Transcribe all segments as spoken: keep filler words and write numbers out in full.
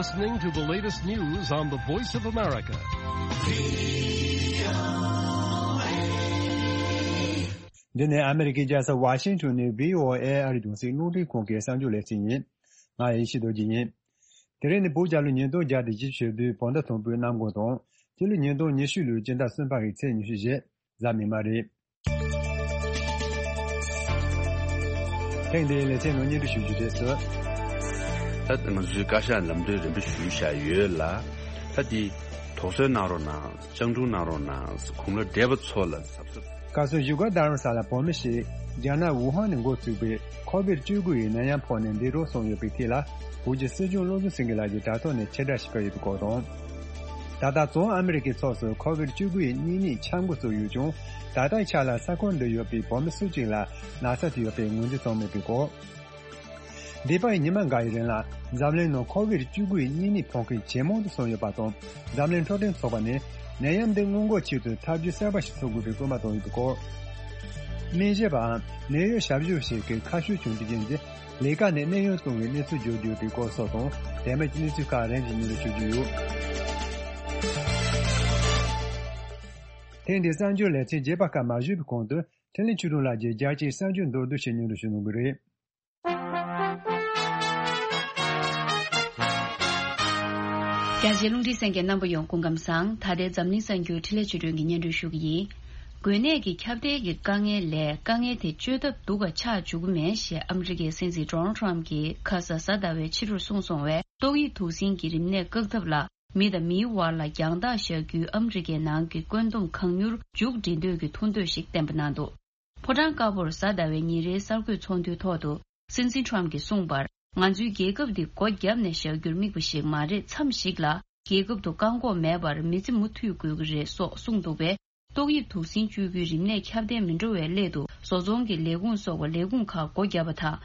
Listening to the latest news on the Voice of America. འདི་ནི་ཨ་མེ་རི་ཀའི་རྒྱལ་ས་ཝ་ཤིང་ཊོན་ནས་བྷི་ཨོ་ཨེ་ཨ་རིའི་རྒྱང་སྲིང་རླུང་འཕྲིན་ཁང་གི་གསར་འགྱུར་ལེ་ཚན་ཡིན། ང་ཡེ་ཤེས་རྡོ་རྗེ་ཡིན། དེ་རིང་ནི་བོད་རྒྱལ་ལོ་ཉིས་སྟོང་བརྒྱ་དང་བཞི་བཅུ་ཞེ་བདུན་བོད་ཟླ་དང་པོའི་གནམ་གང་དང་། སྤྱི་ལོ་ཉིས་སྟོང་ཉི་ཤུ་ལོའི་སྤྱི་ཟླ་གསུམ་པ་གི་ཚེས་ཉི་ཤུ་རེད། གཟའ་མིག་དམར་རེད། ཐེངས་འདིའི་ལེ་ཚན་ནང་སྙན་སྒྲོན་ཞུ་རྒྱུ་རེད་ཟེར། ད་ང་ཚོའི་བཀའ་ཤག་ལམ་སྟོན་རིམ་པ་ཞུས་བཞག་ཡོད་ལ། ད་འདི་དོགས་ཟོན་གནང་རོགས་གནང་། སྤྱང་གྲུང་གནང་རོགས་གནང་། གུང་ལ་བགྲེས་པ་ཚོ་ལ་གཟབ་གཟབ། བཀའ་ཟུར་བཞུགས་སྒར་རྡ་རམ་ས་ལ་བོད་མི་ཞིག་རྒྱ་ནག་ཝུ་ཧན་ནས་འགོ་ཚུགས་པའི་ཁོ་བིད་བཅུ་དགུ་ཡི་ནད་ཡམས་ཕོག་ནས་འདས་གྲོངས་སོང་ཡོད་པའི་ཐད་ལ། བོད་ཀྱི་སྲིད་སྐྱོང་བློ་བཟང་སེང་གེ་ལགས་ཀྱིས་དྲ་ཐོག་ནས་ཕྱིར་བསྒྲགས་ཤིག་ཕུལ་ཡོད་པའི་སྐོར་དང་། ད་ལྟ་བཙོན་ཨ་མི་རི་ཀའི་ཕྱོགས་སུ་ཁོ་བིད་བཅུ་དགུ་ཡི་གཉན་ཉེས་ཁྱབ་འགོ་ཚུགས་ཡོད་ཀྱང་། ད་ལྟའི་ཆ་ལ་ས་ཁོངས་འདིར་ཡོད་པའི་བོད་མི་སུ་གཅིག་ལ་ན་ཚ་དེ་ཡོད་པའི་ངོས་འཛིན་བྱུང་མེད་པའི་སྐོར། འདས་པའི་ཉི་མ་འགའ་ཡི་རིང་ལ་འཛམ་གླིང་ནང་ཁོ་བིད་བཅུ་དགུ་ཡི་གཉན་ཉེས་ཕོག་མཁན་ཇེ་མང་དུ་སོང་ཡོད་པ་དང་། འཛམ་གླིང་འཕྲོད་བསྟེན་ཚོགས་པ་ནས་ནད་ཡམས་འདི་སྔོན་འགོག་ཆེད་དུ་ཐབས་ཇུས་གསར་པ་ཞིག་འཚོལ་དགོས་པའི་སྐུལ་མ་བཏང་ཡོད་པའི་སྐོར། སྨན་ཞབས་པའམ་ནད་གཡོག་ཞབས་ཞུ་ཞིག་གིས་ཁ་ཤུགས་བྱུང་རྒྱུ་རྐྱེན་གྱིས་ལས་ཀ་ནས་གནས་དབྱུང་བཏང་བའི་གནས་ཚུལ་བརྗོད་ཡོད་པའི་སྐོར་སོགས་དང་། དེ་མིན་གྱི་གནས་ཚུལ་ཁག་རིམ་བཞིན་སྙན་སྒྲོན་ཞུ་རྒྱུ་ཡོད། ཐེངས་འདིའི་གསར་འགྱུར་ལེ་ཚན་རྒྱས་པ་ཁག་མ་ཞུས་པའི་གོང་དུ། འཕྲིན་ལས་ཆོས་སྒྲོན་ལགས་ཀྱིས་རྒྱལ་སྤྱིའི་གསར་འགྱུར་མདོར་བསྡུས་ཤིག་སྙན་སྒྲོན་ཞུ་གནང་གི་རེད། རྒྱ་ཆེའི་རླུང་འཕྲིན་གསན་མཁན་རྣམ་པ་ཡོངས་སྐུ་ཁམས་བཟང་། ད་ལྟའི་འཛམ་གླིང་གསར་འགྱུར་འཕྲིན་ལས་ཆོས་སྒྲོན་གྱིས་སྙན་སྒྲོན་ཞུ་གི་ཡིན། འགོས་ནད་ཀྱི་ཁྱབ་གདལ་གྱི་དཀའ་ངལ་ལས་དཀའ་ངལ་དེ་བཅོས་ཐབས་སྡུག་ག་ཆགས་འཇུག་གི་མེད་ཞེས་ཨ་མི་རི་ཀའི་སྲིད་འཛིན་ཌོ་ནལ་ཊམ་གྱིས་ཁ་ས་གཟའ་ཟླ་བའི་ཕྱི་དྲོར་གསུངས་སོང་བས། ཏོག་དབྱིབས་དུག་སྲིན་གྱི་རིམས་ནད་བཀག་ཐབས་ལ་མི་དང་མིའི་དབར་ལ་རྒྱང་ཐག་བཞག་རྒྱུའི་ཨ་མི་རི་ཀའི་ནང་གི་བཀོད་འདོམས་གང་མྱུར་མཇུག་སྒྲིལ་འདོད་ཀྱི་ཐུགས་འདོད་ཞིག་བསྟན་པ་གནང་འདུག་ཕོ་བྲང་དཀར་པོར་གཟའ་ཟླ་བའི་ཉིན་རེའི་གསར་འགོད་ཚོགས་འདུའི་ཐོག་ཏུ་སྲིད་འཛིན་ཊམ་གྱིས་གསུངས་པར། ང་ཚོའི་རྒྱལ་ཁབ་འདི་སྒོ་བརྒྱབ་ནས་བཞག་རྒྱུར་དམིགས་པ་ཞིག་མ་རེད། མཚམས་ཤིག་ལ་རྒྱལ་ཁབ་ཏུ་བཀག་འགོག་མེད་པར་མི་ཚེ་མུ་མཐུད་དགོས་ཀྱི་རེད་སོགས་གསུངས་འདུག་པས། ཏོག་དབྱིབས་དུག་སྲིན་བཅོས་རྒྱུའི་རིམས་ནད་ཁྱབ་གདལ་མི་འགྲོ་བའི་སླད་དུ་བཟོ་ཚོང་གི་ལས་ཁུངས་སོགས་པ་ལས་ཁུངས་ཁག་སྒོ་བརྒྱབ་པ་དང་།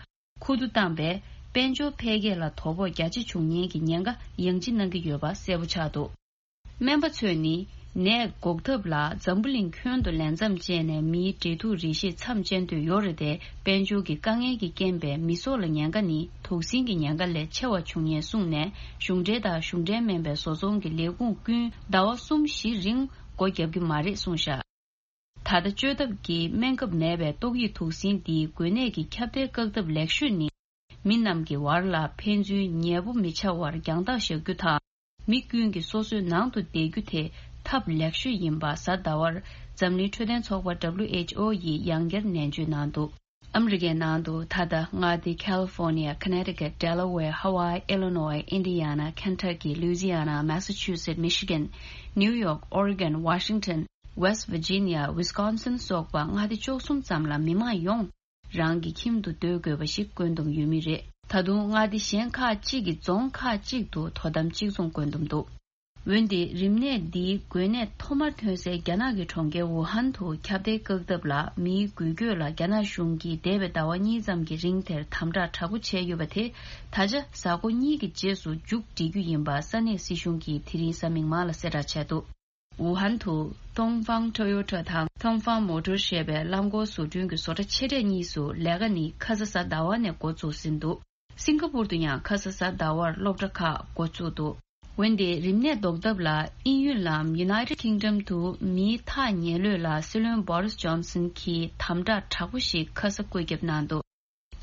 ཁུ་བསྡུ་བཏང་བས་དཔལ་འབྱོར་འཕེལ་རྒྱས་ལ་དོ་ཕོག་རྒྱ་ཆེ་འབྱུང་ཉེན་གྱི་ཉེན་ཁ་ཡང་ལྗིད་གནང་གི་ཡོད་པ་གསལ་པོ་ཆགས་འདུག་སྨན་པ་ཚོས་ནི་ནད་འགོག་ཐབས་ལ་འཛམ་བུ་གླིང་ཁྱོན་དུ་ལས་མཚམས་བཅད་ནས་མིའི་འབྲེལ་ཐུག་རིགས་ཤེས་མཚམས་བཅད་འདོད་ཡོད་རེད་དེ། དཔལ་འབྱོར་གྱི་དཀའ་ངལ་གྱི་རྐྱེན་པས་མི་སྲོག་ལ་ཉེན་ཁ་ནི་དུག་སྲིན་གྱི་ཉེན་ཁ་ལས་ཆེ་བ་འབྱུང་ཉེན་གསུངས་ནས། གཞུང་འབྲེལ་དང་གཞུང་འབྲེལ་མིན་པའི་བཟོ་ཚོང་གི་ལས་ཁུངས་ཀུན་ཟླ་བ་གསུམ་བཞི་རིང་སྒོ་བརྒྱབ་ཀྱི་མ་རེད་གསུངས་བཞག་ད་ལྟ་བཅོས་ཐབས་ཀྱི་སྨན་ཁབ་མེད་པས་ཏོག་དབྱིབས་དུག་སྲིན་འདིའི་འགོས་ནད་ཀྱི་ཁྱབ་གདལ་བཀག་ཐབས་ལེགས་ཤོས་ནི། མི་རྣམས་ཀྱི་བར་ལ་ཕན་ཚུན་ཉེ་པོ་མི་ཆགས་པར་རྒྱང་ཐག་བཞག་རྒྱུ་དང་། མི་ཀུན་གྱིས་སོ་སོའི་ནང་དུ་བསྡད་རྒྱུ་དེ་ཐབས་ལེགས་ཤོས་ཡིན་པ་གཟའ་ཟླ་བར་འཛམ་གླིང་འཕྲོད་བསྟེན་ཚོགས་པ་W H O ཡིས་ཡང་བསྐྱར་ནན་བརྗོད་གནང་འདུག་ཨ་མི་རི་ཀའི་ནང་དུ་ད་ལྟ་མངའ་སྡེ་California, Connecticut, Delaware, Hawaii, Illinois, Indiana, Kentucky, Louisiana, Massachusetts, Michigan, New York, Oregon, Washington, West Virginia, Wisconsin སོགས་པ་མངའ་སྡེ་བཅུ་གསུམ་ཙམ་ལ་མི་མང་ཡོངས་རང་གི་ཁྱིམ་དུ་སྡོད་དགོས་པ་ཞིག་བཀོད་འདོམས་ཡོད་མུས་རེད། ད་དུང་མངའ་སྡེ་གཞན་ཁག་ཅིག་གི་རྫོང་ཁག་ཅིག་ཏུ་དོ་དམ་གཅིག་མཚུངས་བཀོད་འདོམས་འདུག་འོན་ཏེ་རིམས་ནད་འདིའི་འགོས་ནད་ཐོག་མར་ཐོན་སའི་རྒྱ་ནག་གི་གྲོང་ཁྱེར་ཝུ་ཧན་དུ་ཁྱབ་གདལ་བཀག་ཐབས་ལ་མིའི་འགུལ་སྐྱོད་ལ་རྒྱ་ནག་གཞུང་གིས་འདས་པའི་ཟླ་བ་གཉིས་ཙམ་གྱི་རིང་དེར་དམ་དྲག་དྲག་པོ་བྱས་ཡོད་པ་དེ་ད་ཆ་གཟའ་འཁོར་གཉིས་ཀྱི་རྗེས་སུ་མཇུག་སྒྲིལ་རྒྱུ་ཡིན་པ་ས་གནས་སྲིད་གཞུང་གིས་དེ་རིང་གཟའ་མིག་དམར་ལ་གསལ་བསྒྲགས་བྱས་འདུག་ཝུ་ཧན་དུ་ཏོང་ཧྥང་ཊོ་ཡོ་ཊ་དང་ཏོང་ཧྥང་མོ་ཊར་ཞེས་པའི་རླངས་འཁོར་བཟོ་སྐྲུན་གྱི་བཟོ་གྲྭ་ཆེ་གྲས་གཉིས་སུ་ལས་ཀ་ནི་ཁ་ས་གཟའ་ཟླ་བ་ནས་འགོ་བཙུགས་ཟིན་འདུག་སིང་ག་པུར་དུ་ཡང་ཁ་ས་གཟའ་ཟླ་བར་སློབ་གྲྭ་ཁག་འགོ་བཙུགས་འདུག་འོན་ཏེ་རིམས་ནད་ཟློག་ཐབས་ལ་དབྱིན་ཡུལ་ལམ་United Kingdom དུ་མིའི་ཐག་ཉེ་ལོས་ལ་སྲིད་བློན་Boris Johnson གྱིས་དམ་དྲག་དྲག་པོ་ཞིག་ཁ་ས་བཀོད་ཁྱབ་གནང་འདུག་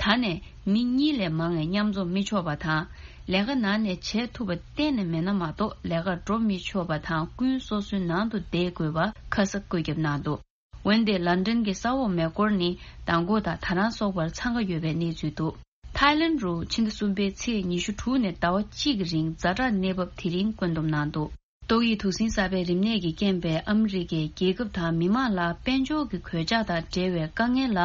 ད་ནས་མི་གཉིས་ལས་མང་བའི་མཉམ་འཛོམས་མི་ཆོག་པ་དང་། ལས་ཀ་ནང་ནས་བྱེད་ཐུབ་པ་གཏན་ནས་མེད་ན་མ་གཏོགས་ལས་ཀར་འགྲོ་མི་ཆོག་པ་དང་། ཀུན་སོ་སོའི་ནང་དུ་བསྡད་དགོས་པ་ཁ་ས་བཀོད་ཁྱབ་གནང་འདུག་འོན་ཏེ་ལན་ཀྲན་གྱི་ས་འོག་མེ་འཁོར་ནི་མདང་དགོང་དང་ད་རང་སོགས་པར་འཚང་ཁ་ཡོད་པའི་གནས་ཚུལ་འདུག་ཐའི་ལན་རུ་ཕྱི་ཟླ་གསུམ་པའི་ཚེས་ཉི་ཤུ་དྲུག་ནས་ཟླ་བ་གཅིག་གི་རིང་ཛ་དྲག་གནས་བབ་དེ་རིང་བཀོད་འདོམས་གནང་འདུག་ཏོག་དབྱིབས་དུག་སྲིན་གསར་པའི་རིམས་ནད་ཀྱི་རྐྱེན་པས་ཨ་མི་རི་ཀའི་རྒྱལ་ཁབ་དང་མི་མང་ལ་དཔལ་འབྱོར་གྱི་གོད་ཆག་དང་འབྲེལ་བའི་དཀའ་ངལ་ལ་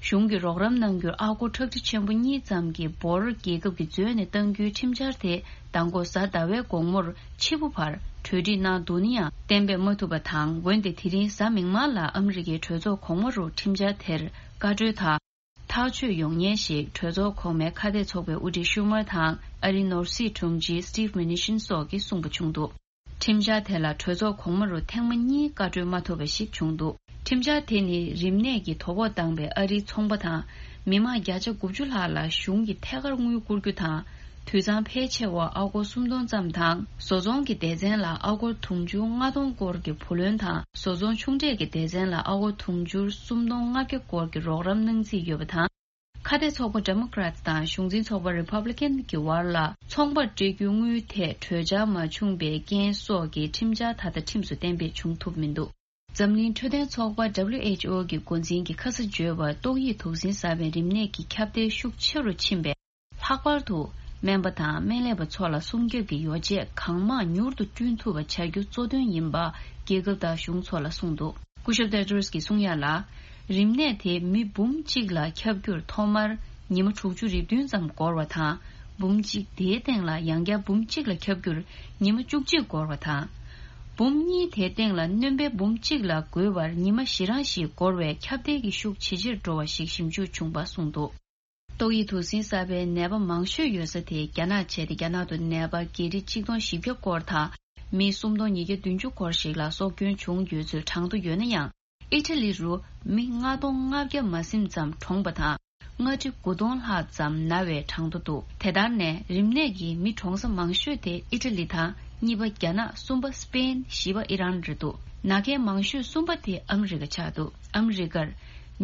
གཞུང་གིས་རོགས་རམ་གནང་རྒྱུར་ཨ་སྒོར་ཁྲག་ཁྲིག་ཆེན་པོ་གཉིས་ཙམ་གྱི་འབོར་རྒྱལ་ཁབ་ཀྱིས་འཛོལ་ནས་གཏང་རྒྱུའི་ཁྲིམས་འཆར་དེ་མདང་དགོང་གཟའ་ཟླ་བའི་དགོང་མོར་ཕྱི་པོ་བར་གྲོས་འགྲིག་གནང་འདུག་ན་ཡང་གཏན་འབེབས་མ་ཐུབ་པ་དང་། འོན་ཏེ་དེ་རིང་གཟའ་མིག་དམར་ལ་ཨ་མི་རི་ཀའི་གྲོས་ཚོགས་གོང་མ་རུ་ཁྲིམས་འཆར་དེར་བཀའ་འཁྲོལ་དང་། ཐག་གཅོད་ཡོང་ཉེན་ཞིག་གྲོས་ཚོགས་གོང་མའི་ཁ་གཏད་ཚོགས་པའི་དབུ་ཁྲིད་ཤུ་མར་དང་ཨ་རིའི་ནོར་སྲིད་དྲུང་ཆེ་Steve Mnuchin སོགས་ཀྱིས་གསུངས་པ་བྱུང་འདུག་ཁྲིམས་འཆར་དེ་ལ་གྲོས་ཚོགས་གོང་མ་རུ་ཐེངས་མ་གཉིས་བཀའ་འཁྲོལ་མ་ཐོབ་པ་ཞིག་བྱུང་འདུག་ཁྲིམས་འཆར་དེ་ནི་རིམས་ནད་ཀྱིས་དོ་ཕོག་བཏང་པའི་ཨ་རིའི་ཚོང་པ་དང་མི་མང་བརྒྱ་ཆ་དགུ་བཅུ་ལྷག་ལ་གཞུང་གིས་ཐད་ཀར་དངུལ་བསྐུར་རྒྱུ་དང་ དུད་ཚང་ཕལ་ཆེ་བ་ཨ་སྒོར་སུམ་སྟོང་ཙམ་དང་། བཟོ་ཚོང་གི་སྡེ་ཚན་ལ་ཨ་སྒོར་དུང་ཕྱུར་ལྔ་སྟོང་སྐོར་གྱི་བུ་ལོན་དང་། བཟོ་ཚོང་ཆུང་གྲས་ཀྱི་སྡེ་ཚན་ལ་ཨ་སྒོར་དུང་ཕྱུར་སུམ་སྟོང་ལྔ་བརྒྱ་སྐོར་གྱི་རོགས་རམ་གནང་རྩིས་ཡོད་པ་དང་། ཁ་གཏད་ཚོགས་པ་Democrats་དང་གཞུང་འཛིན་ཚོགས་པ་Republican་གྱི་བར་ལ་ཚོང་པར་སྤྲད་རྒྱུའི་དངུལ་ཐད་གྲོས་འཆར་མ་བྱུང་པའི་རྐྱེན་སོགས་ཀྱི་ཁྲིམས་འཆར་ད་ལྟ་ཁྲིམས་སུ་གཏན་འབེབས་བྱུང་ཐུབ་མི་འདུག་འཛམ་གླིང་འཕྲོད་བསྟེན་ཚོགས་པ་WHO་གི་འགོ་འཛིན་གྱིས་ཁ་ས་འཇོལ་བར་ཏོག་དབྱིབས་དུག་སྲིན་གསར་པའི་རིམས་ནད་ཀྱི་ཁྱབ་གདལ་ཤུགས་ཆེ་རུ་ཕྱིན་པས། ལྷག་པར་དུ་སྨན་པ་དང་སྨན་ལས་པ་ཚོ་ལ་སྲུང་སྐྱོབ་ཀྱི་ཡོ་བྱད་གང་མང་མྱུར་དུ་བསྐྲུན་ཐུབ་པ་བྱ་རྒྱུ་གཙོ་དོན་ཡིན་པ་རྒྱལ་ཁབ་དང་གཞུང་ཚོ་ལ་གསུངས་འདུག་སྐུ་ཞབས་Tedros་གིས་གསུང་ཡ་ལ། རིམས་ནད་དེ་མི་འབུམ་གཅིག་ལ་ཁྱབ་རྒྱུར་ཐོག་མར་ཉི་མ་དྲུག་ཅུ་རེ་བདུན་ཙམ་འགོར་བ་དང་། འབུམ་གཅིག་དེའི་སྟེང་ལ་ཡང་བསྐྱར་འབུམ་གཅིག་ལ་ཁྱབ་རྒྱུར་ཉི་མ་བཅུ་གཅིག་འགོར་བ་དང་། འབུམ་གཉིས་དེའི་སྟེང་ལ་སྣོན་པ་འབུམ་གཅིག་ལ་འགོས་པར་ཉི་མ་བཞི་རང་ཞིག་འགོར་བས་ཁྱབ་གདལ་གྱི་ཤུགས་ཇེ་ཆེར་འགྲོ་བ་ཞིག་ཞིབ་འཇུག་བྱུང་བ་གསུངས་འདུག་ཏོག་དབྱིབས་དུག་སྲིན་གསར་པའི་ནད་པ་མང་ཤོས་ཡོད་ས་དེ་རྒྱ་ནག་བྱས་ཏེ། རྒྱ་ནག་ཏུ་ནད་པ་བརྒྱ་ཁྲི་གཅིག་སྟོང་བཞི་བརྒྱ་སྐོར་དང་། མི་སུམ་སྟོང་ཉིས་བརྒྱ་བདུན་ཅུ་སྐོར་ཞིག་ལ་སྲོག་སྐྱོན་བྱུང་ཡོད་ཚུལ་གྲངས་ཐོ་ཡོད་ན་ཡང་། ཨི་ཊ་ལི་རུ་མི་ལྔ་སྟོང་ལྔ་བརྒྱ་མ་ཟིན་ཙམ་གྲོངས་པ་དང་། ལྔ་ཁྲི་དགུ་སྟོང་ལྷག་ཙམ་ན་བའི་གྲངས་ཐོ་འདུག་དེ་ལྟར་ནས་རིམས་ནད་ཀྱི་མི་གྲོངས་ས་མང་ཤོས་དེ་ཨི་ཊ་ལི་དང་། གཉིས་པ་རྒྱ་ནག་གསུམ་པ་སི་པེན། བཞི་པ་ཨི་རན་རེད་འདུག་ན་མཁན་མང་ཤོས་གསུམ་པ་དེ་ཨ་མི་རི་ཀ་ཆགས་འདུག་ཨ་མི་རི་ཀར་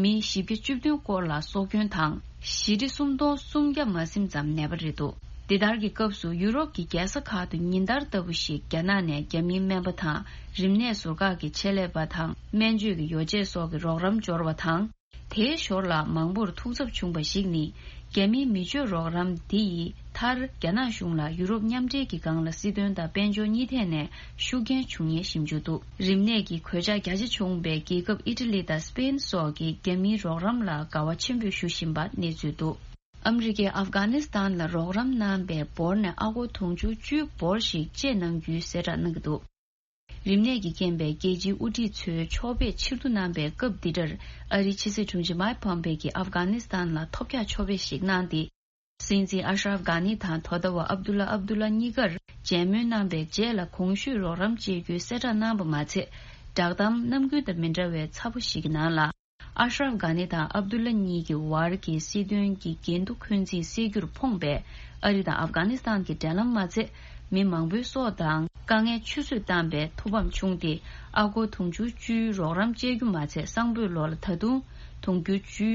མི་བཞི་བརྒྱ་བཅུ་བདུན་སྐོར་ལ་སྲོག་སྐྱོན་དང་། བཞི་ཁྲི་སུམ་སྟོང་སུམ་བརྒྱ་མ་ཟིན་ཙམ་ནད་པ་རེད་འདུག་འདི་ལྟར་གྱི་སྐབས་སུ་ཡུ་རོབ་ཀྱི་རྒྱལ་ས་ཁག་ཏུ་ཉིན་ལྟར་ལྟ་བུ་ཞིག་རྒྱ་ནག་ནས་རྒྱ་མིའི་སྨན་པ་དང་། རིམས་ནད་ཟུར་བཀག་གི་ཆེད་ལས་པ་དང་། སྨན་བཅོས་ཀྱི་ཡོ་བྱད་སོགས་ཀྱི་རོགས་རམ་འབྱོར་བ་དང་། དེའི་ཞོར་ལ་མང་པོར་ཐུགས་འཚབ་བྱུང་བ་ཞིག་ནི། རྒྱ་མིའི་མི་སྤྱོད་རོགས་རམ་འདི་ཡིས་མཐར་རྒྱ་ནག་གཞུང་ལ་ཡུ་རོབ་མཉམ་འབྲེལ་གྱི་སྒང་ལ་སྲིད་དོན་དང་དཔལ་འབྱོར་གཉིས་ཐད་ནས་ཤུགས་རྐྱེན་བྱུང་ངེས་ཞིབ་འཇུག་འདུག་རིམས་ནད་ཀྱི་གོད་ཆག་རྒྱ་ཆེ་བྱུང་བའི་རྒྱལ་ཁབ་ཨི་ཊ་ལི་དང་སི་པེན་སོགས་ཀྱིས་རྒྱ་མིའི་རོགས་རམ་ལ་དགའ་བ་ཆེན་པོས་ཞུ་བཞིན་པ་གནས་ཚུལ་འདུག་ཨ་མི་རི་ཀས་ཨབ་གྷ་ནི་སི་ཐན་ལ་རོགས་རམ་གནང་བའི་འབོར་ནས་ཨ་སྒོར་དུང་ཕྱུར་བཅུའི་འབོར་ཞིག་བཅད་གནང་རྒྱུའི་གསལ་བསྒྲགས་གནང་གི་འདུག་རིམས་ནད་ཀྱི་རྐྱེན་པས་རྒྱལ་སྤྱིའི་དབུ་ཁྲིད་ཚོས་ཕྱོགས་ཕེབས་ཕྱིར་བསྡུ་གནང་པའི་སྐབས་འདི་འདྲར། ཨ་རིའི་ཕྱི་སྲིད་དྲུང་ཆེ་མཱིག་ཕོམ་པེ་གྱིས་ཨབ་གྷ་ནི་སི་ཐན་ལ་ཐོབ་རྒྱག་ཕྱོགས་ཕེབས་ཤིག་གནང་སྟེ། སྲིད་འཛིན་ཨ་ཤ་རབ་གྷ་ནི་དང་དོ་བདག་པ་ཨབ་དུ་ལ་ཨབ་དུ་ལ་གཉིས་ཀར་མཇལ་མོལ་གནང་པའི་རྗེས་ལ་གོང་ཞུས་རོགས་རམ་བྱེད་རྒྱུའི་གསལ་བསྒྲགས་གནང་བ་མ་ཚད། བསྒྲགས་གཏམ་ནམ་རྒྱུན་དང་མི་འདྲ་བའི་ཚ་པོ་ཞིག་གི་ནང་ལ། ཨ་ཤ་རབ་གྷ་ནི་དང་ཨབ་དུ་ལ་གཉིས་ཀྱི་བར་གྱི་སྲིད་དོན་གྱི་འགལ་འདུ་འཁོན་འཛིན་སེལ་རྒྱུར་ཕོངས་པས། ཨ་རི་དང་ཨབ་གྷ་ནི་སི་ཐན་གྱི་འབྲེལ་ལམ་མ་ཚད། མི་མང་པོའི་སྲོག་དང་དཀའ་ངལ་ཆུད་ཟོས་བཏང་པའི་ཐུགས་ཕམ་བྱུང་སྟེ། ཨ་སྒོར་དུང་ཕྱུར་བཅུའི་རོགས་རམ་བཅད་རྒྱུ་མ་ཚད། སང་ཕོད་ལོ་ལ་ད་དུང་དུང་ཕྱུར་བཅུའི་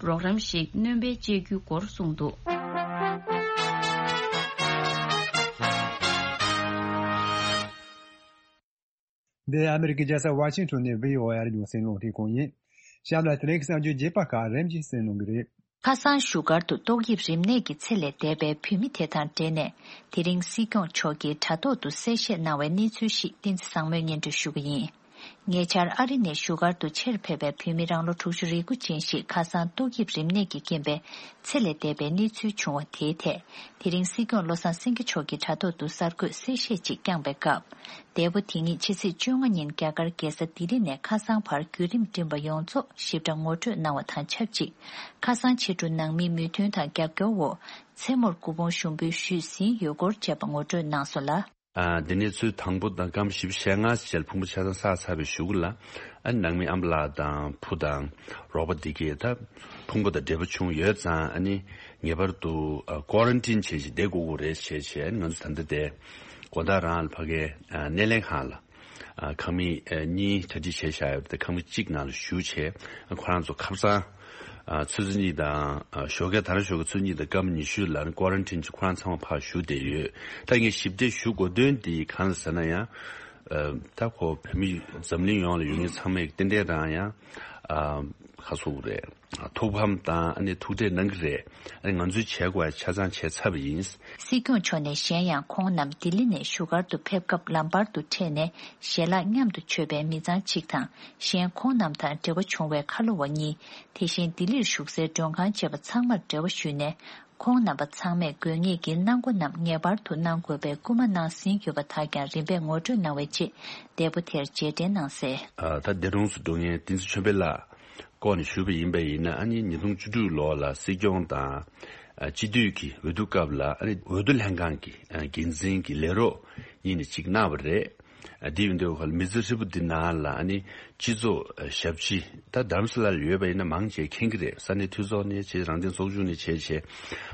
རོགས་རམ་ཞིག་སྣོན་པ་བཅད་རྒྱུའི་སྐོར་གསུངས་འདུག་འདི་ཨ་མི་རི་ཀའི་རྒྱལ་ས་ཝ་ཤིང་ཊོན་ནས་བྷི་ཨོ་ཨེ་རེ་ཡོང་སེང་ལུང་ཐིང་ཁོང་ཡིན། གཤམ་ལ་དེ་རིང་གི་གསར་འགྱུར་རྒྱས་པ་ཁག་རིམ་བཞིན་གསན་གནང་གི་རེད། ཁ་སང་བཞུགས་སྒར་དུ་ཏོག་དབྱིབས་རིམས་ནད་ཀྱི་ཚེ་ལས་འདས་པའི་བོད་མི་དེ་དང་འབྲེལ་ནས། དེ་རིང་སྲིད་སྐྱོང་མཆོག་གིས་དྲ་ཐོག་ཏུ་གསལ་བཤད་གནང་བའི་གནས་ཚུལ་ཞིག་བསྟན་འཛིན་བཟང་མོས་སྙན་སྒྲོན་ཞུ་གི་ཡིན། ཉེ་ཆར་ཨ་རི་ནས་བཞུགས་སྒར་དུ་ཆེད་ཕེབས་པའི་བོད་མི་རང་ལོ་དྲུག་ཅུ་རེ་དགུ་ཅན་ཞིག་ཁ་སང་ཏོག་དབྱིབས་རིམས་ནད་ཀྱི་རྐྱེན་པས་ཚེ་ལས་འདས་པའི་གནས་ཚུལ་བྱུང་བ་དེའི་ཐད། དེ་རིང་སྲིད་སྐྱོང་བློ་བཟང་སེང་གེ་མཆོག་གིས་དྲ་ཐོག་ཏུ་གསར་འགོད་གསལ་བཤད་ཅིག་བསྐྱངས་པའི་སྐབས། འདས་པོ་དེ་ཉིད་ཕྱི་ཚེས་བཅོ་ལྔ་ཉིན་རྒྱ་གར་རྒྱལ་ས་ལྡི་ལི་ནས་ཁ་སང་བར་བརྒྱུད་རིམ་བསྒྲིམས་པ་ཡོངས་རྫོགས་ཞིབ་ཕྲ་ངོ་སྤྲོད་གནང་བ་དང་ཆབས་ཅིག་ཁ་སང་ཕྱི་དྲོ་ནང་མིའི་མོས་མཐུན་དང་རྒྱབ་སྐྱོར་འོག་མཚན་མོར་སྐུ་ཕུང་ཞུགས་འབུལ་ཞུས་ཟིན་ཡོད་སྐོར་བཅས་པ་ངོ་སྤྲོད་གནང་སོང་ལ། ཨ། འདི་ནས་ཚུར་དང་པོ་དང་སྐར་མ་བཞི་བཅུ་ཞེ་ལྔ་ཙམ་ཕུང་པོ་ཆ་ཚང་བསགས་ཚར་བའི་གཞུག་ལ། ཨ། ནང་མི་ཨ་མ་ལགས་དང་བུ་དང་རོགས་པ་འདི་གས་ད་ཕུང་པོ་དང་འབྲེལ་བ་བྱུང་ཡོད་ཙང་། ཨ་ནི་ངེས་པར་དུ་ཨ་ཀོ་རན་ཊིན་བྱས་ཤིག་བསྡད་དགོས་ཀྱི་རེད་བྱས་བྱས། ཨ་ནི་ང་ཚོ་ད་ལྟ་དེ་དགོང་དག་རང་ལ་ཕ་གའི་ཨ་སྣེ་ལེན་ཁང་ལ། ཨ། ཁང་མིག་ཨ་གཉིས་གྲ་སྒྲིག་བྱས་བཞག་ཡོད་པ་དེ་ཁང་མིག་གཅིག་ནང་ལ་བཞུགས་བྱས། ཨ། ཁོ་རང་ཚོ་ཁ་སང་ཨ་ཆུ་ཚོད་གཉིས་དང་ཨ་ཞོགས་ཀས། ད་རང་ཞོགས་ཀས་ཆུ་ཚོད་གཉིས་དང་སྐར་མ་ཉི་ཤུ་ལ་ནི་ཀོ་རན་ཊིན་གྱིས་ཁོ་རང་ཚང་མ་ཕར་བཞུགས་བསྡད་ཡོད། ད་ངས་ཞིབ་ཕྲ་ཞུ་དགོས་དོན་དེ་གང་ལ་ཟེར་ན་ཡང་། ཨ། ད་ཁོ་བོད་མི་འཛམ་གླིང་ཡོངས་ལ་ཡོད་མཁན་ཚང་མས་ཏན་ཏན་རང་ཡང་ཨ་ཁ་སོ་རེད། ཐུགས་ཕམ་དང་ཨ་ནི་ཐུགས་ཁྲལ་གནང་གི་རེད། ཨ་ནི་ང་ཚོས་བྱེད་དགོས་ཡ་ཆ་ཚང་བྱས་ཚར་བ་ཡིན། སྲིད་སྐྱོང་མཆོག་ནས་གཞན་ཡང་ཁོང་རྣམས་ལྡི་ལི་ནས་བཞུགས་སྒར་དུ་ཕེབས་སྐབས་ལམ་བར་དུ་འཕྲད་ནས་ཞལ་ལག་མཉམ་དུ་མཆོད་པའི་མི་ཚང་གཅིག་དང་། གཞན་ཁོང་རྣམས་དང་འབྲེལ་བ་བྱུང་བའི་ཁ་ལོ་བ་གཉིས། དེ་བཞིན་ལྡི་ལིར་བཞུགས་སའི་མགྲོན་ཁང་བཅས་པ་ཚང་མར་འབྲེལ་བ་ཞུས་ནས། ཁོང་རྣམ་པ་ཚང་མས་དགོས་ངེས་ཀྱི་གནང་སྒོ་རྣམས་ངེས་པར་དུ་གནང་དགོས་པའི་སྐུལ་མ་གནང་ཟིན་ཡོད་པ་དག་ཀྱང་རིམ་པས་ངོ་སྤྲོད་གནང་བའི་རྗེས། འདས་པོ་དེར་རྗེས་དྲན་གནང་གསལ། ཨ། ད་འདས་གྲོངས་སུ་འགྲོ་མཁན་བསྟན་འཛིན་ཆོས་འཕེལ་ལགས་སྐོར་ནས་ཞུས་པ་ཡིན་པ་ཡིན་ན། ཨ་ནི་ཉིས་སྟོང་བཅུ་དྲུག་ལོ་ལ་སྲིད་སྐྱོང་དང་ཨ་སྤྱི་འཐུས་ཀྱི་འོས་བསྡུ་སྐབས་ལ། ཨ་ནི་འོས་བསྡུ་ལྷན་ཁང་གི་ཨ་འགན་འཛིན་གྱི་ལས་རོགས་གཉིས་ནས་གཅིག་གནང་བ་རེད། ཨ་འདི་ཡིན་དུས་ཁོ་ལ་མི་ཚེ་ཧྲིལ་པོ་འདི་ནང་ལ་ཨ་ནི་སྤྱི་ཚོགས་ཨ་ཞབས་ཕྱི་ད་རྡ་རམ་ས་ལ་ལ་ཡོད་པ་ཡིན་ན་མང་ཆེ་མཁྱེན་གྱི་རེད། ས་གནས་འཐུས་ཚོགས་ནས་བྱས་རང་བཙན་ཚོགས་ཆུང་ནས་བྱས་བྱས་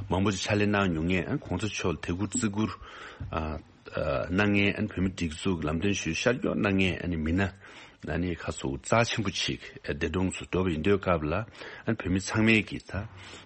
མང་པོ་ཅིག་ཕྱག་ལས་གནང་མྱོང་མཁན་ཨ་གོང་ས་མཆོག་ལ་དད་བཀུར་བརྩི་བཀུར་ཨ་ཨ་གནང་མཁན་ཨ་བོད་མི་སྒྲིག་འཛུགས་ལམ་སྟོན་ཞུས་ཤར་སྐྱོད་གནང་མཁན་ཨ་ནི་མི་སྣ་ཨ་ནི་ཁ་སོ་རྩ་ཆེན་པོ་ཅིག་ཨ་འདས་གྲོངས་སུ་འགྲོ་བ་ཡིན་དུས་སྐབས་ལ་ཨ་ནི་བོད་མི་ཚང་མས་ཀྱིས་ད་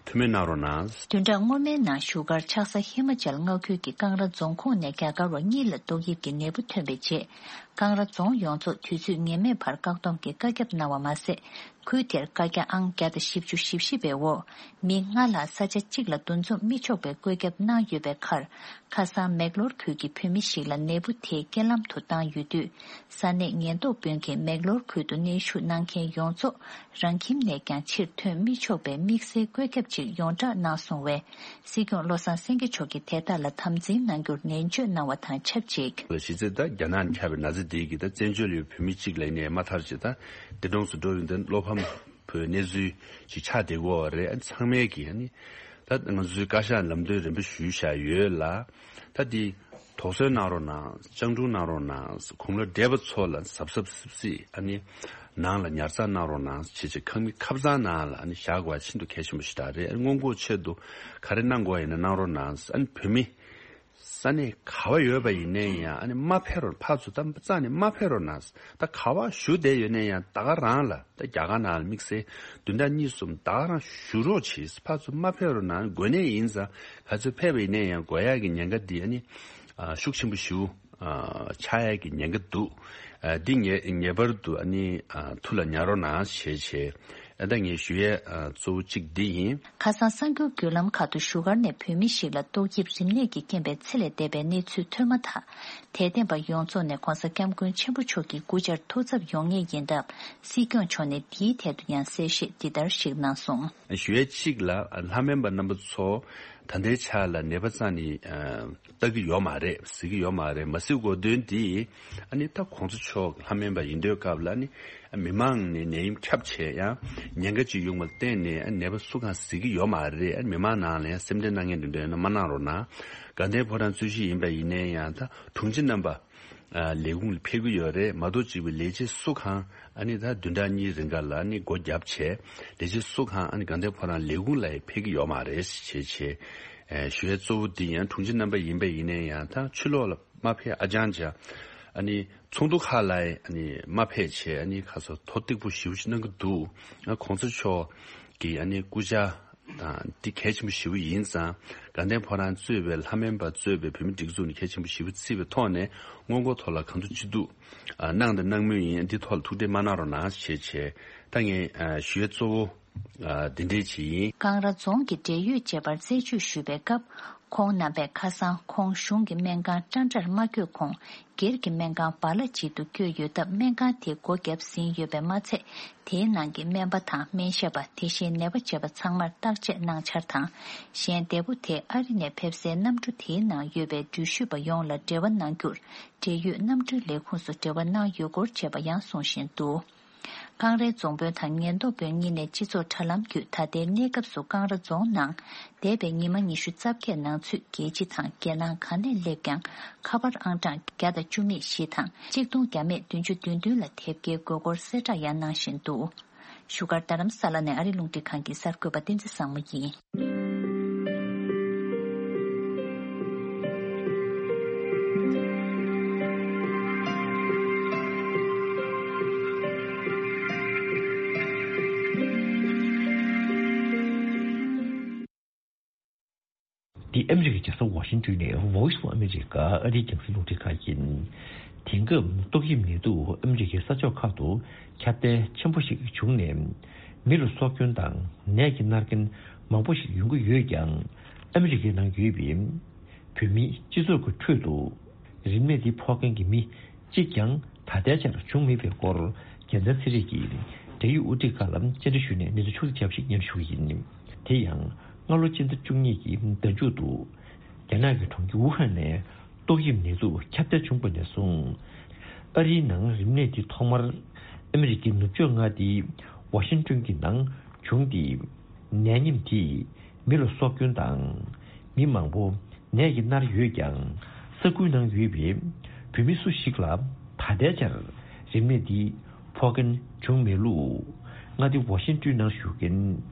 ཐུགས་སྨོན་གནང་རོགས་གནང་། བདུན་ཕྲག་སྔོན་མའི་ནང་བཞུགས་སྒར་ཆགས་ས་ཧི་མ་ཅལ་མངའ་ཁུལ་གྱི་ཀང་ར་རྫོང་ཁོངས་ནས་རྒྱ་གར་བ་གཉིས་ལ་ཏོག་དབྱིབས་ཀྱི་ནད་འབུ་ཐོན་པའི་རྗེས། ཀང་ར་རྫོང་ཡོངས་རྫོགས་དུས་ཚོད་ངེས་མེད་བར་བཀག་སྡོམ་གྱི་བཀའ་ཁྱབ་གནང་བ་མ་ཟད། ཁུལ་དེར་བཀའ་རྒྱ་ཨང་བརྒྱ་དང་བཞི་བཅུ་ཞེ་བཞི་པའི་འོག་མི་ལྔ་ལྷག་ས་ཆ་གཅིག་ལ་འདུ་འཛོམས་མི་ཆོག་པའི་བཀོད་ཁྱབ་གནང་ཡོད་པའི་ཁར། ཁ་སང་མེག་ལོར་ཁུལ་གྱི་བོད་མི་ཞིག་ལ་ནད་འབུ་དེ་རྐྱེན་ལམ་དུ་བཏང་ཡོད་དུས། ས་གནས་ཉེན་རྟོག་དཔོན་གྱིས་མེག་ལོར་ཁུལ་དུ་གནོན་ཤུགས་གནང་མཁན་ཡོངས་རྫོགས་རང་ཁྱིམ་ནས་ཀྱང་ཕྱིར་ཐོན་མི་ཆོག་པའི་དམིགས་བསལ་བཀོད་ཁྱབ་ཅིག་ཡོངས་བསྒྲགས་གནང་སོང་བས། སྲིད་སྐྱོང་བློ་བཟང་སེང་གེ་མཆོག་གིས་དེ་དག་ལ་དམ་འཛིན་གནང་རྒྱུར་ནན་བརྗོད་གནང་བ་དང་ཆབས་ཅིག་གཞི་རྩའི་ད་རྒྱ་ནག་ནས་ཁྱབ་པའི་ན་ཚ་འདི་གིས་ད་བཙན་བྱོལ་ཡོད་བོད་མི་གཅིག་ལ་ཡིན་ནའི་མ་མཐར་ཅིག་ད་འདས་གྲོངས་སུ་འགྲོ་ཡོང་དུས་བློ་ཕམ་པོའི་གནས་ཚུལ་ཅིག་ཆགས་བསྡད་ཀྱི་ཡོད་རེད། ཨ་ཚང་མས་ཀྱིས་ཨ་ནི་ད་ང་ཚོའི་བཀའ་ཤག་ལམ་སྟོན་རིམ་པ་ཞུས་བཞག་ཡོད་ལ། ད་འདི་དོགས་ཟོན་གནང་རོགས་གནང་། སྤྱང་གྲུང་གནང་རོགས་གནང་། གོང་ལ་བགྲེས་པ་ཚོ་ལ་གཟབ་གཟབ་སིབ་སིབ་ཨ་ནི་ནང་ལ་ཉར་ཚགས་གནང་རོགས་གནང་བྱས་བྱས་ཁང་མིག་ཁབ་གཙང་ནང་ལ་ཨ་ནི་བཞག་དགོས་པ་ཤིན་ཏུ་གལ་ཆེན་པོ་ཞིག་རེད། ཨ་ནི་སྔོན་འགོག་ཆེད་དུ་ག་རེ་གནང་དགོས་ཡིན་ན་གནང་རོགས་གནང་། ཨ་ནི་བོད་མི་ས་གནས་ག་བ་ཡོད་པ་ཡིན་ནའི་ཡང་ཨ་ནི་མ་ཕེབས་རོགས། ཕར་ཚུར་ད་རྩ་ནས་མ་ཕེབས་རོགས་གནང་། ད་ག་བ་བཞུགས་བསྡད་ཡོད་ནའི་ཡང་ད་ག་རང་ལ་ད་རྒྱ་གར་ནང་ལ་དམིགས་བསལ་བདུན་ཕྲག་གཉིས་གསུམ་ད་ག་རང་བཞུགས་རོགས་བྱེད། ཕར་ཚུར་མ་ཕེབས་རོགས་གནང་། དགོས་ནའི་ཡིན་ཙང་ག་ཚོད་ཕེབས་པ་ཡིན་ནའི་ཡང་དགོས་ཡག་གི་ཉེན་ཁ་འདི་ཨ་ནི་ཨ་ཤུགས་ཆེན་པོ་ཞིག་ཨ་ཆགས་ཡག་གི་ཉེན་ཁ་འདུག་ཨ་འདི་ངེས་ངེས་པར་དུ་ཨ་ནི་ཨ་ཐུགས་ལ་ཉར་རོགས་གནང་བྱས་བྱས། ཨ་ད་ངས་ཞུ་ཡས་ཨ་གཙོ་བོ་གཅིག་འདི་ཡིན། ཁ་སང་གསར་འགྱུར་བརྒྱུད་ལམ་ཁག་ཏུ་བཞུགས་སྒར་ནས་བོད་མི་ཞིག་ལ་ཏོག་དབྱིབས་རིམས་ནད་ཀྱིས་རྐྱེན་པས་འཚེ་ལས་འདས་པའི་གནས་ཚུལ་ཐོན་མ་ཐག་དད་ལྡན་པ་ཡོངས་རྫོགས་ནས་༧གོང་ས་༧སྐྱབས་མགོན་ཆེན་པོ་མཆོག་གི་སྐུ་བཅར་ཐུགས་འཚབ་ཡོང་ངེས་ཡིན་སྟབས། སྲིད་སྐྱོང་མཆོག་ནས་འདིའི་ཐད་དུ་ཡང་གསལ་བཤད་འདི་ལྟར་ཞིག་གནང་སོང་། ཞུ་ཡས་གཅིག་ལ་ལྷ་སྨན་པ་རྣམ་པ་ཚོ་ད་ལྟའི་ཆ་ལ་ནད་པ་རྩ་ནས་ཨ་ལྟ་གི་ཡོད་མ་རེད། གཟིགས་ཀྱི་ཡོད་མ་རེད། མ་གཟིགས་དགོས་དོན་འདི་ཨ་ནི་ད་གོང་ས་མཆོག་ལྷ་སྨན་པ་ཡིན་དུས་སྐབས་ལ་ཨ་ནི་མི་མང་ནས་ནད་ཡམས་ཁྱབ་བྱས་ཡང་ཉེན་ཁ་ཅིག་ཡོང་བ་ལ་བརྟེན་ནས་ཨ་ནད་པ་སུ་གང་གཟིགས་ཀྱི་ཡོད་མ་རེད། ཨ་མི་མང་ནང་ལ་ཡང་སེམས་ཁྲལ་གནང་མཁན་དེ་འདྲ་ཡོད་ན་མ་གནང་རོགས་གནང་། དགའ་ལྡན་ཕོ་བྲང་རྩོད་གཞི་ཡིན་པ་ཡིན་ནའི་ཡང་ད་དྲུང་ཆེ་རྣམ་པ་ལས་ཁུངས་ལ་ཕེབས་ཀྱི་ཡོད་རེད། མ་གཏོགས་གཅིག་པའི་ལས་བྱེད་སུ་གང་ཨ་ནི་ད་བདུན་ཕྲག་གཉིས་རིང་ག་ལ་ཨ་ནི་སྒོ་བརྒྱབ་བྱས་ལས་བྱེད་སུ་གང་ཨ་ནི་དགའ་ལྡན་ཕོ་བྲང་ལས་ཁུངས་ལ་ཡང་ཕེབས་ཀྱི་ཡོད་མ་རེད་ཞེས་བྱས་ཨེ་ཞུ་ཡས་གཙོ་བོ་འདི་ཡང་དྲུང་ཆེ་རྣམ་པ་ཡིན་པ་ཡིན་ནའི་ཡང་ད་ཕྱི་ལོགས་ལ་མ་ཕེབས། ཨ་ཅང་ཅང་ཨ་ནི་ཚོགས་འདུ་ཁག་ལ་ཨ་ནི་མ་ཕེབས་བྱས་ཨ་ནི་ཁ་སོ་ཐོ་གཏུག་པོ་ཞེ་པོ་ཞིག་གནང་གི་འདུག་ཨ་གོང་ས་མཆོག་གི་ཨ་ནི་སྐུ་བཅར་དང་འདི་གལ་ཆེན་པོ་ཞེ་པོ་ཡིན་ཙང་དགའ་ལྡན་ཕོ་བྲང་གཙོས་པའི་ལྷ་སྨན་པ་གཙོས་པའི་བོད་མི་སྒྲིག་འཛུགས་ནས་གལ་ཆེན་པོ་ཞེ་པོ་བརྩིས་པའི་ཐོག་ནས་སྔོན་འགོག་ཐོག་ལ་གང་ཐུབ་ཅི་ཐུབ་ཨ་གནང་དང་གནང་མུས་ཡིན། འདི་ཐོག་ལ་ཐུགས་ཁྲལ་མ་གནང་རོགས་གནང་ཞེས་བྱས་ད་ངས་ཨ་ཞུ་ཡས་གཙོ་བོ། ཨ་འདི་འདྲའི་ཅིག་ཡིན། ཀང་ར་རྫོང་གི་འབྲེལ་ཡོད་བཅས་པར་རྩད་གཅོད་ཞུས་པའི་སྐབས། ཁོང་རྣམ་པས་ཁ་སང་ཁོང་གཞུང་གི་སྨན་ཁང་ཀྲང་ཀྲར་མ་བསྐྱོད་གོང་སྒེར་གྱི་སྨན་ཁང་བ་ལ་ཅིག་ཏུ་བསྐྱོད་ཡོད་སྟབས། སྨན་ཁང་དེ་སྒོ་བརྒྱབ་ཟིན་ཡོད་པས་མ་ཚད། དེའི་ནང་གི་སྨན་པ་དང་སྨན་ཞབས་པ། དེ་བཞིན་ནད་པ་བཅས་པ་ཚང་མར་བརྟག་དཔྱད་གནང་འཆར་དང་། གཞན་འདས་པོ་དེ་ཨ་རི་ནས་ཕེབས་སའི་གནམ་གྲུ་དེའི་ནང་ཡོད་པའི་འགྲུལ་བཞུད་པ་ཡོངས་ལ་འབྲེལ་བ་གནང་རྒྱུར། འབྲེལ་ཡོད་གནམ་གྲུའི་ལས་ཁུངས་སུ་འབྲེལ་བ་གནང་ཡོད་སྐོར་བཅས་པ་ཡང་གསུངས་བཞིན་འདུག་ཀང་རའི་རྫོང་དཔོན་དང་ཉེན་རྟོག་དཔོན་གཉིས་ནས་སྤྱི་ཚོགས་དྲ་ལམ་བརྒྱུད་ད་ལྟའི་གནས་སྐབས་སུ་ཀང་ར་རྫོང་ནང་འདས་པའི་ཉི་མ་ཉི་ཤུ་རྩ་བརྒྱད་ནང་ཚུད་རྒྱལ་སྤྱི་དང་རྒྱལ་ནང་ག་ནས་སླེབས་ཀྱང་ཁ་པར་ཨང་གྲངས་བརྒྱ་དང་བཅུ་མེད་བཞི་དང་གཅིག་སྟོང་བརྒྱ་མེད་བདུན་ཅུ་དོན་བདུན་ལ་དེབ་སྐྱེལ་དགོས་སྐོར་གསལ་བསྒྲགས་ཡང་གནང་བཞིན་འདུག་བཞུགས་སྒར་རྡ་རམ་ས་ལ་ནས་ཨ་རི་རླུང་འཕྲིན་ཁང་གི་གསར་འགོད་པ་བསྟན་འཛིན་བཟང་མོ་ཡིན། འདི་ཨ་མི་རི་ཀའི་རྒྱལ་ས་ཝ་ཤིང་ཏོན་ནས་Voice of America ཨ་རིའི་རྒྱང་སྲིང་རླུང་འཕྲིན་ཁང་ཡིན། དེང་སྐབས་ཏོག་དབྱིབས་ནད་དུག་ཨ་མི་རི་ཀའི་ས་ཕྱོགས་ཁག་ཏུ་ཁྱབ་གདལ་ཆེན་པོ་ཞིག་བྱུང་ནས། མི་ལ་སྲོག་སྐྱོན་དང་ནད་ཀྱིས་མནར་མཁན་མང་པོ་ཞིག་ཡོང་གི་ཡོད་ཀྱང་། ཨ་མི་རི་ཀའི་ནང་ཡོད་པའི་བོད་མིའི་སྤྱི་ཚོགས་ཀྱི་ཁྲོད་དུ། རིམས་ནད་འདི་ཕོག་མཁན་གྱི་མི་གཅིག་ཀྱང་ད་ལྟའི་ཆར་བྱུང་མེད་པའི་སྐོར། རྒྱལ་མཚན་ཚེ་རིང་གིས་འབྲེལ་ཡོད་དབུ་ཁྲིད་ཁག་ལ་བཅར་འདྲི་ཞུས་ནས་གནས་ཚུལ་ཕྱོགས་བསྒྲིགས་བྱས་པ་ཞིག་སྙན་ཞུ་གི་ཡིན། དེ་ཡང་སྔ་ལོ་སྤྱི་ཟླ་བཅུ་གཉིས་ཀྱི་ཟླ་མཇུག་ཏུ། རྒྱ་ནག་གི་གྲོང་ཁྱེར་ཝུ་ཧན་ནས་ཏོག་དབྱིབས་ནད་དུག་ཁྱབ་གདལ་བྱུང་བ་ནས་བཟུང་། ཨ་རིའི་ནང་རིམས་ནད་འདི་ཐོག་མར་ཨ་མི་རི་ཀའི་ནུབ་ཕྱོགས་མངའ་སྡེ་ཝ་ཤིང་ཏོན་གྱི་ནང་བྱུང་སྟེ། ནད་ཡམས་དེས་མི་ལ་སྲོག་སྐྱོན་དང་། མི་མང་པོ་ནད་ཀྱིས་མནར་ཡོད་ཀྱང་། ས་ཁུལ་ནང་ཡོད་པའི་བོད་མི་སུ་ཞིག་ལ་ད་ ད་ལྟའི་ཆར་རིམས་ནད་འདི་ཕོག་མཁན་བྱུང་མེད་ལུགས། མངའ་སྡེ་ཝ་ཤིང་ཏོན་ནང་བཞུགས་མཁན་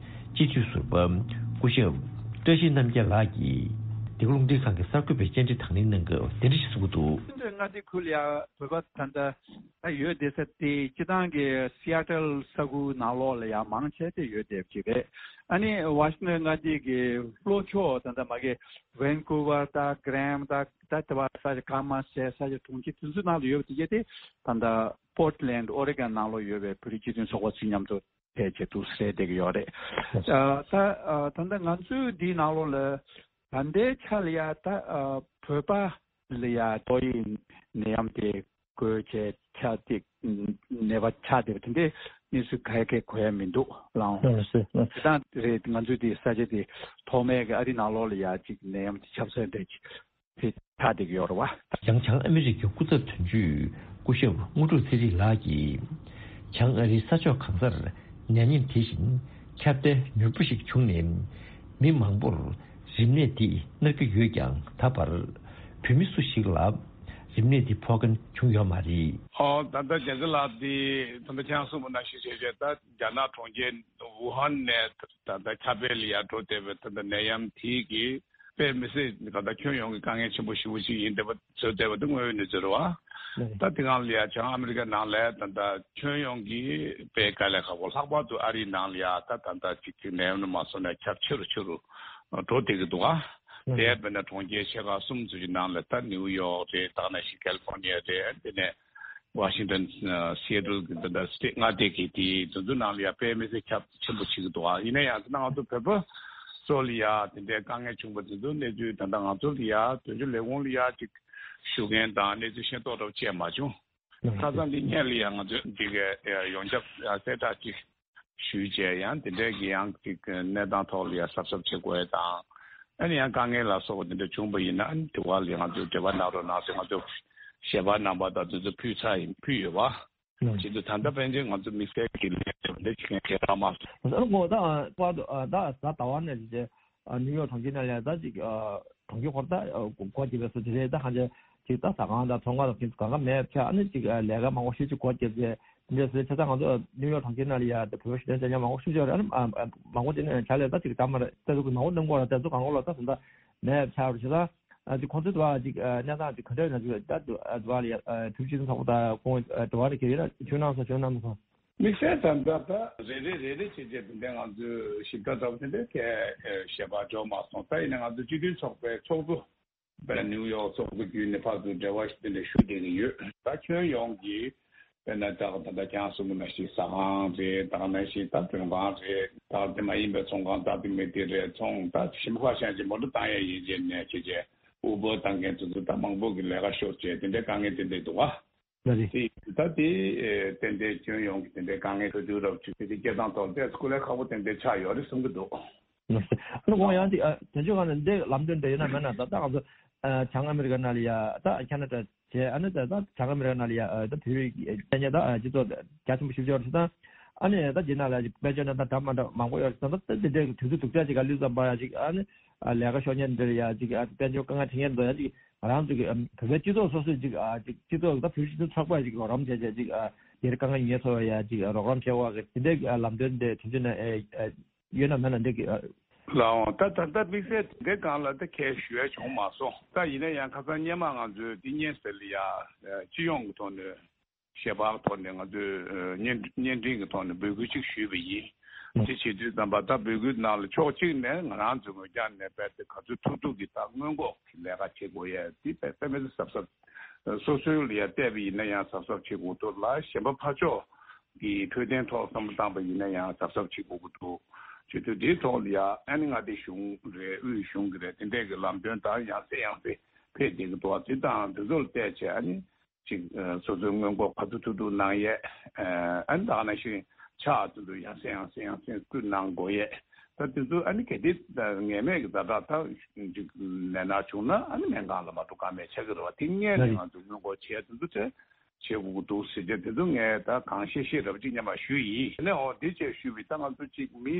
སྤྱི་འཐུས་ཟུར་པ་སྐུ་ཞབས་བཀྲ་ཤིས་རྣམ་རྒྱལ་ལགས་ཀྱིས་འདི་ག་རླུང་འཕྲིན་ཁང་གི་གསར་འགོད་པའི་བཅར་འདྲི་དང་ལེན་གནང་སྐབས་འདི་འདྲ་ཞིག་གསུངས་ཀྱི་འདུག། ཁྱེད་ཚོའི་མངའ་སྡེ་ཁུལ་ལ་ཡ་བོད་པ་ད་ལྟ་ད་ཡོད་བསྡད་ས་དེ་སྤྱི་བཏང་གི་སི་ཨ་ཊལ་ས་ཁུལ་ནང་ལོགས་ལ་ཡ་མང་ཆེ་དེ་ཡོད་བསྡད་པ་ཅིག་རེད། ཨ་ནི་ཝ་ཤིང་ཊོན་མངའ་སྡེ་གི་ལྷོ་ཕྱོགས་ད་ལྟ་མ་གི་ཝན་ཀུ་ཝར་དང་གྷ་རེམ་དང་ད་ལྟ་བ་ས་ཆ་གང་མང་ཟེར་ས་ཆ་གྲོང་ཁྱེར་དེ་ཚོའི་ནང་ལ་ཡོད་པ་དེ་གྱད་དེ་ད་ལྟ་པོར་ཊི་ལེན་ཌི་ཨོ་རི་གོན་ནང་ལོགས་ཡོད་པའི་བོད་རིགས་སྤྱི་མཐུན་ཚོགས་པ་ཚོ་མཉམ་དུ་ཕལ་ཆེར་འདུག་སེ་བསྡད་ཀྱི་ཡོད་རེད། ཨ་ད་ཨ་ད་ལྟ་ང་ཚོའི་འདིའི་ནང་ལོགས་ལ་ད་ལྟའི་ཆ་ལ་ཡ་ད་ཨ་བོད་པ་ལ་ཡ་ཏོག་དབྱིབས་ནད་ཡམས་དེ་འགོས་བྱས་ཆགས་ཏེ་ནད་པ་ཆགས་བསྡད་པ་དེ་འདྲའི་གནས་ཚུལ་ག་གེ་གོ་ཡ་མི་འདུག་ལགས། ལགས་སོ། ལགས་སོ། དེ་དང་དེ་རེད། ང་ཚོའི་དེ་ས་ཆ་དེ་ཐོག་མའི་གི་ཨ་རི་ནང་ལོགས་ལ་ཡ་གཅིག་ནད་ཡམས་དེ་ཁྱབ་ས་འདྲ་གཅིག་དེ་ཆགས་བསྡད་ཀྱི་ཡོད་རེད་བ། ཡང་བྱང་ཨ་མི་རི་ཀའི་སྐུ་ཚབ་དོན་གཅོད་སྐུ་ཞབས་དངོས་གྲུབ་ཚེ་རིང་ལགས་ཀྱིས། བྱང་ཨ་རིའི་ས་ཕྱོགས་གང་སར་ནད་ཡམས་དེ་བཞིན་ཁྱབ་གདལ་མྱུར་པོ་ཞིག་བྱུང་ནས། མི་མང་པོར་རིམས་ནད་འདི་མནར་གྱི་ཡོད་ཀྱང་། ད་བར་བོད་མི་སུ་ཞིག་ལ་རིམས་ནད་འདི་ཕོག་མཁན་བྱུང་ཡོད་མ་རེད། ཨོ། ད་ལྟ་རྒྱ་ཚ་ལགས་འདི་ད་ལྟ་ཁྱེད་རང་གསུངས་པ་ནང་བཞིན་བྱས་བྱས་ད་རྒྱ་ནག་གྲོང་ཁྱེར་ཝུ་ཧན་ནས་ད་ལྟ་ཁྱབ་སྤེལ་ལ་ཡར་འགྲོ་བསྡད་པའི་ད་ལྟ་ནད་ཡམས་དེ་གི་དཔེ་མི་སྲིད་ད་ལྟ་ཁྱོན་ཡོངས་ཀྱི་དཀའ་ངལ་ཆེན་པོ་ཞེ་པོ་ཅིག་ཡིན་བསྡད་པ་བཟོས་བསྡད་པ་འདི་དངོས་ཡོད་གནས་ཚུལ་རེད་བ། ལགས། ད་དེ་སྒང་ལ་ཡ་བྱང་ཨ་མི་རི་ཀ་ནང་ལ་ད་ལྟ་ཁྱོན་ཡོངས་ཀྱི་དཔེ་དཀའ་ལས་ཁག་པོ། ལྷག་པར་དུ་ཨ་རིའི་ནང་ལ་ཡ་ད་ད་ལྟ་ཅིག་ཅིག་ནད་ཡམས་མ་སོང་ནས་ཁྱབ་ཆེ་རུ་ཆེ་རུ་འགྲོ་བསྡད་ཀྱི་འདུག་ཨ། ལགས། དེ་དཔེར་ན་གྲོང་ཁྱེར་ཆེ་ཁག་གསུམ་ཙམ་ཞིག་ནང་ལ་ད་ནིའུ་ཡོག་རེད། ད་ག་ནང་བཞིན་ཀལ་ལི་ཧྥོར་ནི་ཡ་རེད། དེ་ནས་ཝ་ཤིང་ཊོན། ཨ། སི་ཨེ་ཊལ་གྱི་ད་ལྟ་སི་ཊེཊ་མངའ་སྡེ་གི་དེ་དེ་ཚོ་ནང་ལ་ཡ་དཔེ་མི་སྲིད་ཁྱབ་ཆེན་པོ་ཕྱིན་གྱི་འདུག་ཨ། ཡིན་ན་ཡང་ད་ང་ཚོ་བོད་པ་ཚོ་ལ་ཡ་དེ་འདྲའི་དཀའ་ངལ་བྱུང་བ་དེ་ཚོ་གནས་ཚུལ་ད་ལྟ་ང་ཚོ་ལ་ཡ་དོན་གཅོད་ལས་ཁུངས་ལ་ཡ་ཅིག་ཞུ་མཁན་དང་གནས་ཚུལ་ཤེས་རྟོགས་འདྲ་བོ་བྱས་མ་བྱུང་། ལགས། ཁ་སང་འདི་སྔོན་ལ་ཡ་ང་ཚོས་འདི་གའི་ཡོངས་ཁྱབ་གསལ་བསྒྲགས་ཅིག་ཞུས་བྱས་ཡང་དེ་འདྲའི་གི་ཡང་ཅིག་གནས་སྟངས་ཐོག་ལ་ཡ་གཟབ་གཟབ་བྱེད་དགོས་ཡ་དང་། ཨ་ནི་ཡང་དཀའ་ངལ་ལ་སོགས་པ་དེ་འདྲ་བྱུང་བ་ཡིན་ན། ཨ་ནི་དེ་བ་ལ་ཡ་ང་ཚོས་འབྲེལ་བ་གནང་རོགས་གནང་ཟེར་ང་ཚོས་ཞལ་པར་རྣམ་པ་དང་དེ་ཚོ་ཕུལ་ཚར་ཡིན། ཕུལ་ཡོད་པ། ལགས། བྱེད་དུས་ད་ལྟ་ཕན་ཆད་ང་ཚོ་དམིགས་བསལ་གྱི་ལས་འདི་བྱེད་མཁན་གང་ཡང་མ་སོང་། ཨ་ནི་ངོ་ད་པར་དུ་ད་གཟའ་ཟླ་བ་ནས་བྱས་ནིའུ་ཡོག་གྲོང་ཁྱེར་ནང་ལ་ཡ་ད་ཅིག་གྲོང་ཁྱེར་ཁོ་ར་ད་སྒོ་ཕྱེ་བའི་སོ་དེ་རེད། ད་གང་ཅི་ཅིག་ད་ཟ་ཁང་དང་ཚོང་ཁང་དང་དེ་ཚོ་གང་ག་མེད་ཆ། ཨ་ནི་ཅིག་ལས་ཀ་མང་པོ་ཞེ་ཅིག་སྒོ་ཕྱེ་བྱས་འདི་འདྲ་སོང་ཙང་ང་ཚོ་ནིའུ་ཡོག་གྲོང་ཁྱེར་ནང་ལ་ཡ་ད་བོད་པ་ཞིག་དོན་བྱ་མཁན་མང་པོ་ཞེ་ཅིག་ཡོད་རེད། ཨ་ནི་མང་པོ་དེ་ནས་བྱ་ལས་ད་ཅིག་ད་མ་རེད། ད་ཚོ་གི་མང་པོ་གནང་གི་ཡོད་རེད། ད་ཚོ་གང་ག་ལ་ད་ད་ད་མེད་ཆ་རེད་ཟེར། ད་ཨ་ཅིག་ཁོང་ཚོའི་དུ་བ་ཅིག་ཨ་གནས་སྟངས་ཅིག་ག་འདྲ་ཡོད་ན་ཅིག་ད་དུ་ཨ་དུ་བ་ལ་ཡ་ཨ་ཕུལ་ཅིག་ཚོགས་པ་དང་ཁོང་ཨ་དུ་བ་ལ་ཁྱེད་ཡོད་ན་ཁྱོད་གནང་སོང་། ཁྱོད་གནང་སོང་། དམིགས་བསལ་ད་ལྟ་ད་རེ་རེ་རེ་རེ་བྱས་བྱས་དེ་འདྲ་ང་ཚོས་ཞིབ་ཕྲ་ལྟ་བུ་དེ་འདྲ་གས་ཞལ་པར་འབྱོར་མ་སོང་། ད་ཡིན་ན་ང་ཚོ་སྤྱི་མཐུན་ཚོགས་པའི་ཚོགས་གཙོ་དཔེར་ན་ནིའུ་ཡོག་ཚོགས་གཙོ་བརྒྱུད་ནས་ཕར་ཚུར་འབྲེལ་བ་ཞིག་དེ་འདྲ་ཞུ་བསྡད་ཀྱི་ཡོད། ད་ཁྱོན་ཡོངས་ཀྱི་དཔེར་ན་ད་ད་ལྟ་ཁྱེད་རང་གསུངས་པ་ནང་བཞིན་ཟ་ཁང་རེད། ད་ག་ནང་བཞིན་ད་མགྲོན་ཁང་རེད། ད་དེ་མ་ཡིན་པའི་ཚོང་ཁང་ད་དེ་མི་དེ་རེད། ཚོང་ད་ཞིམ་པ་ཤང་ཅིག་མོ་ཊ་བཏང་ཡ་ཡིན་ཅེས་ནས་བྱས་བྱས་ཨུ་བར་བཏང་མཁན་དེ་ཚོ་ད་མང་པོ་གི་ལས་ཀ་ཤོར་བྱས་དེ་འདྲའི་དཀའ་ངལ་དེ་འདྲ་འདུག་ག། ལགས་རེད། དེ་ད་དེ་ཏན་ཏན་ཁྱོན་ཡོངས་ཀྱི་དེ་འདྲའི་དཀའ་ངལ་འཕྲད་དུས་རབས་ཅིག་དེ་དེ་སྐྱེལ་སྟངས་ཐོག་ཏོག་ཙམ་སྐུ་ལས་ཁག་པོ་དེ་འདྲ་ཆགས་ཡོད་རེད་བསམ་གྱི་འདུག། ལགས་སོ། ཨ་ནི་ཁོང་ཡང་ཅིག་ཨ་དོན་གཅོད་ཁང་ནས་འདི་ལམ་སྟོན་འདྲ་ཡོད་ན་མེད་ན། ད་ལྟ་ང་ཚོ་ཨ་བྱང་ཨ་མི་རི་ཀ་ནང་ལ་ཡ་ད་ཁ་ན་ཌ་བྱས། ཨ་ནི་ད་ད་བྱང་ཨ་མི་རི་ཀ་ནང་ལ་ཡ་ཨ་ད་བོད་རིགས་ཨ་ད་སྤྱི་ཚོགས་རྒྱ་ཆེན་པོ་ཞེ་པོ་ཅིག་ཡོད་རེད་ཟེར། ད་ཨ་ནི་ད་འདི་ནང་ལ་ཅིག་དཔལ་འབྱོར་གནས་སྟངས་འདྲ་མ་འདྲ་མང་པོ་ཡོད་རེད་ཟེར། ད་ད་འདི་འདྲའི་དུས་ཚོད་སྡུག་ཅག་ཅིག་ག་ལུས་ཙམ་པ་ཡ་ཅིག་ཨ་ནི་ཨ་ལས་ཀ་ཤོར་མཁན་འདིར་ཡ་ཅིག་ཨ་དཔལ་འབྱོར་དཀའ་ངལ་འཕྲད་མཁན་འདུག་ཡ་ཅིག་ང་རང་ཚོ་གི་ཨ་བོད་པའི་སྤྱི་ཚོགས་སོ་སོས་ཅིག་ཨ་ཅིག་སྤྱི་ཚོགས་ད་བོད་སྤྱི་ཚོགས་ཚོགས་པ་ཅིག་རོགས་རམ་བྱས་བྱས་ཅིག་ཨ་དེར་དཀའ་ངལ་ངལ་འཚོ་བ་ཡ་ཅིག་ཨ་རོགས་རམ་བྱེད་དགོས་གི་དེ་འདྲའི་ཨ་ལམ་སྟོན་དེ་དུས་ཚོད་ནས་ཨེ་ཨ་ཡོད་ན་མེད་ན་འདི་གི་ཨ། ལགས་འོང་། ད་ད་ལྟ་དམིགས་བསལ་དེ་འདྲའི་སྒང་ལ་ད་ཁས་ཞུ་ཡ་བྱུང་མ་སོང་། ད་ཡིན་ན་ཡང་ཁ་སང་སྔོན་མ་ང་ཚོས་འདི་སྙན་སེང་ལ་ཡ་ཨ་སྤྱི་ཡོངས་ཀྱི་ཐོག་ནས། ཞལ་པར་ཐོག་ནས་ང་ཚོས་ཨ་བརྙན་བརྙན་འཕྲིན་གྱི་ཐོག་ནས་འབོད་སྐུལ་ཅིག་ཞུས་པ་ཡིན། ཨ་དེ་བྱེད་དུས་ཙམ་པ་ད་འབོད་སྐུལ་ནང་ལ་ཕྱོགས་གཅིག་ནས་ང་རང་ཚོའི་ངོས་རྒྱབ་ནས་རྦད་དེ་ག་ཚོད་ཐུབ་ཐུབ་ཀྱིས་ད་སྔོན་འགོག་གི་ལས་ཀ་བྱེད་དགོས་ཡས་དེ་དཔེ་དཔེ་མི་སྲིད་གཟབ་གཟབ། སོ་སོའི་ལ་ཡ་བལྟས་པ་ཡིན་ན་ཡང་གཟབ་གཟབ་བྱེད་དགོས་འདུག་ལ། གཞན་པ་ཕར་ཕྱོགས་ཀྱི་འཕྲོད་བསྟེན་ཐོག་བསམ་བློ་བཏང་པ་ཡིན་ན་ཡང་གཟབ་གཟབ་བྱེད་དགོས་ཀྱི་འདུག་བྱེད་དུས་དེའི་ཐོག་ལ་ཡ་ཨ་ནི་མངའ་སྡེ་གཞུང་རེད། དབུས་གཞུང་གི་རེད། དེ་འདྲས་ཀྱི་ལམ་སྟོན་ད་ཡང་སེ་ཡང་སེ་ཕེབས་བསྡད་ཀྱི་འདུག་བ། དེ་དང་དེ་ཚོ་ལ་བལྟས་བྱས་ཨ་ནི། ཅིག་ཨ་སོ་སོའི་སྔོན་འགོག་ག་ཚོད་ཐུབ་ཐུབ་གནང་ཡས། ཨ་ནི་ད་ག་ནང་བཞིན་ཕྱག་དེ་ཚོ་ཡང་སེ་ཡང་སེ་ཡང་སེ་བསྐུར་གནང་དགོས་ཡས། ད་དེ་ཚོ་ཨ་ནི་གལ་ཏེ་ངེས་མེད་ཀྱི་ཛ་དྲག་ད་ཅིག་ནད་མནར་བྱུང་ན་ཨ་ནི་སྨན་ཁང་ལ་མ་འགྲོ་ཀ་མེད་ཆགས་ཀྱི་རེད་བ། དེ་སྔོན་ནས་ང་ཚོ་སྔོན་འགོག་བྱས་དེ་ཚོ་བྱས་བྱེད་དགོས་ཀྱི་འདུག་ཟེར་བྱས་དེ་ཚོ་ངས་ད་གང་ཤེས་ཤེས་རབ་ཅིག་སྙམ་པ་ཞུས་ཡིན། དེ་ནས་འོ་དེ་བྱས་ཞུས་པའི་ད་ང་ཚོ་ཅིག་མི་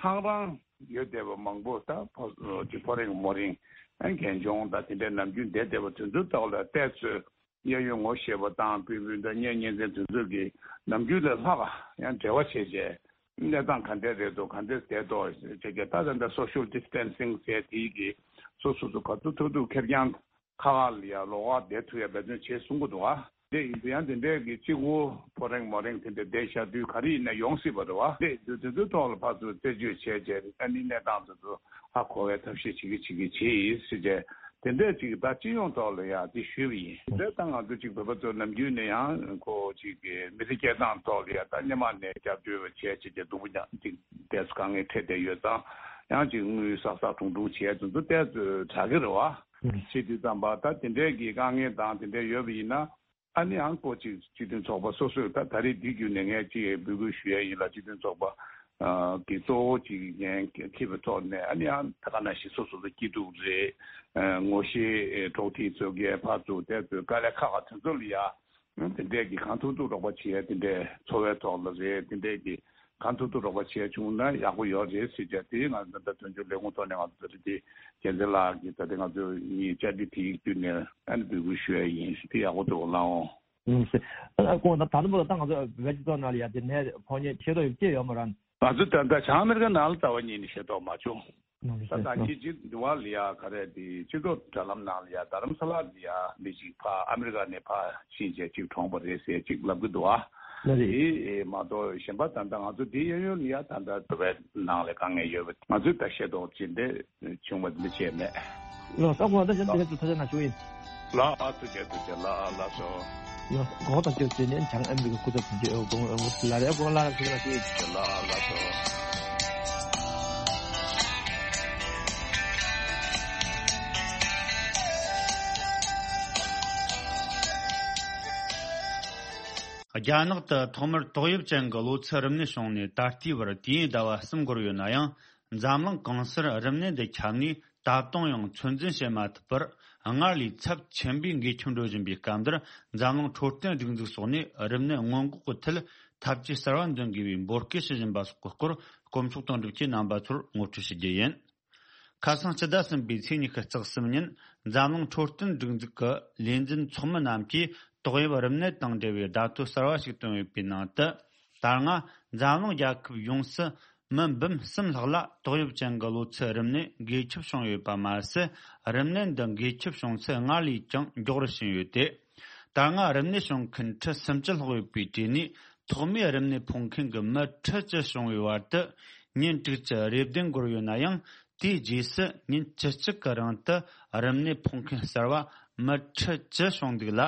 ཧང་རང་ཡོད་བསྡད་པ་མང་པོ་ད་ཕོ་ཅིག་ཕོ་རེངས་མོ་རེངས་ཨ་ནི་རྒན་གཞོན་ད་དེ་འདྲའི་ནམ་རྒྱུན་བསྡད་བསྡད་པ་དེ་ཚོའི་ཐོག་ལ་བལྟས་ཚོད། གཡས་གཡོན་ངོ་ཤེས་པ་དང་སྤུན་སྤུན་ཟླ་གཉེན་ཉེ་ཚན་དེ་ཚོ་གིས་ནམ་རྒྱུན་ལས་ལྷག་ཡང་འབྲེལ་བ་བྱས་བྱས་གནས་སྟངས་ག་འདྲས་རེད་འདུག་ག་འདྲས་བསྡད་འདུག་ཅེས་ཀྱི་ད་ད་ལྟ་social distancing་ཟེར་དེའི་གི་སོ་སོ་སོ་ག་ཚོད་ཐུབ་ཐུབ་ཁེར་རྐྱང་ཁ་ཁ་ལ་ཡ་ལོགས་ཀ་བསྡད་ཐུབ་ཡ་འབད་བརྩོན་བྱེད་གསུང་གི་འདུག་ཨ། དེ་ཡིན་དུས་ཡང་དེ་འདྲས་ཀྱི་གཅིག་པོ་ཕོ་རེང་མོ་རེང་དེ་འདྲས་བསྡད་བཞག་དུས་ག་རེ་ཡིན་ན་ཡོང་སྲིད་པ་རེད་བ། དེ་དུས་དེ་ཚོའི་ཐོག་ལ་ཕར་ཚུར་རྩད་གཅོད་བྱས་རྗེས་ཨ་ནི་གནས་སྟངས་དེ་ཚོ་ཧ་གོ་བའི་ཐབས་ཤེས་བྱེད་ཀྱི་བྱེད་ཀྱི་བྱེད་ཡིན་ཟེར་རྗེས་དེ་འདྲས་ཅིག་ད་སྤྱི་ཡོངས་ཐོག་ལ་ཡ་དེ་ཞུས་པ་ཡིན། དེ་ད་ང་ཚོ་ཅིག་བོད་པ་ཚོ་ནམ་རྒྱུན་ནས་ཡང་ཁོ་ཅིག་གི་མི་ཚེ་སྐྱེལ་སྟངས་ཐོག་ལ་ཡ་ད་སྔོན་མ་ནས་སྐྱབས་བཅོལ་བ་བྱས་བྱས་རྗེས་སྡུག་པོ་ཉག་ཅིག་དེ་ཚོ་དཀའ་ངལ་འཕྲད་བསྡད་ཡོད་ཙང་ཡང་ཅིག་དངུལ་བསགས་བསགས་དྲུང་དྲུང་བྱས་དེ་ཚོ་ཏོག་ཙམ་དྲག་གི་རེད་བ། བྱེད་དུས་ཙམ་པ་ད་དེ་འདྲའི་གི་དཀའ་ངལ་དང་དེ་འདྲའི་ཡོད་པ་ཡིན་ན་ཨ་ནི་ཨང་ཀོ་ཅིག་སྤྱི་མཐུན་ཚོགས་པ་སོ་སོས་ད་ད་རེས་འདི་བརྒྱུད་ནས་ངས་ཅིག་འབོད་སྐུལ་ཞུ་ཡ་ཡིན་ལ་སྤྱི་མཐུན་ཚོགས་པ་གི་གཙོ་བོ་ཅིག་འགན་འཁྱེར་བའི་ཐོག་ནས་ཨ་ནི་ཨང་ད་ག་ནང་བཞིན་སོ་སོ་ཚོ་སྐྱིད་སྡུག་རེད། ངོ་ཤེས་གྲོགས་མཐུན་ཚོ་གས་ཕར་ཚུར་དེ་ཚོའི་དཀའ་ལས་ཁག་ཁག་དེ་ཚོ་ལ་ཡ། དེ་འདྲས་ཀྱི་གང་ཐུབ་ཐུབ་རོགས་པ་བྱེད་ཡ་དེ་འདྲས་འཚོ་བའི་ཐོག་ལ་རེད། དེ་འདྲས་ཀྱི་གང་ཐུབ་ཐུབ་རོགས་པ་བྱེད་ཡ་བྱུང་ན་ཡག་པོ་ཡོད་རེད་ཟེར་བྱས་དེ་ང་ཚོ་ད་དོན་གཅོད་ལས་ཁུངས་ཐོག་ནས་ང་ཚོ་ད་རེད་དེ་རྒྱལ་མཚན་ལགས་ཀྱིས་ད་ལྟ་ང་ཚོ་གཉིས་བཅར་འདྲི་དེའི་བརྒྱུད་ནས་ཨ་ནི་འབོད་སྐུལ་ཞུ་ཡ་ཡིན། དེ་ཡག་པོ་འདུག་ལགས་འོང་། ཨུམ་སེ། ཨ་ཁོང་ད་ད་ལྟ་བར་ད་ང་ཚོ་བོད་སྤྱི་ཚོགས་ནང་ལ་ཡ་དེ་ནས་ཕོ་ཉ་ཆེ་རུ་སྐྱེས་ཡོད་མ་རེད། ང་ཚོ་ད་ལྟ་བྱང་ཨ་མེ་རི་ཀ་ནང་ལ་ལྟ་བ་ཉིད་ནས་ཤེས་རྟོགས་མ་བྱུང་། ད་ལྟ་ཁྱེད་ཀྱིས་འདི་བ་ལ་ཡ་ག་རེ་དེ་སྤྱི་ཚོགས་དྲ་ལམ་ནང་ལ་ཡ་རྡ་རམ་ས་ལ་ལ་ཡ་མི་ཞིག་ཕ་ཨ་མེ་རི་ཀ་ནས་ཕ་ཕྱིན་བྱས་ཅིག་གྲོངས་པ་རེད་ཟེར་ཅིག་ལབ་གི་འདུག་ཨ། ལ་རེད། དེ་མ་གཏོགས་གཞན་པ་ད་ལྟ་ང་ཚོ་འདི་གཡས་གཡོན་ལ་ཡ་ད་ལྟ་བོད་པའི་ནང་ལ་དཀའ་ངལ་ཡོད་པ་ང་ཚོས་ད་ཤེས་རྟོགས་ཅི་འདྲ་བྱུང་བ་འདི་བྱས་མེད། ལོ་ས་གོང་ད་གཞན་དེ་ཚོ་ཐ་ཆ་ན་བྱུང་ཡིན། ལ་ཨ་ཐུགས་རྗེ་ཐུགས་རྗེ་ལ་ཨ་ལ་སོ། ཡོ། གོ་ཐག་ཆོད་ཚེ་ནས་བྱང་ཨ་མི་རི་ཀ་སྐུ་ཚབ་དོན་གཅོད་ཨོ་དགོང་ཨོ་ལ་རེ་གོ་ལ་ར་ཞིག་ལ་ཞིག་ལ་ལ་སོ། རྒྱ་ནག་ཏུ་ཐོག་མར་ཏོག་དབྱིབས་ཅན་གྱི་གློ་ཚད་རིམས་ནད་བྱུང་ནས་ད་ལྟའི་བར་དུས་ཡུན་ཟླ་བ་གསུམ་འགོར་ཡོད་ན་ཡང་། འཛམ་གླིང་གང་སར་རིམས་ནད་འདི་ཁྱབ་ནས་ད་དུང་ཡང་ཚོད་འཛིན་བྱེད་མ་ཐུབ་པར་སྔར་ལས་ཚབས་ཆེན་པོས་འགོས་ཁྱབ་འགྲོ་བཞིན་པའི་སྐབས་འདིར། འཛམ་གླིང་འཕྲོད་བསྟེན་སྒྲིག་འཛུགས་སོགས་ནས་རིམས་ནད་སྔོན་འགོག་གི་ཐད་ཐབས་ཇུས་གསར་བ་འདོན་དགོས་པའི་འབོད་སྐུལ་ཞུ་བཞིན་པ་སོགས་ཀྱི་སྐོར་དཀོན་མཆོག་དོན་གྲུབ་ཀྱིས་རྣམ་པ་ཚོར་ངོ་སྤྲོད་ཞུ་རྒྱུ་ཡིན། ཁ་སང་སྤྱི་ཟླ་གསུམ་པའི་ཚེས་ཉི་ཤུ་རྩ་གསུམ་ཉིན། འཛམ་གླིང་འཕྲོད་བསྟེན་སྒྲིག་འཛུགས་ཀྱི་ལས་འཛིན་ཚོགས་མི་རྣམས་ཀྱིས་ཏོག་དབྱིབས་རིམས་ནད་དང་འབྲེལ་བའི་བརྡ་ཐོ་གསར་བ་ཞིག་བཏོན་ཡོད་པའི་ནང་དུ། ད་སྔ་འཛམ་གླིང་རྒྱལ་ཁབ་ཡོངས་སུ་མི་འབུམ་གསུམ་ལྷག་ལ་ཏོག་དབྱིབས་ཅན་གྱི་གློ་ཚད་རིམས་ནད་འགོས་ཁྱབ་བྱུང་ཡོད་པ་མ་ཟད། རིམས་ནད་འདི་འགོས་ཁྱབ་བྱུང་ཚད་སྔར་ལས་ཀྱང་མགྱོགས་རུ་ཕྱིན་ཡོད་དེ། ད་སྔ་རིམས་ནད་བྱུང་མཁན་ཁྲི་སུམ་ཅུ་ལྷག་ཡོད་པའི་གྲས་ནས་ཐོག་མའི་རིམས་ནད་ཕོག་མཁན་གྱི་མི་ཁྲི་བཅུ་བྱུང་བའི་བར་དུ་ཉིན་དྲུག་ཅུ་རེ་བདུན་འགོར་ཡོད་ན་ཡང་། དེའི་རྗེས་སུ་ཉིན་བཅུ་གཅིག་གི་རིང་དུ་རིམས་ནད་ཕོག་མཁན་གསར་བ་མི་ཁྲི་བཅུ་བྱུང་འདུག་ལ།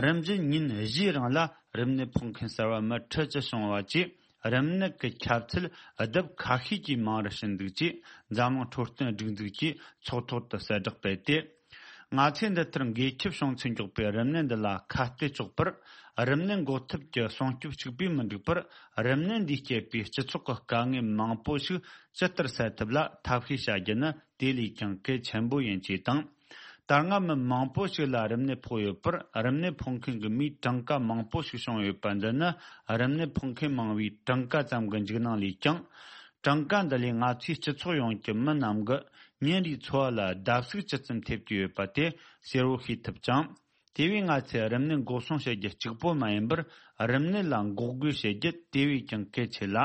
རིམ་བཞིན་ཉིན་བཞིའི་རིང་ལ་རིམས་ནད་ཕོག་མཁན་གསར་བ་མི་ཁྲི་བཅུ་བྱུང་བ་བཅས་རིམས་ནད་ཀྱི་ཁྱབ་ཚད་ལྡབ་ཁ་ཤས་ཀྱིས་མང་རུ་ཕྱིན་འདུག་ཅེས་འཛམ་གླིང་འཕྲོད་བསྟེན་སྒྲིག་འཛུགས་ཀྱིས་ཚོགས་ཐོག་ཏུ་གསལ་བསྒྲགས་སྤེལ་ཏེ། ང་ཚོས་འདི་ལྟར་འགོས་ཁྱབ་བྱུང་ཚུལ་མགྱོགས་པའི་རིམས་ནད་འདི་ལ་ཁ་གཏད་གཅོག་པར། རིམས་ནད་འགོག་ཐབས་ཀྱི་སྲུང་སྐྱོབ་གཅིག་པུས་མི་འགྲིག་པར། རིམས་ནད་འདིས་བསྐྱེད་པའི་སྤྱི་ཚོགས་ཀྱི་དཀའ་ངལ་མང་པོ་ཞིག་ཇི་ལྟར་སེལ་ཐུབ་ལ་ཐབས་ཤེས་བྱ་རྒྱུ་ནི་དེ་ལས་ཀྱང་གལ་ཆེན་པོ་ཡིན་ཅེས་དང་། ད་སྔ་མི་མང་པོ་ཞིག་ལ་རིམས་ནད་ཕོག་ཡོད་པར། རིམས་ནད་ཕོག་མཁན་གྱི་མིའི་གྲངས་ཀ་མང་པོ་ཞིག་བྱུང་ཡོད་པ་འདི་ནི། རིམས་ནད་ཕོག་མཁན་མང་བའི་གྲངས་ཀ་ཙམ་གྱི་འཇིགས་སྣང་ལས་ཀྱང་། གྲངས་ཀ་འདི་ལས་ང་ཚོའི་སྤྱི་ཚོགས་ཡོངས་ཀྱི་མི་རྣམས་ཀྱི་ཉིན་རེའི་འཚོ་བ་ལ་བརྡབ་གསིག་ཇི་ཙམ་ཐེབས་ཀྱི་ཡོད་པ་དེ་གསལ་བོ་ཤེས་ཐུབ་ཅིང་། དེ་བས་ང་ཚོས་རིམས་ནད་འགོག་སྲུང་བྱེད་རྒྱུ་གཅིག་པོ་མ་ཡིན་པར། རིམས་ནད་ལ་འགོག་རྒོལ་བྱེད་རྒྱུ་དེ་བས་ཀྱང་གལ་ཆེ་ལ།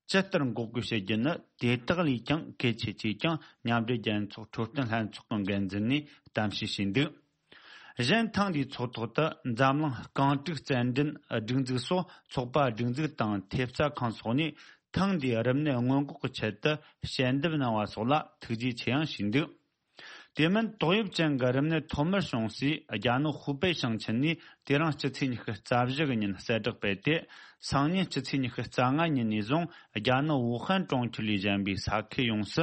ཇི་ལྟར་འགོག་རྒོལ་བྱེད་རྒྱུ་ནི་དེ་དག་ལས་ཀྱང་གལ་ཆེ་ཅེས་ཀྱང་མཉམ་འབྲེལ་རྒྱལ་ཚོགས་འཕྲོད་བསྟེན་ལྷན་ཚོགས་ཀྱི་འགན་འཛིན་ནས་གཏམ་བཤད་བྱས་འདུག་གཞན་ཐེངས་འདིའི་ཚོགས་ཐོག་ཏུ་འཛམ་གླིང་རྐང་དྲུག་རྩེད་འགྲན་སྒྲིག་འཛུགས་སོགས་ཚོགས་པ་སྒྲིག་འཛུགས་དང་ཐེབས་རྩ་ཁང་སོགས་ནས་ཐེངས་འདིའི་རིམས་ནད་སྔོན་འགོག་གི་ཆེད་དུ་ཞལ་འདེབས་གནང་བ་སོགས་ལ་ཐུགས་རྗེ་ཆེ་ཡང་ཞུས་འདུག་དེ་མིན་ཏོག་དབྱིབས་ཅན་གྱི་རིམས་ནད་ཐོག་མར་བྱུང་སའི་རྒྱ་ནག་ཧུའུ་པེ་ཞིང་ཆེན་ནས་དེ་རིང་སྤྱི་ཚེས་ཉི་ཤུ་རྩ་བཞི་གི་ཉིན་གསལ་བསྒྲགས་སྤེལ་ཏེ། སང་ཉིན་སྤྱི་ཚེས་ཉི་ཤུ་རྩ་ལྔ་ཉིན་ནས་བཟུང་རྒྱ་ནག་ཝུ་ཧན་གྲོང་ཁྱེར་ལས་གཞན་པའི་ས་ཁུལ་ཡོངས་སུ་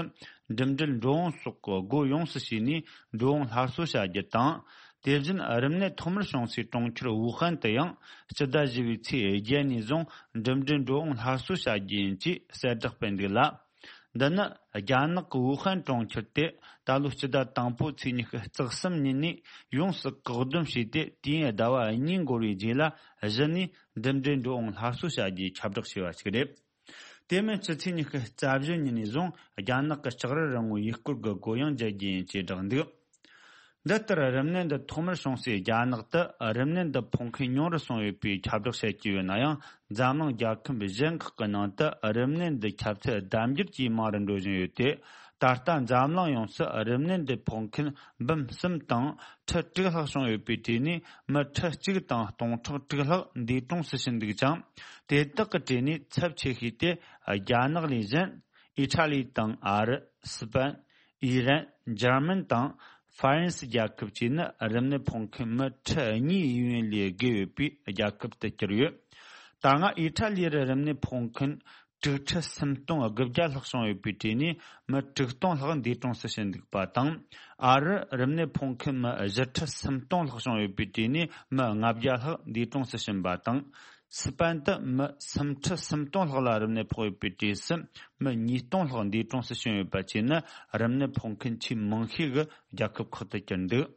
འགྲིམ་འགྲུལ་འགྲོ་འོང་སོགས་ཀྱི་སྒོ་ཡོངས་སུ་ཕྱེ་ནས་འགྲོ་འོང་སླར་གསོ་བྱ་རྒྱུ་དང་། དེ་བཞིན་རིམས་ནད་ཐོག་མར་བྱུང་སའི་གྲོང་ཁྱེར་ཝུ་ཧན་དུ་ཡང་སྤྱི་ཟླ་བཞི་པའི་ཚེས་བརྒྱད་ནས་བཟུང་འགྲིམ་འགྲུལ་འགྲོ་འོང་སླར་གསོ་བྱ་རྒྱུ་ཡིན་ཅེས་གསལ་བསྒྲགས་སྤེལ་འདུག་ལ། འདི་ནི་རྒྱ་ནག་གི་ཝུ་ཧན་གྲོང་ཁྱེར་དེ་ད་ལོའི་སྤྱི་ཟླ་དང་པོ་ཚེས་ཉི་ཤུ་རྩ་གསུམ་ཉིན་ནས་ཡོངས་སུ་བཀག་སྡོམ་བྱས་ཏེ། དུས་ཡུན་ཟླ་བ་གཉིས་འགོར་བའི་རྗེས་ལ་གཞི་ནས་འགྲིམ་འགྲུལ་འགྲོ་འོང་སླར་གསོ་བྱ་རྒྱུའི་ཁྱབ་བསྒྲགས་བྱས་པ་ཞིག་རེད། དེ་མིན་སྤྱི་ཚེས་ཉི་ཤུ་རྩ་བཞི་ཉིན་ནས་བཟུང་རྒྱ་ནག་གི་ལྕགས་རི་རིང་མོའི་ཡུལ་སྐོར་གྱི་སྒོ་ཡང་འབྱེད་རྒྱུ་ཡིན་ཅེས་བསྒྲགས་འདུག་འདི་ལྟར་རིམས་ནད་འདི་ཐོག་མར་བྱུང་སའི་རྒྱ་ནག་ཏུ་རིམས་ནད་འདི་ཕོག་མཁན་ཉུང་རུ་སོང་ཡོད་པའི་ཁྱབ་བསྒྲགས་བྱེད་ཀྱི་ཡོད་ན་ཡང་། འཛམ་གླིང་རྒྱལ་ཁབ་གཞན་ཁག་གི་ནང་དུ་རིམས་ནད་འདི་ཁྱབ་ཚད་ལྡབ་འགྱུར་གྱིས་མང་རུ་འགྲོ་བཞིན་ཡོད་དེ། ད་ལྟ་འཛམ་གླིང་ཡོངས་སུ་རིམས་ནད་འདི་ཕོག་མཁན་འབུམ་གསུམ་དང་ཁྲི་དྲུག་ལྷག་བྱུང་ཡོད་པའི་གྲས་ནས་མི་ཁྲི་གཅིག་དང་སྟོང་ཕྲག་དྲུག་ལྷག་འདས་གྲོངས་སུ་ཕྱིན་འདུག་ཅིང་། དེ་དག་གི་གྲས་ནས་ཚབས་ཆེ་ཤོས་དེ་རྒྱ་ནག་ལས་གཞན། ཨི་ཊ་ལི་དང་ཨ་རི། སི་པན། ཨི་རན། འཇར་མན་དང་ཧྥ་རན་སི་རྒྱལ་ཁབ་བཅས་ནི་རིམས་ནད་ཕོག་མཁན་མི་ཁྲི་གཉིས་ཡས་ཡོན་ལས་བརྒལ་ཡོད་པའི་རྒྱལ་ཁབ་ཏུ་གྱུར་ཡོད། ད་སྔ་ཨི་ཊ་ལི་རུ་རིམས་ནད་ཕོག་མཁན་དྲུག་ཁྲི་སུམ་སྟོང་དགུ་བརྒྱ་ལྷག་བྱུང་ཡོད་པའི་གྲས་ནས་མི་དྲུག་སྟོང་ལྷག་འདས་གྲོངས་སུ་ཕྱིན་འདུག་པ་དང་། ཨ་རི་རིམས་ནད་ཕོག་མཁན་མི་བཞི་ཁྲི་སུམ་སྟོང་ལྷག་བྱུང་ཡོད་པའི་གྲས་ནས་མི་ལྔ་བརྒྱ་ལྷག་འདས་གྲོངས་སུ་ཕྱིན་པ་དང་། སི་པན་དུ་མི་སུམ་ཁྲི་སུམ་སྟོང་ལྷག་ལ་རིམས་ནད་ཕོག་ཡོད་པའི་གྲས་སུ། མི་ཉིས་སྟོང་ལྷག་འདས་གྲོངས་སུ་ཕྱིན་ཡོད་པ་བཅས་ནི་རིམས་ནད་ཕོག་མཁན་ཆེས་མང་ཤོས་ཀྱི་རྒྱལ་ཁབ་ཁག་ཏུ་གྱུར་འདུག།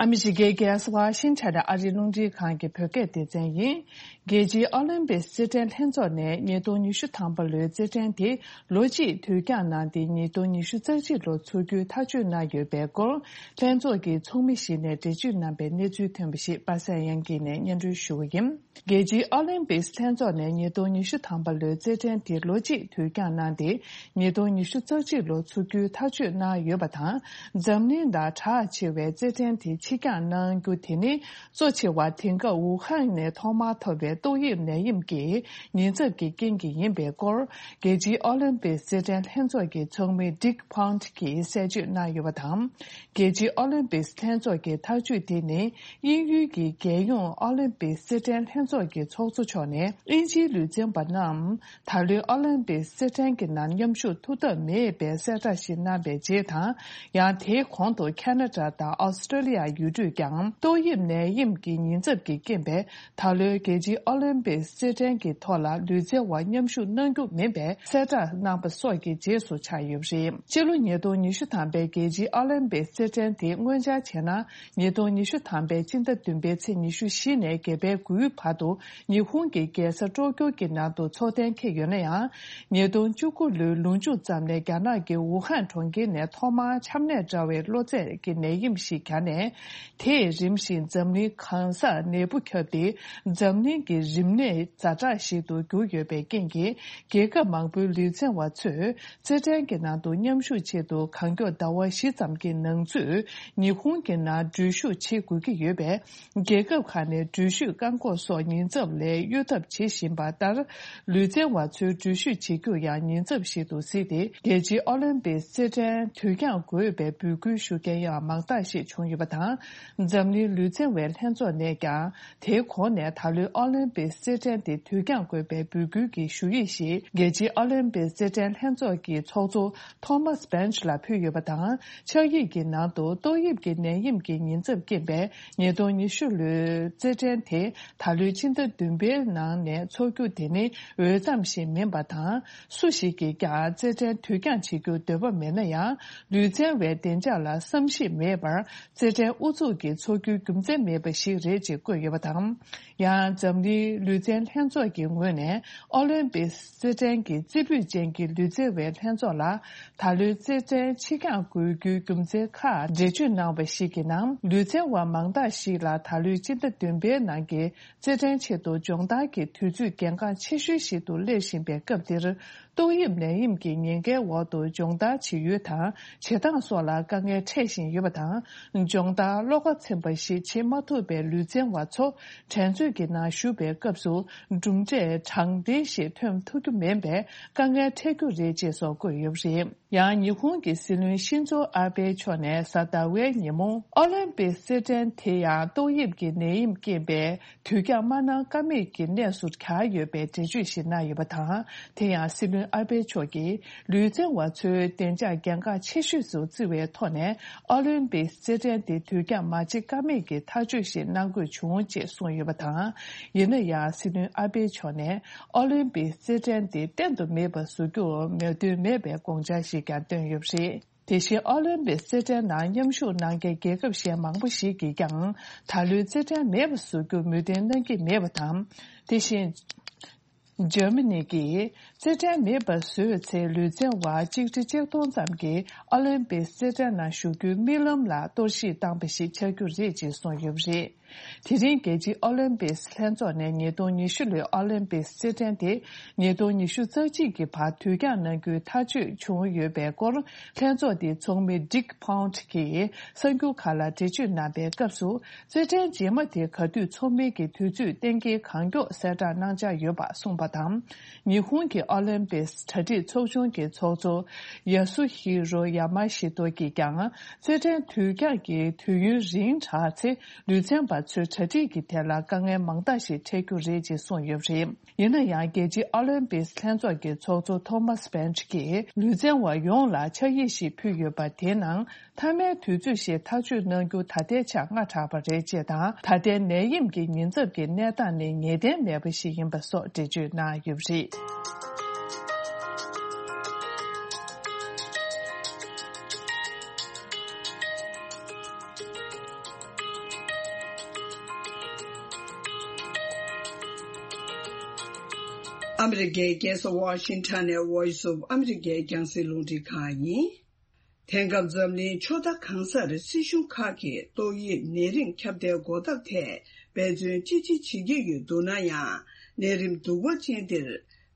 ཨ་མི་རི་ཀའི་རྒྱལ་ས་ཝ་ཤིང་ཊོན་ནས་ཨ་རིའི་རླུང་འཕྲིན་ཁང་གི་བོད་སྐད་སྡེ་ཚན་ཡིན། རྒྱལ་སྤྱིའི་ཨོ་ལིམ་པིག་རྩེད་འགྲན་ལྷན་ཚོགས་ནས་ཉིས་སྟོང་ཉི་ཤུ་ཐམ་པ་ལོའི་རྩེད་འགྲན་དེ་ལོ་གཅིག་དུས་འགྱངས་གནང་སྟེ། ཉིས་སྟོང་ཉི་ཤུ་རྩ་གཅིག་ལོར་འཚོགས་རྒྱུའི་ཐག་གཅོད་གནང་ཡོད་པའི་སྐོར། ལྷན་ཚོགས་ཀྱི་ཚོགས་མི་ཞིག་ནས་འགྲེལ་བརྗོད་གནང་པའི་གནས་ཚུལ་ཐོན་པ་ཞིག་པ་སངས་དབྱངས་སྐྱིད་ནས་སྙན་སྒྲོན་ཞུ་གི་ཡིན། རྒྱལ་སྤྱིའི་ཨོ་ལིམ་པིག་ལྷན་ཚོགས་ནས་ཉིས་སྟོང་ཉི་ཤུ་ཐམ་པ་ལོའི་རྩེད་འགྲན་དེ་ལོ་གཅིག་དུས་འགྱངས་གནང་སྟེ། ཉིས་སྟོང་ཉི་ཤུ་རྩ་གཅིག་ལོར་འཚོགས་རྒྱུའི་ཐག་གཅོད་གནང་ཡོད་པ་དང་། འཛམ་གླིང་ནང་གྲགས་ཆེ་བའི་རྩེད་འགྲན་དེ་ཕྱིར་འགྱངས་གནང་རྒྱུ་དེ་ནི། གཙོ་ཆེ་བ་དེང་སྐབས་ཝུ་ཧན་ནས་ཐོག་མར་ཐོབ་པའི་ཏོག་དབྱིབས་ནད་ཡམས་ཀྱི་ཉེན་ཚབས་ཀྱི་རྐྱེན་གྱིས་ཡིན་པའི་སྐོར། རྒྱལ་སྤྱིའི་ཨོ་ལིམ་པིག་རྩེད་འགྲན་ལྷན་ཚོགས་ཀྱི་ཚོགས་མི་Dick Pont གྱིས་གསལ་བརྗོད་གནང་ཡོད་པ་དང་། རྒྱལ་སྤྱིའི་ཨོ་ལིམ་པིག་ལྷན་ཚོགས་ཀྱི་ཐག་གཅོད་དེ་ནི། དབྱིན་ཡུལ་གྱི་རྒྱལ་ཡོངས་ཨོ་ལིམ་པིག་རྩེད་འགྲན་ལྷན་ཚོགས་ཀྱི་ཚོགས་གཙོ་མཆོག་ནས། དབྱིན་ཇིའི་ལུས་རྩལ་བ་རྣམས། ད་ལོའི་ཨོ་ལིམ་པིག་རྩེད་འགྲན་གྱི་ནང་མཉམ་ཞུགས་ཐུབ་ཐབས་མེད་པའི་གསལ་བསྒྲགས་ཤིག་གནང་བའི་རྗེས་དང་། ཡང་དེའི་གོང་དུ་ཁ་ན་ཌ་དང་ཨོ་སི་ཀྲོ་ལི་ཡ་ཡུལ་གྲུས་ཀྱང་ཏོག་དབྱིབས་ནད་ཡམས་ཀྱི་ཉེན་ཚབས་ཀྱི་རྐྱེན་པས། ད་ལོའི་རྒྱལ་སྤྱིའི་ཨོ་ལིམ་པིག་རྩེད་འགྲན་གྱི་ཐོག་ལ་ལུས་རྩལ་བ་མཉམ་ཞུགས་གནང་རྒྱུ་མིན་པའི་གསལ་བསྒྲགས་གནང་པ་སོགས་ཀྱི་རྗེས་སུ་ཆགས་ཡོད་པ་རེད། སྤྱི་ལོ་ཉིས་སྟོང་ཉི་ཤུ་ཐམ་པའི་རྒྱལ་སྤྱིའི་ཨོ་ལིམ་པིག་རྩེད་འགྲན་དེ་སྔོན་འཆར་བྱས་ན། ཉིས་སྟོང་ཉི་ཤུ་ཐམ་པའི་སྤྱི་ཟླ་བདུན་པའི་ཚེས་ཉི་ཤུ་བཞི་ནས་བརྒྱད་པའི་དགུའི་བར་དུ་ཉི་ཧོང་གི་རྒྱལ་ས་ཀྲོ་ཀྱོ་གི་ནང་དུ་འཚོགས་གཏན་འཁེལ་ཡོད་ན་ཡང་། ཉིས་སྟོང་བཅུ་དགུ་ལོའི་ལོ་མཇུག་ཙམ་ནས་རྒྱ་ནག་གི་ཝུ་ཧན་གྲོང་ཁྱེར་ནས་ཐོག་མར་ཆམ་ནད་འདྲ་བའི་གློ་ཚད་ཀྱི་ནད་ཡམས་ཤིག་གྱངས་ནས། དེས་རིམ་བཞིན་འཛམ་གླིང་གང་སར་ནད་འབུ་ཁྱབ་སྟེ། འཛམ་གླིང་གི་རིམས་ནད་ཛ་དྲག་ཞིག་ཏུ་གྱུར་ཡོད་པའི་རྐྱེན་གྱིས། རྒྱལ་ཁབ་མང་པོའི་ལུས་རྩལ་བ་ཚོས། རྩེད་འགྲན་གྱི་ནང་དུ་མཉམ་ཞུགས་ཆེད་དུ་གང་མགྱོགས་ཟླ་བ་བཞི་ཙམ་གྱི་ནང་ཚུད་ཉི་ཧོང་གི་ནང་འགྲུལ་བཞུད་བྱེད་དགོས་ཀྱི་ཡོད་པས། རྒྱལ་ཁབ་ཁག་ནས་འགྲུལ་བཞུད་བཀག་འགོག་སོགས་ཉེན་ཚབས་ལས་གཡོལ་ཐབས་བྱེད་བཞིན་པ་ལྟར། ལུས་རྩལ་བ་ཚོའི་འགྲུལ་བཞུད་བྱེད་རྒྱུ་ཡང་ཉེན་ཚབས་ཤིག་ཏུ་གཟིགས་ཏེ། རྒྱལ་སྤྱིའི་ཨོ་ལིམ་པིག་རྩེད་འགྲན་དུས་འགྱངས་དགོས་པའི་འབོད་སྐུལ་ཞུ་མཁན་ཡང་མང་དག་ཞིག་བྱུང་ཡོད་པ་དང་། འཛམ་གླིང་ལུས་རྩལ་བའི་ལྷན་ཚོགས་ནས་ཀྱང་། དེའི་གོང་ནས་ད་ལོའི་ཨོ་ལིམ་པིག་རྩེད་འགྲན་དེ་དུས་འགྱངས་དགོས་པའི་འབོད་སྐུལ་གྱི་ཞུ་ཡིག་ཞིག་རྒྱལ་སྤྱིའི་ཨོ་ལིམ་པིག་རྩེད་འགྲན་ལྷན་ཚོགས་ཀྱི་ཚོགས་གཙོ་Thomas Bach ལ་ཕུལ་ཡོད་པ་དང་། ཕྱག་ཡིག་གི་ནང་དུ་ཏོག་དབྱིབས་ཀྱི་ནད་ཡམས་ཀྱི་ཉེན་ཚབས་རྐྱེན་པས། ཉིས་སྟོང་ཉི་ཤུ་ལོའི་རྩེད་འགྲན་དེ་ད་ལོའི་ཕྱི་ཟླ་བདུན་པའི་ནང་ནས་འཚོགས་རྒྱུ་དེ་ནི་འོས་འཚམ་ཞིག་མིན་པ་དང་། སུ་ཞིག་གིས་ཀྱང་རྩེད་འགྲན་དུས་འགྱངས་བྱེད་རྒྱུར་འདོད་པ་མེད་ན་ཡང་། ལུས་རྩལ་བའི་བདེ་འཇགས་ལ་བསམ་ཤེས་མེད་པར། རྩེད་འགྲན་ཨུ་ཚུགས་ཀྱིས་འཚོགས་རྒྱུའི་རྒྱུ་མཚན་མེད་པ་ཞིག་རེད་ཅེས་བཀོད་ཡོད་པ་དང་། ཡང་འཛམ་གླིང་ལུས་རྩལ་ལྷན་ཚོགས་ཀྱི་ངོས་ནས་ཨོ་ལིམ་པིག་རྩེད་འགྲན་གྱི་རྩེ་ཕུད་ཅན་གྱི་ལུས་རྩལ་བའི་ལྷན་ཚོགས་ལ། ད་ལོའི་རྩེད་འགྲན་ཕྱིར་འགྱངས་དགོས་རྒྱུའི་རྒྱུ་མཚན་ཁག་འགྲེལ་བརྗོད་གནང་བ་ཞིག་གི་ནང་། ལུས་རྩལ་བ་མང་དག་ཞིག་ལ་ད་ལོའི་སྤྱི་ཟླ་བདུན་པའི་ནང་གི་རྩེད་འགྲན་ཆེད་དུ་སྦྱོང་བརྡར་གྱི་དུས་ཚོད་གལ་འགངས་ཆེ་ཤོས་ཤིག་ཏུ་སླེབས་བཞིན་པའི་སྐབས་འདིར། ཏོག་དབྱིབས་ནད་ཡམས་ཀྱི་ཉེན་ཁའི་འོག་ཏུ་སྦྱོང་བརྡར་བྱེད་ཡུལ་དང་བྱེད་སྟངས་སོགས་ལ་དཀའ་ངལ་འཕྲད་བཞིན་ཡོད་པ་དང་། སྦྱོང་བརྡར་བློ་ཁ་ཚིམ་པ་ཞིག་བྱེད་མ་ཐུབ་པའི་ལུས་རྩལ་བ་ཚོ་འགྲན་རྩོད་ཀྱི་ནང་ཞུགས་པའི་སྐབས་སུ་གྲུབ་འབྲས་དྲང་བདེན་ཞིག་ཐོན་ཐུབ་རྒྱུ་མིན་པའི་དཀའ་ངལ་འཕྲད་རྒྱུ་རེད་ཅེས་སོགས་བཀོད་ཡོད་པ་རེད། ཡང་ཉི་ཧོང་གི་སྲིད་བློན་ཤིན་ཛོ་ཨ་བྷེ་མཆོག་ནས་གཟའ་ཟླ་བའི་ཉིན་མོ། ཨོ་ལིམ་པིག་རྩེད་འགྲན་དེ་ཡང་ཏོག་དབྱིབས་ཀྱི་ནད་ཡམས་རྐྱེན་པས་དུས་འགྱངས་མ་གནང་ཀ་མེད་ཀྱི་གནས་སུ་གྱར་ཡོད་པའི་འགྲེལ་བརྗོད་ཞིག་གནང་ཡོད་པ་དང་། དེ་ཡང་སྲིད་བློན་ཨ་བྷེ་མཆོག་གིས་ལུས་རྩལ་བ་ཚོའི་བདེ་འཇགས་གལ་འགངས་ཆེ་ཤོས་སུ་བརྩི་བའི་ཐོག་ནས། ཨོ་ལིམ་པིག་རྩེད་འགྲན་དེ་དུས་འགྱངས་མ་བྱེད་ཀ་མེད་ཀྱི་ཐག་གཅོད་ཞིག་གནང་དགོས་བྱུང་ཅེས་གསུངས་ཡོད་པ་དང་། ཡིན་ན་ཡང་སྲིད་བློན་ཨ་བྷེ་མཆོག་ནས། ཨོ་ལིམ་པིག་རྩེད་འགྲན་དེ་གཏན་དུ་མེད་པ་བཟོ་རྒྱུར་མོས་མཐུན་མེད་པའི་དགོངས་འཆར་ཞིག་ཀྱང་བཏོན་ཡོད་པ་རེད། དེ་བཞིན་ཨོ་ལིམ་པིག་རྩེད་འགྲན་ནང་མཉམ་ཞུགས་གནང་མཁན་རྒྱལ་ཁབ་གཞན་མང་པོ་ཞིག་གིས་ཀྱང་ད་ལོའི་རྩེད་འགྲན་མེད་པ་བཟོ་རྒྱུར་མོས་མཐུན་གནང་གི་མེད་པ་དང་། དེ་བཞིན། འཇར་མ་ནི་གིས་རྩེད་འགྲན་མེད་པ་བཟོས་ཚེ། ལུས་རྩལ་བ་གཅིག་ཁྲི་གཅིག་སྟོང་ཙམ་གྱིས་ཨོ་ལིམ་པིག་རྩེད་འགྲན་ནང་ཞུགས་རྒྱུའི་རྨི་ལམ་ལ་གཏོར་བཤིག་བཏང་པ་ཞིག་ཆགས་རྒྱུ་རེད་ཅེས་གསུངས་ཡོད་པ་རེད། དེ་རིང་རྒྱལ་སྤྱིའི་ཨོ་ལིམ་པིག་ལྷན་ཚོགས་ནས་ཉིས་སྟོང་ཉི་ཤུ་ལོའི་ཨོ་ལིམ་པིག་རྩེད་འགྲན་དེ་ཉིས་སྟོང་ཉི་ཤུ་རྩ་གཅིག་གི་བར་དུས་འགྱངས་གནང་རྒྱུའི་ཐག་གཅོད་བྱུང་ཡོད་པའི་སྐོར། ལྷན་ཚོགས་དེའི་ཚོགས་མི་Dick Pound གྱིས་གསར་འགྱུར་ཁག་ལ་འགྲེལ་བརྗོད་གནང་པའི་སྐབས་སུ། རྩེད་འགྲན་རྗེས་མ་དེ་ག་དུས་འཚོགས་མིན་གྱི་དུས་ཚོད་གཏན་འཁེལ་གང་མགྱོགས་གསལ་བསྒྲགས་གནང་འཆར་ཡོད་པ་གསུངས་པ་དང་། ཉི་ཧོང་གི་ཨོ་ལིམ་པིག་གྲ་སྒྲིག་ཚོགས་ཆུང་གི་ཚོགས་གཙོ་ཡ་སུ་ཧི་རོ་ཡ་མ་ཤི་ཏོ་གྱིས་ཀྱང་། རྩེད་འགྲན་དུས་འགྱངས་ཀྱི་དུས་ཡུན་རིང་དྲགས་ཚེ། ལུས་རྩལ་བ་ཚོའི་གྲ་སྒྲིག་གི་ཐད་ལ་དཀའ་ངལ་མང་དག་ཞིག་འཕྲད་རྒྱུ་རེད་ཅེས་གསུངས་ཡོད་པ་རེད། ཡིན་ན་ཡང་། རྒྱལ་སྤྱིའི་ཨོ་ལིམ་པིག་ལྷན་ཚོགས་ཀྱི་ཚོགས་གཙོ་ཐོ་མཱས་བྷེན་ཁྲི་གིས་ལུས་རྩལ་བ་ཡོངས་ལ་ཕྱག་ཡིག་ཞིག་ཕུལ་ཡོད་པ་དེའི་ནང་། མཐའ་མའི་དུས་ཚོད་ཞིག་ཐག་གཅོད་གནང་རྒྱུ་ད་ལྟའི་ཆར་སྔ་དྲགས་པ་རེད་ཅེས་དང་། ད་ལྟའི་ནད་ཡམས་ཀྱི་ཉེན་ཚབས་ཀྱི་གནས་སྟངས་ནི་ངེས་གཏན་མེད་པ་ཞིག་ཡིན་པ་སོགས་འགྲེལ་བརྗོད་གནང་ཡོད་པ་རེད། ཨ་མི་རི་ཀའི་རྒྱལ་ས་ཝ་ཤིང་ཊོན་ནས་Voice of America རྒྱང་སྲིང་རླུང་འཕྲིན་ཁང་ཡིན། དེང་སྐབས་འཛམ་གླིང་ཕྱོགས་མཐའ་གང་སར་སྲིད་གཞུང་ཁག་གིས་ཏོག་དབྱིབས་ནད་རིམས་ཁྱབ་གདལ་འགོག་ཐབས་ཐད་འབད་བརྩོན་ཅི་ཆེ་བྱེད་ཀྱི་ཡོད་འདུག་ན་ཡང་། ནད་རིམས་གདུག་པ་ཅན་འདིར་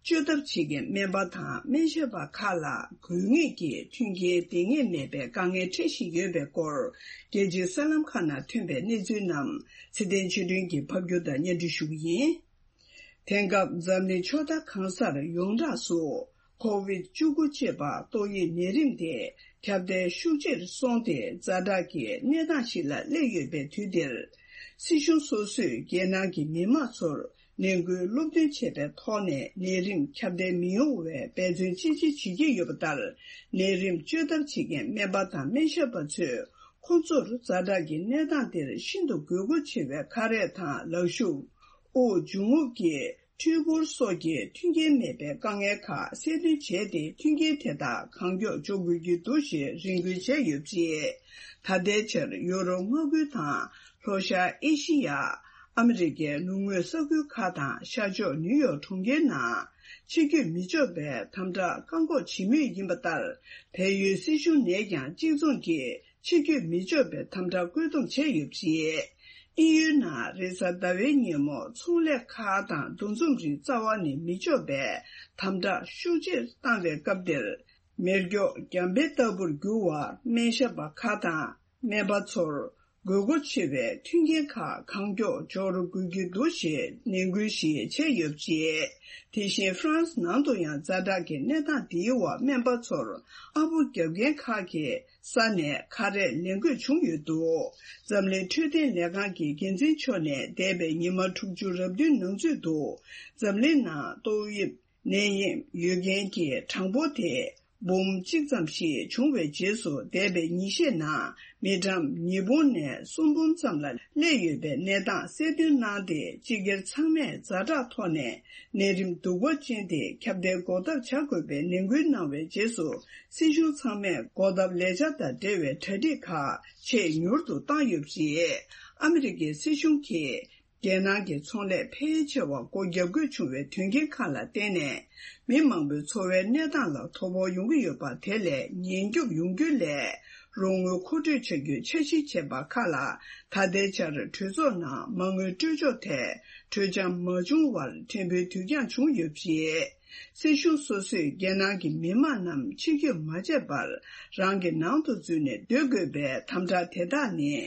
བཅོས་ཐབས་བྱེད་མཁན་སྨན་པ་དང་སྨན་ཞབས་པ་ཁག་ལ་དགོས་ངེས་ཀྱི་མཐུན་རྐྱེན་ལྡན་ངེས་མེད་པའི་དཀའ་ངལ་འཕྲད་བཞིན་ཡོད་པའི་སྐོར། རྒྱལ་སྤྱིའི་གསར་ལམ་ཁག་ནང་ཐོན་པའི་གནས་ཚུལ་རྣམས་ཚེ་བརྟན་ཆོས་སྒྲོན་གྱིས་ཕབ་སྒྱུར་དང་སྙན་སྒྲོན་ཞུ་གི་ཡིན། དེང་སྐབས་འཛམ་གླིང་ཕྱོགས་མཐའ་གང་སར་ཡོངས་གྲགས་སུ་ཁོ་བིད་བཅུ་དགུ་ཅེས་པ་ཏོག་དབྱིབས་ནད་རིམས་དེ་ཁྱབ་གདལ་ཤུགས་ཆེར་སོང་སྟེ་ཛ་དྲག་གི་གནས་སྟངས་ཤིག་ལ་སླེབས་ཡོད་པའི་དུས་འདིར། སྲིད་གཞུང་སོ་སོས་རྒྱལ་ནང་གི་མི་མང་ཚོར་ནད་འགོས་སློབ་སྟོན་བྱས་པའི་ཐོག་ནས་ནད་རིམས་ཁྱབ་གདལ་མི་ཡོང་བའི་འབད་བརྩོན་ཅི་ཆེ་བྱེད་ཀྱི་ཡོད་པ་ལྟར། ནད་རིམས་བཅོས་ཐབས་བྱེད་མཁན་སྨན་པ་དང་སྨན་ཞབས་པ་ཚོས། ཁོ་ཚོར་ཛ་དྲག་གི་གནས་སྟངས་འདིར་ཤིན་ཏུ་དགོས་མཁོ་ཆེ་བའི་ཁ་རས་དང་ལག་ཤུབས། དབུགས་འབྱུང་རྔུབ་ཀྱི་འཕྲུལ་འཁོར་སོགས་ཀྱི་མཐུན་རྐྱེན་མེད་པའི་དཀའ་ངལ་ཁག་གསལ་སྟོན་བྱས་ཏེ། མཐུན་རྐྱེན་དེ་དག་གང་མགྱོགས་འཇོག་དགོས་ཀྱི་འདུག་ཞེས་རེ་སྐུལ་བྱས་ཡོད་པ་རེད། ད་ལྟའི་ཆར་ཡོ་རོབ་མངའ་ཁུལ་དང་ལྷོ་ཤར་ཨེ་ཤི་ཡ། ཨ་མི་རི་ཀའི་ལུང་དངོས་ས་ཁུལ་ཁག་དང་ཤར་ཕྱོགས་ནིའུ་ཡོག་གྲོང་ཁྱེར་ནང་ཕྱིར་སྐྱོད་མི་ཆོག་པའི་དམ་དྲག་བཀག་འགོག་བྱེད་མུས་ཡིན་པ་ལྟར། བལ་ཡུལ་སྲིད་གཞུང་ནས་ཀྱང་གཅིག་མཚུངས་ཀྱིས། ཕྱིར་སྐྱོད་མི་ཆོག་པའི་དམ་དྲག་བཀོད་འདོམས་བྱས་ཡོད་པ་རེད། དབྱིན་ཡུལ་ནང་རེས་གཟའ་ཟླ་བའི་ཉིན་མོ་ཚོང་ལས་ཁག་དང་འདུ་འཛོམས་རིགས་རྩ་བ་ནས་མི་ཆོག་པའི་དམ་དྲག་ཤུགས་ཆེར་བཏང་བའི་སྐབས་དེར། མེ་སྒྱོགས་རྒྱ་འབེབས་ལྟ་བུར་གྱུར་བར་སྨན་ཞབས་པ་ཁག་དང་སྨན་པ་ཚོར་དགོས་མཁོ་ཆེ་བའི་མཐུན་རྐྱེན་ཁག་གང་མགྱོགས་འབྱོར་དགོས་ཀྱི་འདུག་ཞེས་ནན་སྐུལ་ཞིག་བྱས་ཡོད་པ་རེད། དེ་བཞིན་ཧྥ་རན་སི་ནང་དུ་ཡང་ཛ་དྲག་གི་གནས་སྟངས་འདིའི་འོག་སྨན་པ་ཚོར་ཨ་ཕོ་རྒྱབ་མཁན་ཁག་གིས། ས་ནས་ཁ་རས་ལེན་དགོས་བྱུང་ཡོད་འདུག་འཛམ་གླིང་འཕྲོད་བསྟེན་ལས་ཁང་གི་འགན་འཛིན་མཆོག་ནས་འདས་པའི་ཉི་མ་དྲུག་ཅུ་རབ་བདུན་ནང་ཚུད་དུ། འཛམ་གླིང་ནང་ཏོག་དབྱིབས་ནད་ཡམས་ཡོད་མཁན་གྱི་གྲངས་འབོར་དེ་འབུམ་གཅིག་ཙམ་ཞིག་བྱུང་བའི་རྗེས་སུ། འདས་པའི་ཉིན་ཤས་ནང་མི་གྲངས་ཉིས་འབུམ་ནས་གསུམ་འབུམ་ཙམ་ལ་སླེབས་ཡོད་པའི་གནས་སྟངས་གསལ་སྟོན་གནང་སྟེ། སྤྱི་སྒེར་ཚང་མས་ཛ་དྲག་ཐོག་ནས། ནད་རིམས་གདུག་པ་ཅན་དེ་ཁྱབ་གདལ་འགོག་ཐབས་བྱ་དགོས་པའི་ནན་སྐུལ་གནང་བའི་རྗེས་སུ། སྲིད་གཞུང་ཚང་མས་འགོག་ཐབས་ལས་འཆར་དང་འབྲེལ་བའི་གྲ་སྒྲིག་ཁག་ཆེས་མྱུར་དུ་བཏང་ཡོད་པ་རེད། ཨ་མི་རི་ཀའི་སྲིད་གཞུང་གིས་རྒྱལ་ནང་གི་ཚོང་ལས་ཕལ་ཆེ་བ་སྒོ་བརྒྱབ་དགོས་བྱུང་བའི་དོན་རྐྱེན་ཁག་ལ་བརྟེན་ནས། མི་མང་པོའི་འཚོ་བའི་གནས་སྟངས་ལ་དོ་ཕོག་ཡོང་གི་ཡོད་པ། དེ་ལས་ཉེན་སྐྱོབ་ཡོང་རྒྱུ་ལས། རོགས་དངུལ་མཁོ་སྤྲོད་བྱ་རྒྱུའི་འཆར་གཞི་བྱས་པ་ཁག་ལ། ད་ལྟའི་ཆར་གྲོས་ཚོགས་ནང་མ་དངུལ་སྤྲོད་ཕྱོགས་ཐད་གྲོས་འཆམ་མ་བྱུང་བར་ཕྲན་བུ་དུས་འགྱངས་བྱུང་ཡོད་པ་རེད། སྲིད་གཞུང་སོ་སོས་རྒྱལ་ནང་གི་མི་མང་རྣམས་ཕྱིར་སྐྱོད་མ་བྱས་པར་རང་གི་ནང་དུ་འཛུལ་ནས་སྡོད་དགོས་པའི་དམ་དྲག་དེ་དག་ནི།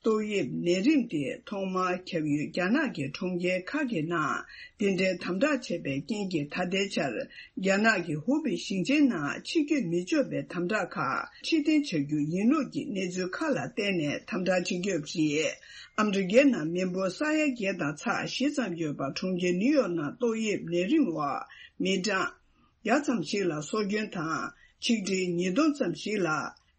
ཏོག་དབྱིབས་ནད་རིམས་དེ་ཐོག་མར་ཁྱབ་ཡུལ་རྒྱ་ནག་གི་གྲོང་ཁྱེར་ཁག་གི་ནང་འདི་འདྲའི་དམ་དྲག་བྱས་པའི་རྐྱེན་གྱིས། ད་ལྟའི་ཆར་རྒྱ་ནག་གི་ཧུ་པེ་ཞིང་ཆེན་ནང་ཕྱིར་སྐྱོད་མི་ཆོག་པའི་དམ་དྲག་ཁག་ཕྱིར་འཐེན་བྱ་རྒྱུ་ཡིན་ལུགས་ཀྱི་གནས་ཚུལ་ཁག་ལ་བརྟེན་ནས་དམ་དྲག་བྱེད་ཀྱི་ཡོད་པ་རེད། ཨ་མི་རི་ཀའི་ནང་མི་འབོར་ས་ཡ་བརྒྱད་དང་ཚེག་བཞི་ཙམ་ཡོད་པ་གྲོང་ཁྱེར་ནིའུ་ཡོག་ནང་ཏོག་དབྱིབས་ནད་རིམས་འོག་མི་གྲངས་བརྒྱ་ཙམ་ཞིག་ལ་སྲོག་སྐྱོན་དང་། ཆིག་ཁྲི་ཉིས་སྟོང་ཙམ་ཞིག་ལ་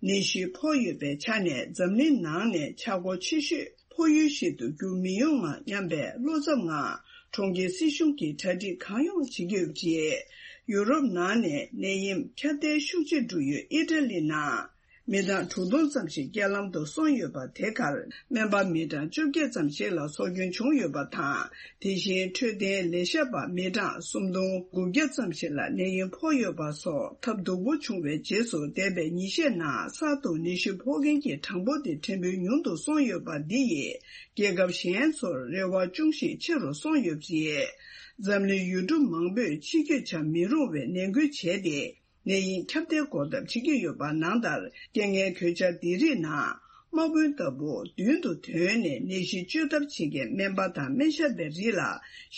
ནད་གཞི་ཕོག་ཡོད་པའི་ཆ་ནས། འཛམ་གླིང་ནང་ནས་ཆག་སྒོ་ཆེ་ཤོས་ཕོག་ཡུལ་ཞིག་ཏུ་འགྱུར་མི་ཡོང་ངམ་སྙམ་པའི་བློ་འཚབ་ངང་། གྲོང་ཁྱེར་སྲིད་གཞུང་གིས་གྲ་སྒྲིག་གང་ཡོང་བྱེད་ཀྱི་ཡོད་པ་རེད། ཡུ་རོབ་ནང་ནས་ནད་ཡམས་ཁྱབ་གདལ་ཤུགས་ཆེ་འགྲོ་ཡུལ་ཨི་ཊ་ལི་ནང་། མི་གྲངས་དྲུག་སྟོང་ཙམ་ཞིག་རྐྱེན་ལམ་དུ་སོང་ཡོད་པ། དེ་གར་སྨན་པ་མི་གྲངས་བཅོ་བརྒྱད་ཙམ་ཞིག་ལ་སྲོག་སྐྱོན་བྱུང་ཡོད་པ་དང་། དེ་བཞིན་འཕྲོད་བསྟེན་ལས་བྱེད་པ་མི་གྲངས་སུམ་སྟོང་དགུ་བརྒྱ་ཙམ་ཞིག་ལ་ནད་ཡམས་ཕོག་ཡོད་པ་སོགས་ཐབས་སྡུག་པོ་བྱུང་བའི་རྗེས་སུ། འདས་པའི་ཉིན་ཤས་ནང་གསར་དུ་ནད་གཞི་ཕོག་མཁན་གྱི་གྲངས་འབོར་དེ་ཕྲན་བུ་ཉུང་དུ་སོང་ཡོད་པ་འདི་ཡིས། རྒྱལ་ཁབ་གཞན་ཚོར་རེ་བ་ཅུང་ཞིག་ཆེ་རུ་སོང་ཡོད་པ་རེད། འཛམ་གླིང་ཡུལ་གྲུ་མང་པོས་ཕྱི་སྐྱོད་བྱ་མི་རུང་བའི་ནད་འགོས་བྱས་ཏེ། ནད་ཡམས་ཁྱབ་གདལ་འགོག་ཐབས་བྱེད་ཀྱི་ཡོད་པ་ནང་ལྟར། རྐྱེན་ངན་གོད་ཆག་འདི་རིགས་ནང་དམག་དཔོན་ལྟ་བུ་མདུན་དུ་ཐོན་ནས་ནད་གཞི་བཅོས་ཐབས་བྱེད་མཁན་སྨན་པ་དང་སྨན་ཞབས་པའི་རིགས་ལ་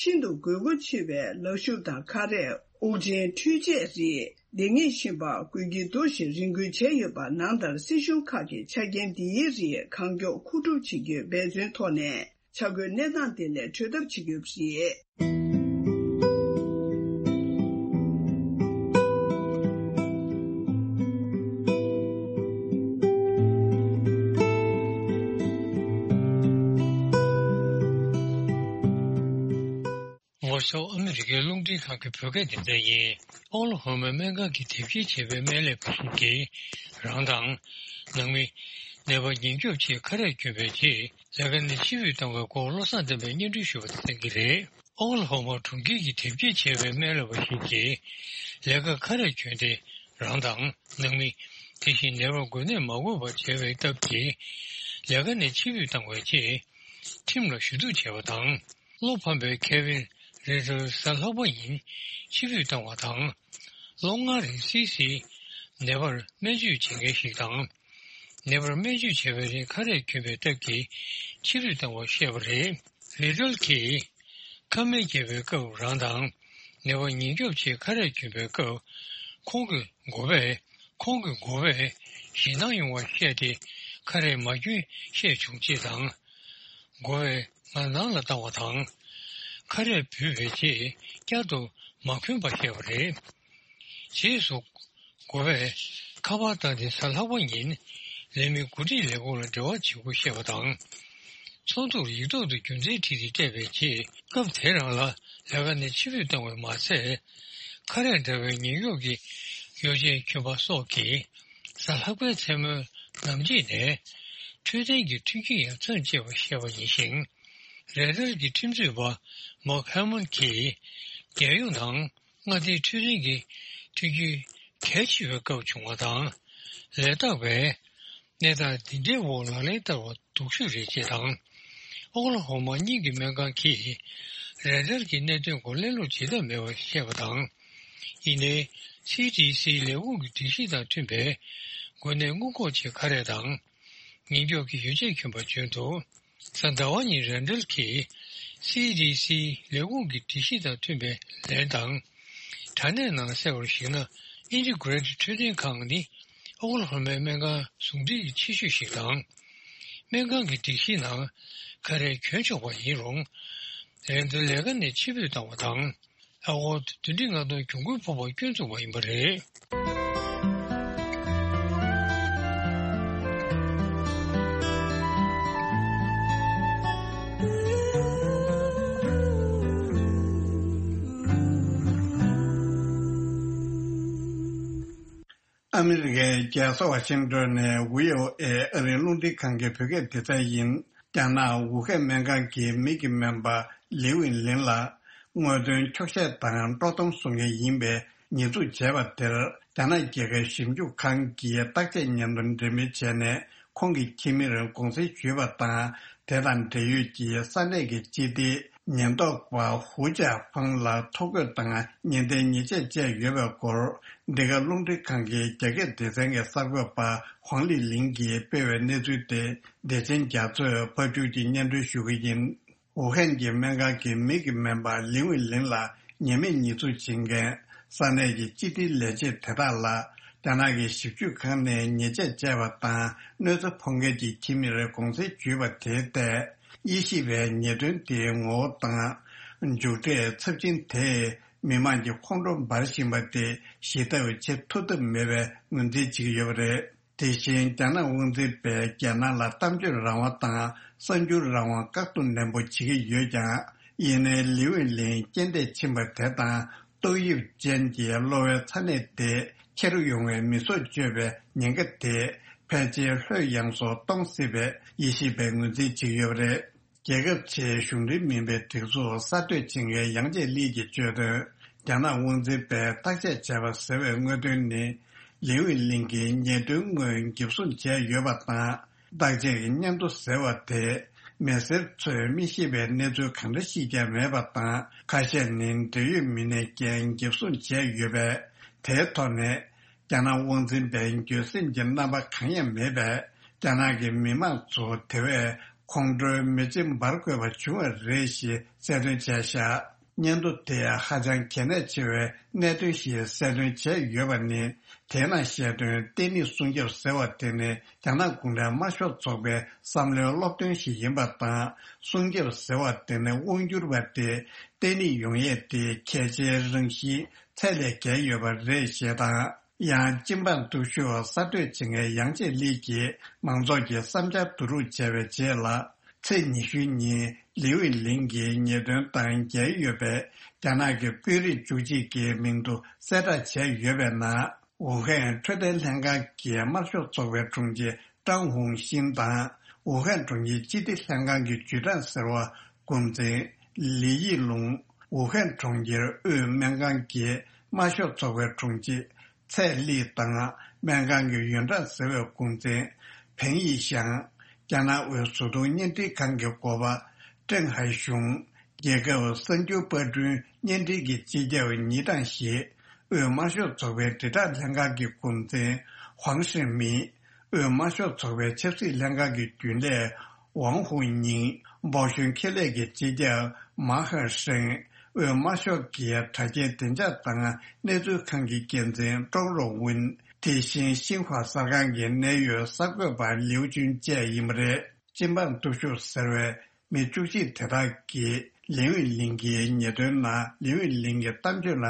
ཤིན་ཏུ་དགོས་མཁོ་ཆེ་བའི་ལག་ཤུབས་དང་ཁ་རས། དབུགས་འབྱིན་འཕྲུལ་ཆས་རིགས། སྡེ་ངེས་གཤིན་པ་དགོས་ཀྱི་འདུག་ཞེས་རེ་སྐུལ་བྱས་ཡོད་པ་ནང་ལྟར། སྲིད་གཞུང་ཁག་གིས་ཆ་རྐྱེན་འདིའི་རིགས་གང་མགྱོགས་མཁོ་སྒྲུབ་བྱེད་རྒྱུའི་འབད་བརྩོན་ཐོག་ནས། ཆ་བགོས་གནས་སྟངས་དེ་ལས་གྲོལ་ཐབས་བྱེད་ཀྱི་ཡོད་པ་རེད། ལྷོ་ཕྱོགས་ཨ་མི་རི་ཀའི་རླུང་འཕྲིན་ཁང་གི་བོད་སྐད་སྡེ་ཚན་ཡིན། ཨོག་ལ་ཧོ་མའི་སྨན་ཁང་གི་དེབ་སྐྱེལ་བྱས་པའི་སྨན་ལས་པ་ཞིག་གིས། རང་དང་། ནང་མི། ནད་པ་ཉེན་སྐྱོབ་ཆེད་ཁ་རས་གྱོན་པའི་རྗེས། ལས་ཀ་ནས་ཕྱིར་འབུད་བཏང་བའི་སྐོར་བློ་བཟང་བསྟན་པས་སྙན་སྒྲོན་ཞུས་པ་དེ་གསན་གྱི་རེད། ཨོག་ལ་ཧོ་མ་གྲོང་ཁྱེར་གྱི་དེབ་སྐྱེལ་བྱས་པའི་སྨན་ལས་པ་ཞིག་གིས། ལས་ཀ་ཁ་རས་གྱོན་ཏེ། རང་དང་། ནང་མི། དེ་བཞིན་ནད་པར་འགོས་ནད་མ་འགོས་པར་བྱས་པའི་སྟབས་ཀྱིས། ལས་ཀ་ནས་ཕྱིར་འབུད་བཏང་བའི་རྗེས། ཁྲིམས་ལ་ཞུ་གཏུག་བྱས་པ་དང་། བློ་ཕམ་པའི་ཁེ་ཝིན་རེ་ཏོར་གཟའ་ལྷག་པ་ཉིན་ཕྱིར་འབུད་བཏང་བ་དང་། ལོ་ལྔ་རིང་སིའི་སིའི་ནད་པར་སྨན་བཅོས་བྱེད་མཁན་ཞིག་དང་། ནད་པར་སྨན་བཅོས་བྱས་པའི་རིང་ཁ་རས་གྱོན་པའི་སྟབས་ཀྱིས་ཕྱིར་འབུད་བཏང་བར་བཤད་པ་རེད། རེ་ཏོར་གྱིས། ཁ་སྨན་བརྒྱབ་པའི་སྐབས་རང་དང་། ནད་པ་ཉེན་སྐྱོབ་ཆེད་ཁ་རས་གྱོན་པའི་སྐབས། ཁོང་གི་འགོ་པས། ཁོང་གི་འགོ་པས་ཞེད་སྣང་ཡོང་བར་བཤད་དེ། ཁ་རས་མ་གྱོན་བཤད་བྱུང་ཅེས་དང་། འགོ་པས་ང་ནང་ལ་བཏང་བ་དང་། ཁ་རས་འབུད་པའི་རྗེས་བསྐྱར་དུ་མ་གྱོན་པ་བཤད་པ་རེད། རྗེས་སུ། འགོ་པས་ཁ་པར་བཏང་སྟེ་གཟའ་ལྷག་པ་ཉིན་ལས་མི་འགོ་ཁྲིད་ལས་ཁུངས་ལ་འབྲེལ་བ་བྱེད་དགོས་བཤད་པ་དང་། ཚོགས་འདུར་ཡིག་ཐོག་ཏུ་རྒྱུ་མཚན་བྲིས་ཏེ་སྤྲད་པའི་རྗེས། སྐབས་དེ་རང་ལ་ལས་ཀ་ནས་ཕྱིར་འབུད་བཏང་བ་མ་ཟད། ཁ་རས་འདྲ་བའི་ཉེན་སྐྱོབ་ཀྱི་ཡོ་བྱད་གྱོན་པ་སོགས་ཀྱིས་གཟའ་ལྷག་པའི་མཚན་མོའི་ནམ་ཕྱེད་ནས་འཕྲོད་བསྟེན་གྱི་མཐུན་རྐྱེན་ཡང་མཚམས་བཅད་པ་བཤད་པ་ཡིན་ཞིང་། རེ་ཏར་གྱི་ཁྲིམས་རྩོད་པ་མག་ཧེ་མོན་གྱིས་རྒྱལ་ཡོངས་ནང་མངའ་སྡེའི་འཕྲོད་བསྟེན་གྱི་མཐུན་རྐྱེན་གལ་ཆེ་བའི་སྐབས་བྱུང་བ་དང་། ལས་བདག་པས་གནས་སྟངས་འདི་འདྲའི་འོག་ལག་ལེན་བསྟར་བ་སྡུག་ཤོས་རེད་ཅེས་དང་། ཨོག་ལ་ཧོ་མ་གཉིས་ཀྱི་སྨན་ཁང་གིས་རེ་ཏར་གྱི་གནད་དོན་སྐོར་གླེང་སློང་བྱེད་ཐབས་མེད་པར་བཤད་པ་དང་། ཡིན་ནའི། སི་ཌི་སི་ལས་ཁུངས་ཀྱི་སྒྲིག་གཞི་དང་མཐུན་པའི་འགོས་ནད་སྔོན་འགོག་ཆེད་ཁ་རས་དང་། ཉེན་སྐྱོབ་ཀྱི་ཡོ་བྱད་གྱོན་པ་བྱོན་འདུག་གཟའ་ཟླ་བ་ཉིན་རེ་ཏར་གྱིས་སི་ཌི་སི་ལས་ཁུངས་ཀྱི་སྒྲིག་གཞི་དང་མཐུན་པའི་ལན་དང་། དྲ་གནས་ནང་གསལ་བར་གཞིགས་ན། ཨིན་ཊི་གྷི་རེ་ཊི་འཕྲོད་བསྟེན་ཁང་ནི་ཨོག་ལ་ཧོ་མའི་སྨན་ཁང་ཟུང་འབྲེལ་གྱི་ཆེ་ཤོས་ཤིག་དང་། སྨན་ཁང་གི་སྒྲིག་གཞིའི་ནང་ཁ་རས་གྱོན་ཆོག་པ་ཡིན་རུང་། རེ་ཏར་ལས་ཀ་ནས་ཕྱིར་འབུད་བཏང་བ་དང་། ཨ་ཧོར་བདུན་ཁྲི་ལྔ་སྟོང་གྱོང་གུན་ཕོག་པ་སྐྱོན་བཙུགས་པ་ཡིན་པ་རེད། ཨ་མི་རི་ཀའི་རྒྱལ་ས་ཝ་ཤིང་ཏོན་ནས་བྷི་ཨོ་ཨེ་ཨ་རིའི་རླུང་འཕྲིན་ཁང་གི་བོད་སྐད་སྡེ་ཚན་ཡིན། རྒྱ་ནག་ཝུ་ཧན་སྨན་ཁང་གི་མིག་གི་སྨན་པ་ལིའུ་ཝིན་ལིན་ལ། དངོས་དོན་འཁྱོག་བཤད་དང་དཀྲོག་གཏམ་བཟོ་མཁན་ཡིན་པའི་ཉེས་འཛུགས་བྱས་པ་དེར། རྒྱ་ནག་རྒྱལ་ཁབ་ཞིབ་འཇུག་ཁང་གིས་བརྟག་དཔྱད་སྙན་ཐོ་འབྲེལ་མོལ་བྱས་ནས། ཁོང་གི་ཁྱིམ་མིར་དགོངས་སེལ་ཞུས་པ་དང་། དེ་དང་འབྲེལ་ཡོད་ཀྱི་ས་གནས་ཀྱི་སྤྱི་བདེ་ཉེན་རྟོག་པ་ཧུའུ་ཅཱ་ཧྥང་ལ་ཐོ་འགོད་དང་ཉེས་འཛུགས་ཉེས་ཆད་བཅད་ཡོད་པའི་སྐོར། འདི་ག་རླུང་འཕྲིན་ཁང་གི་རྒྱ་སྐད་སྡེ་ཚན་གྱི་གསར་འགོད་པ་ཧོང་ལི་ལིང་གིས་སྤེལ་བའི་གནས་ཚུལ་དེ། བདེ་ཆེན་རྒྱ་མཚོས་ཕབ་སྒྱུར་གྱིས་སྙན་སྒྲོན་ཞུ་གི་ཡིན། ཝུ་ཧན་གྱི་སྨན་ཁང་གི་མིག་གི་སྨན་པ་ལིའུ་ཝིན་ལིན་ལ་ཉེས་མེད་ཉེས་འཛུགས་བྱེད་མཁན་ས་གནས་ཀྱི་སྤྱི་བདེའི་ལས་བྱེད་དེ་དག་ལ། རྒྱ་ནག་གི་ཞིབ་དཔྱོད་ཁང་ནས་ཉེས་ཆད་བཅད་པ་དང་གནོད་འཚེ་ཕོག་མཁན་གྱི་ཁྱིམ་མིར་དགོངས་སེལ་ཞུས་པ་དེའི་ཐད། དབྱེ་ཞིབ་པས་ཉེས་དོན་དེའི་ངོ་བོ་དང་། མཇུག་འབྲས་ཚབས་ཆེན་དེས་མི་མང་གི་ཁོང་ཁྲོ་འབར་བཞིན་པ་དེ་ཞི་ཐབས་བྱེད་ཐུབ་ཐབས་མེད་པའི་ངོས་འཛིན་བྱེད་ཀྱི་ཡོད་པ་རེད། དེ་བཞིན་རྒྱ་ནག་དབང་འཛིན་པས་རྒྱལ་ནང་ལ་གཏམ་བརྗོད་རང་དབང་དང་གསར་འགྱུར་རང་དབང་བཀག་སྡོམ་ནན་པོ་བྱེད་ཀྱི་ཡོད་ཀྱང་། ཡིན་ནའི་ལིའུ་ཝིན་ལིན་རྐྱེན་འདས་ཕྱིན་པ་དེ་དང་། ཏོག་དབྱིབས་ཅན་གྱི་གློ་བའི་ཚ་ནད་དེ་ཁྱེར་ཡོང་བའི་མི་སྲོག་གཅོད་པའི་ཉེན་ཁ་དེ་ ཕལ་ཆེར་ལྷོད་ཡངས་སུ་གཏོང་སྲིད་པའི་དབྱེ་ཞིབ་པས་ངོས་འཛིན་བྱེད་ཀྱི་ཡོད་པ་རེད། རྒྱལ་ཁབ་ཆེའི་གཞུང་འབྲེལ་མིན་པའི་སྒྲིག་འཛུགས་གསར་གཏོད་བྱེད་མཁན་ཡང་ཅིན་ལི་གིས་བརྗོད་དོན། རྒྱ་ནག་དབང་འཛིན་པས་བརྟག་དཔྱད་བྱས་པ་ཟེར་བའི་དངོས་དོན་ནི། ལིའུ་ཝེ་ལིང་གིས་ཉེས་དོན་དངོས་འགེབས་སྲུང་བྱས་ཡོད་པ་དང་། བརྟག་དཔྱད་ཀྱི་སྙན་ཐོ་ཟེར་བ་དེ། མི་སེར་ཚོས་མི་ཤེས་པའི་གནས་ཚུལ་གང་འདྲ་ཤེས་ཀྱང་མེད་པ་དང་། ཁ་ཤས་ནི་འབྲེལ་ཡོད་མི་སྣའི་འགན་འགེབས་སྲུང་བྱས་ཡོད་པས། དེའི་ཐོག་ནས། རྒྱ་ནག་དབང་འཛིན་པའི་འགྱོད་སེམས་ཀྱི་རྣམ་པ་གང་ཡང་མེད་པས། རྒྱ་ནག་གི་མི་མང་ཚོ་དེ་བས་ཁོང་ཁྲོའི་མེ་ལྕེ་འབར་དགོས་པ་བྱུང་བ་རེད་ཞེས་གསལ་སྟོན་བྱས་བཞག་སྙན་ཐོ་དེ་ཧ་ཅང་གལ་གནད་ཆེ་བའི་གནད་དོན་ཞིག་གསལ་སྟོན་བྱས་ཡོད་པ་ནི། དེའི་ནང་བཤད་དོན་བརྟན་ལྷིང་སྲུང་སྐྱོབ་ཟེར་བ་དེ་ནི་རྒྱ་ནག་གུང་ཁྲན་དམར་ཤོག་ཚོགས་པའི་བསམ་བློའི་སློབ་སྟོན་ཞིག་ཡིན་པ་དང་། སྲུང་སྐྱོབ་ཟེར་བ་དེ་ནི་དབང་སྒྱུར་བ་དེ་བརྟན་ལྷིང་ཡོང་ཡས་དེ་གལ་ཆེའི་རང་བཞིན་ཚད་ལས་བརྒལ་ཡོད་པ་རེད་ཞེས་དང་། ཡང་སྤྱི་འབངས་སྟོབས་ཤུགས་གསར་གཏོད་བྱེད་མཁན་ཡང་ཅིན་ལི་གིས་མང་ཚོགས་ཀྱི་བསམ་འཆར་བསྡུ་རུབ་བྱས་པའི་རྗེས་ལ། ཚེས་ཉི་ཤུ་ཉིན་ལིའུ་ཝེ་ལིང་གིས་ཉེས་དོན་དང་འགལ་ཡོད་པའི་རྒྱ་ནག་གི་དཔོན་རིགས་བཅུ་གཅིག་གི་མིང་ཐོ་གསལ་བསྒྲགས་བྱས་ཡོད་པའི་ནང་། ཝུ་ཧན་འཕྲོད་བསྟེན་ལྷན་ཁང་གི་དམར་ཤོག་ཚོགས་པའི་དྲུང་ཆེ་ཀྲང་ཧུང་ཤིན་དང་། ཝུ་ཧན་གྲོང་ཁྱེར་སྤྱི་བདེ་ལྷན་ཁང་གི་ཇུས་ཀྲང་ཟེར་བ་འགོ་འཛིན་ལི་ཡི་ལུང་། ཝུ་ཧན་གྲོང་ཁྱེར་དབུས་སྨན་ཁང་གི་དམར་ཤོག་ཚོགས་པའི་དྲུང་ཆེ་ཚའེ་ལི་དང་སྨན་ཁང་གི་ཡོན་ཀྲང་ཟེར་བའི་འགོ་འཛིན་ཕེང་ཡི་ཞང་། རྒྱ་ནག་དབུས་བཟོ་ཚོང་བརྙན་འཕྲིན་ཁང་གི་འགོ་པ་ཀྲེང་ཧའེ་ཞུང་། རྒྱལ་ཁབ་གསར་འགྱུར་པར་སྐྲུན་བརྙན་འཕྲིན་གྱི་སྤྱི་ཁྱབ་ཉི་ཀྲང་ཞི། དབུས་དམར་ཤོག་ཚོགས་པའི་དྲིལ་བསྒྲགས་ལྷན་ཁང་གི་འགོ་འཛིན་ཧུའང་ཧྲེང་མིན། དབུས་དམར་ཤོག་ཚོགས་པའི་ཆབ་སྲིད་ལྷན་ཁང་གི་རྒྱུན་ལས་ཝང་ཧུའུ་ཉིང་། སྦོ་ཤོན་ཁེ་ལས་ཀྱི་སྤྱི་ཁྱབ་མཱ་ཧན་ཧྲེང་། དབུས་དམར་ཤོག་གི་དྲ་རྒྱའི་བདེ་འཇགས་དང་གནས་ཚུལ་ཁང་གི་འགན་འཛིན་ཀྲོང་རོ་ཝུན། དེ་བཞིན་ཤིན་ཧྭ་གསར་ཁང་གི་གནད་ཡོད་གསར་འགོད་པ་ལིའུ་ཅུན་བཅས་ཡིན་པ་རེད། སྤྱི་འབངས་སྟོབས་ཤུགས་ཟེར་བའི་མི་བཅུ་གཅིག་དེ་དག་གིས་ལིའུ་ཝེ་ལིང་གི་ཉེས་དོན་ནང་ལིའུ་ཝེ་ལིང་གི་གཏམ་བརྗོད་ལ་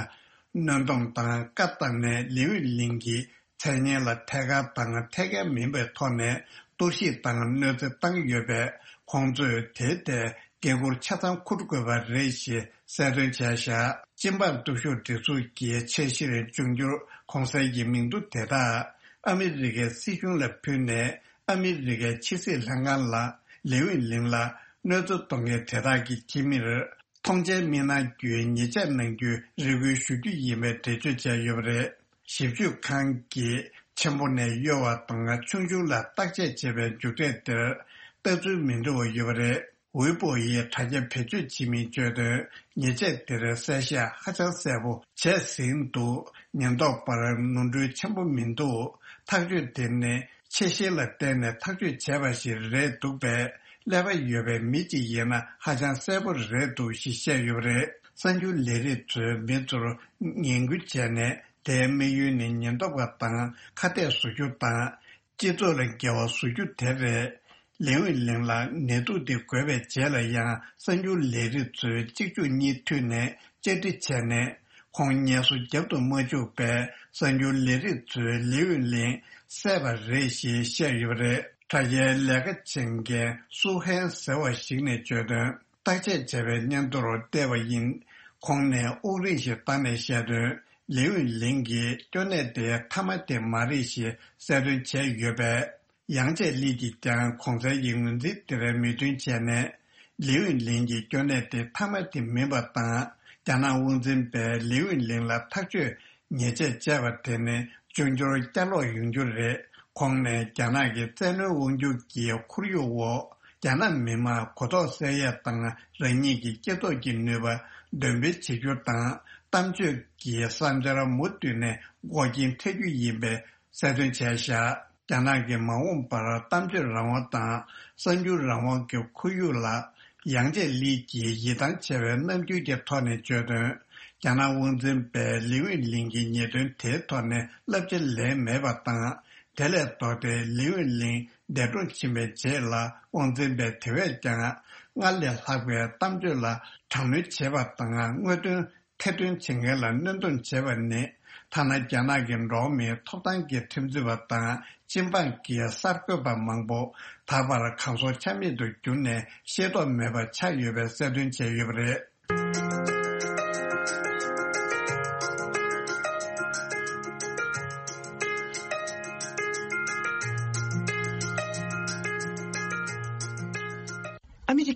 གནོན་སྡོམ་དང་བཀའ་བཏང་ནས། ལིའུ་ཝེ་ལིང་གི་མཚན་སྙན་ལ་ཐད་ཀར་དང་ཐད་ཀར་མིན་པའི་ཐོག་ནས་གཏོར་བཤིག་དང་གནོད་འཚེ་བཏང་ཡོད་པས། ཁོང་ཚོས་དེའི་ཐད་འགན་འཁུར་ཆ་ཚང་འཁུར་དགོས་པ་རེད་ཞེས་གསལ་སྟོན་བྱས་བཞག་སྤྱི་འབངས་སྟོབས་ཤུགས་སྒྲིག་འཛུགས་ཀྱི་ཆེས་ཆེར་འབྱུང་འགྱུར་གོང་གསལ་གྱི་མིང་ཐོ་དེ་དག་ཨ་མི་རི་ཀའི་སྲིད་གཞུང་ལ་ཕུལ་ནས། ཨ་མི་རི་ཀའི་ཕྱི་སྲིད་ལྷན་ཁང་ལ་ལིའུ་ཝེ་ལིང་ལ་གནོད་འཚེ་གཏོང་མཁན་དེ་དག་གི་ཁྱིམ་མིར་ཐོངས་མཆན་མི་གནང་རྒྱུའི་ཉེས་ཆད་གནང་རྒྱུའི་རེ་སྐུལ་ཞུ་རྒྱུ་ཡིན་པའི་འགྲེལ་བརྗོད་བྱས་ཡོད་པ་རེད། ཞིབ་དཔྱོད་ཁང་གིས་ཆེན་པོ་ནས་གཡོ་བ་དང་ཆུང་ཆུང་ལ་བརྟག་དཔྱད་བྱས་པའི་མཇུག་འབྲས་དེར་ལྟ་ཚུལ་མི་འདྲ་བ་ཡོད་པ་རེད། ཝེ་པོ་ཡི་དྲ་རྒྱ་བེད་སྤྱོད་བྱེད་མིས་བརྗོད་དོན། ཉེས་ཆད་དེར་གསལ་བཤད་ཧ་ཅང་གསལ་པོ་བྱས་ཟིན་འདུག་ཉེན་རྟོག་པར་ནོར་འཁྲུལ་ཆེན་པོ་མི་འདུག་ཐག་གཅོད་དེ་ནི་ཆེ་ཤེལ་ལ་བརྟེན་ནས་ཐག་གཅོད་བྱས་པ་ཞིག་རེད་འདུག་པས། ཀླད་པ་ཡོད་པའི་མི་གཅིག་ཡིན་ན་ཧ་ཅང་གསལ་པོ་རེད་འདུག་ཞེས་བཤད་ཡོད་པ་རེད། གསར་འགྱུར་ལས་རིགས་ཚོས་མི་ཚོར་ངན་སྐུལ་བྱས་ནས། དེའི་དམིགས་ཡུལ་ནི་ཉེན་རྟོག་པ་དང་ཁ་གཏད་བཟོ་རྒྱུ་དང་། སྤྱི་ཚོགས་ལ་འགལ་བ་བཟོ་རྒྱུ་དེ་རེད། ལིའུ་ཝེ་ལིང་ལ་ནད་དུག་དེ་འགོས་པའི་རྗེས་ལ་ཡང་གསར་འགྱུར་ལས་རིགས་ཚོས་གཅིག་མཇུག་གཉིས་མཐུད་ནས་བཅར་འདྲི་བྱས་ནས། ཁོང་ངལ་གསོ་བརྒྱབ་ཏུ་མ་བཅུག་པས། གསར་འགྱུར་ལས་རིགས་ཚོས་ལིའུ་ཝེ་ལིང་བསད་པ་རེད་ཞེས་བཤད་ཡོད་པ་རེད། དྲ་རྒྱའི་ལས་ཀ་བྱེད་མཁན་སུ་ཧན་ཟེར་བ་ཞིག་ནས་བརྗོད་དོན། བརྟག་དཔྱད་བྱས་པའི་སྙན་ཐོར་བལྟས་པ་ཡིན། ཁོང་ནས་དབུགས་རིང་ཞིག་བཏང་ནས་བཤད་དོན། ལིའུ་ཝེ་ལིང་གིས་སྐྱོ་གནས་དེ་མཐའ་མ་དེ་མ་རེད་ཞེས་གསལ་སྟོན་བྱས་ཡོད་པས། ཡང་ཅིན་ལི་གིས་ཀྱང་གོང་གསལ་གྱི་ངོས་འཛིན་དེར་མོས་མཐུན་བྱས་ནས། ལིའུ་ཝེ་ལིང་གི་སྐྱོ་གནས་དེ་མཐའ་མ་དེ་མིན་པ་དང་། རྒྱ་ནག་དབང་འཛིན་པས་ལིའུ་ཝེ་ལིང་ལ་ཐག་གཅོད་ཉེས་ཆད་བཅད་པ་དེ་ནི་འབྱུང་འགྱུར་བསྐྱར་ལོག་ཡོང་རྒྱུ་རེད། ཁོང་ནས་རྒྱ་ནག་གི་བཙན་གནོན་དབང་སྒྱུར་གྱི་ཁོར་ཡུག་འོག་རྒྱ་ནག་མི་དམངས་གོ་རྟོགས་སད་ཡས་དང་། རང་ཉིད་ཀྱི་སྐྱེ་སྟོབས་ཀྱི་ནུས་པ་འདོན་སྤེལ་བྱེད་རྒྱུ་དང་། གཏམ་བརྗོད་ཀྱི་བསམ་འཆར་མུ་མཐུད་ནས་འགོག་རྐྱེན་ཐེབས་རྒྱུ་ཡིན་པའི་གསལ་སྟོན་བྱས་བཞག་རྒྱ་ནག་གི་མ་འོངས་པར་གཏམ་བརྗོད་རང་དབང་དང་གསར་འགྱུར་རང་དབང་གི་ཁོར་ཡུག་ལ་ཡང་ཅིན་ལི་གིས་ཡིད་ཐང་ཆད་པའི་རྣམ་འགྱུར་གྱི་ཐོག་ནས་བརྗོད་དོན། རྒྱ་ནག་དབང་འཛིན་པས་ལིའུ་ཝེ་ལིང་གི་ཉེས་དོན་དེའི་ཐོག་ནས་བསླབ་བྱ་ལེན་མེད་པ་དང་། དེ་ལས་ལྡོག་སྟེ་ལིའུ་ཝེ་ལིང་འདས་གྲོངས་ཕྱིན་པའི་རྗེས་ལ། དབང་འཛིན་པས་དེ་བས་ཀྱང་སྔར་ལས་ལྷག་པའི་གཏམ་བརྗོད་ལ་དྲག་གནོན་བྱེད་པ་དང་། དངོས་དོན་ཐེར་འདོན་བྱེད་མཁན་ལ་གནོན་སྡོམ་བྱེད་པ་ནི། ཐ་ན་རྒྱ་ནག་གི་འགྲོ་བ་མིའི་ཐོབ་ཐང་གི་ཁྲིམས་རྩོད་པ་དང་སྤྱི་འབངས་ཀྱི་གསར་འགོད་པ་མང་པོ་ད་བར་གང་སར་ཆ་མེད་དུ་གྱུར་ནས་ཤེས་རྟོགས་མེད་པ་ཆགས་ཡོད་པའི་གསལ་སྟོན་བྱས་ཡོད་པ་རེད།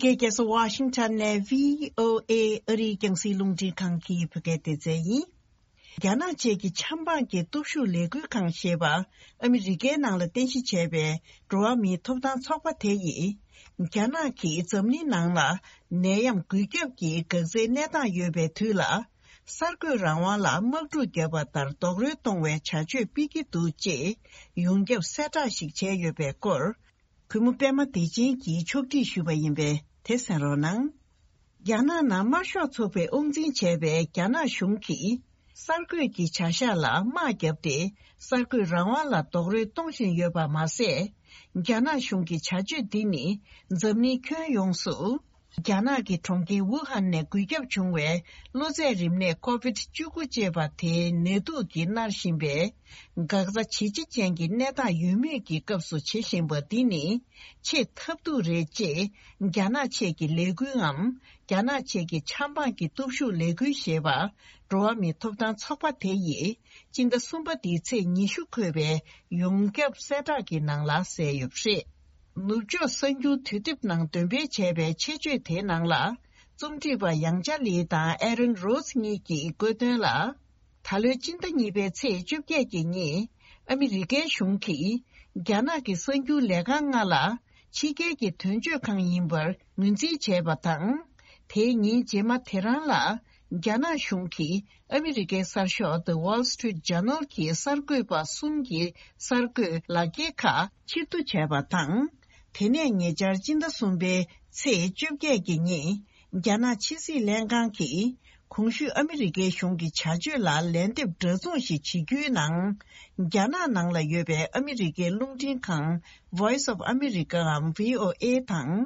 རྒྱལ་ས་ཝ་ཤིང་ཊོན་ནས་བྷི་ཨོ་ཨེ་ཨ་རིའི་རྒྱང་སྲིང་རླུང་འཕྲིན་ཁང་གི་བོད་སྐད་སྡེ་ཚན་ཡིན། རྒྱ་ནག་བཅས་ཀྱི་ཆབ་འབངས་ཀྱི་སྟོབས་ཤུགས་ལས་འགུལ་ཁང་ཞེས་པ་ཨ་མི་རི་ཀའི་ནང་ལ་རྟེན་གཞི་བྱས་པའི་འགྲོ་བ་མིའི་ཐོབ་ཐང་ཚོགས་པ་དེ་ཡིས། རྒྱ་ནག་གིས་འཛམ་གླིང་ནང་ལ་ནད་ཡམས་འགོས་ཁྱབ་ཀྱི་འགག་རྩའི་གནས་སྟངས་ཡོད་པའི་དུས་ལ། གསར་འགོད་རང་དབང་ལ་དམག་འཁྲུག་བརྒྱབ་པ་ལྟར་རྡོག་རོལ་གཏོང་བའི་བྱ་སྤྱོད་སྤེལ་གྱི་འདུག་ཅེས་ཡོངས་ཁྱབ་གསལ་བསྒྲགས་ཤིག་བྱས་ཡོད་པའི་སྐོར། གུས་མོ་པད་མ་བདེ་ཆེན་གྱིས་ཕྱོགས་སྒྲིག་ཞུས་པ་ཡིན་པས་དེ་གསན་རོགས་གནང་། རྒྱ་ནག་ནང་དམར་ཤོག་ཚོགས་པས་དབང་འཛིན་བྱས་པའི་རྒྱ་ནག་གཞུང་གིས་གསར་འགོད་ཀྱི་བྱ་གཞག་ལ་དམག་བརྒྱབ་སྟེ། གསར་འགོད་རང་དབང་ལ་རྡོག་རོལ་གཏོང་བཞིན་ཡོད་པ་མ་ཟད། རྒྱ་ནག་གཞུང་གི་བྱ་སྤྱོད་འདི་ནི་འཛམ་གླིང་ཁྱོན་ཡོངས་སུ། རྒྱ་ནག་གི་གྲོང་ཁྱེར་ཝུ་ཧན་ནས་འགོས་ཁྱབ་བྱུང་བའི་གློ་ཚད་རིམས་ནད་ཀོ་བིད་བཅུ་དགུ་ཅེས་པ་དེའི་ནད་དུག་གིས་མནར་བཞིན་པའི་འགག་རྩ་ཇེ་ཆེ་ཅན་གྱི་གནས་སྟངས་ཡོད་མུས་ཀྱི་སྐབས་སུ་བྱེད་བཞིན་པ་འདི་ནི་ཆེས་ཐབས་སྡུག་རེད་ཅེས་རྒྱ་ནག་ཆེད་ཀྱི་ལས་འགུལ་ངམ། རྒྱ་ནག་ཆེད་ཀྱི་ཆབ་འབངས་ཀྱི་སྟོབས་ཤུགས་ལས་འགུལ་ཞེས་པ་འགྲོ་བ་མིའི་ཐོབ་ཐང་ཚོགས་པ་དེ་ཡིས། སྤྱི་ཟླ་གསུམ་པ་འདིའི་ཚེས་ཉི་ཤུ་འཁོད་པའི་ཡོངས་ཁྱབ་གསལ་བསྒྲགས་ཀྱི་ནང་ལ་གསལ་ཡོད་པ་རེད། ནུབ་ཕྱོགས་གསར་འགྱུར་དུས་དེབ་ནང་འདོན་སྤེལ་བྱས་པའི་ཆེད་བརྗོད་དེའི་ནང་ལ། རྩོམ་སྒྲིག་པ་ཡང་ཅཱ་ལི་དང་ཨེ་རན་རོས་གཉིས་ཀྱིས་བཀོད་དོན་ལ། ད་ལོའི་སྤྱི་ཟླ་གཉིས་པའི་ཚེས་བཅོ་བརྒྱད་ཀྱི་ཉིན། ཨ་མི་རི་ཀའི་གཞུང་གིས། རྒྱ་ནག་གི་གསར་འགྱུར་ལས་ཁང་ལྔ་ལ། ཕྱི་རྒྱལ་གྱི་དོན་གཅོད་ཁང་ཡིན་པར་ངོས་འཛིན་བྱས་པ་དང་། དེའི་ཉིན་རྗེས་མ་དེ་རང་ལ། རྒྱ་ནག་གཞུང་གིས་ཨ་མི་རི་ཀའི་གསར་ཤོག་The Wall Street Journal གྱི་གསར་འགོད་པ་གསུམ་གྱི་གསར་འགོད་ལག་འཁྱེར་ཁག་ཕྱིར་བསྡུ་བྱས་པ་དང་། དེ་ནས་ཉེ་ཆར་སྤྱི་ཟླ་གསུམ་པའི་ཚེས་བཅོ་བརྒྱད་ཀྱི་ཉིན། རྒྱ་ནག་ཕྱི་སྲིད་ལྷན་ཁང་གིས། གོང་ཞུས་ཨ་མི་རི་ཀའི་གཞུང་གི་བྱ་སྤྱོད་ལ་ལན་འདེབས་འདྲ་མཚུངས་ཤིག་བྱེད་རྒྱུའི་ནང་། རྒྱ་ནག་ནང་ལ་ཡོད་པའི་ཨ་མི་རི་ཀའི་རླུང་འཕྲིན་ཁང་Voice of America འམ་བྷི་ཨོ་ཨེ་དང་།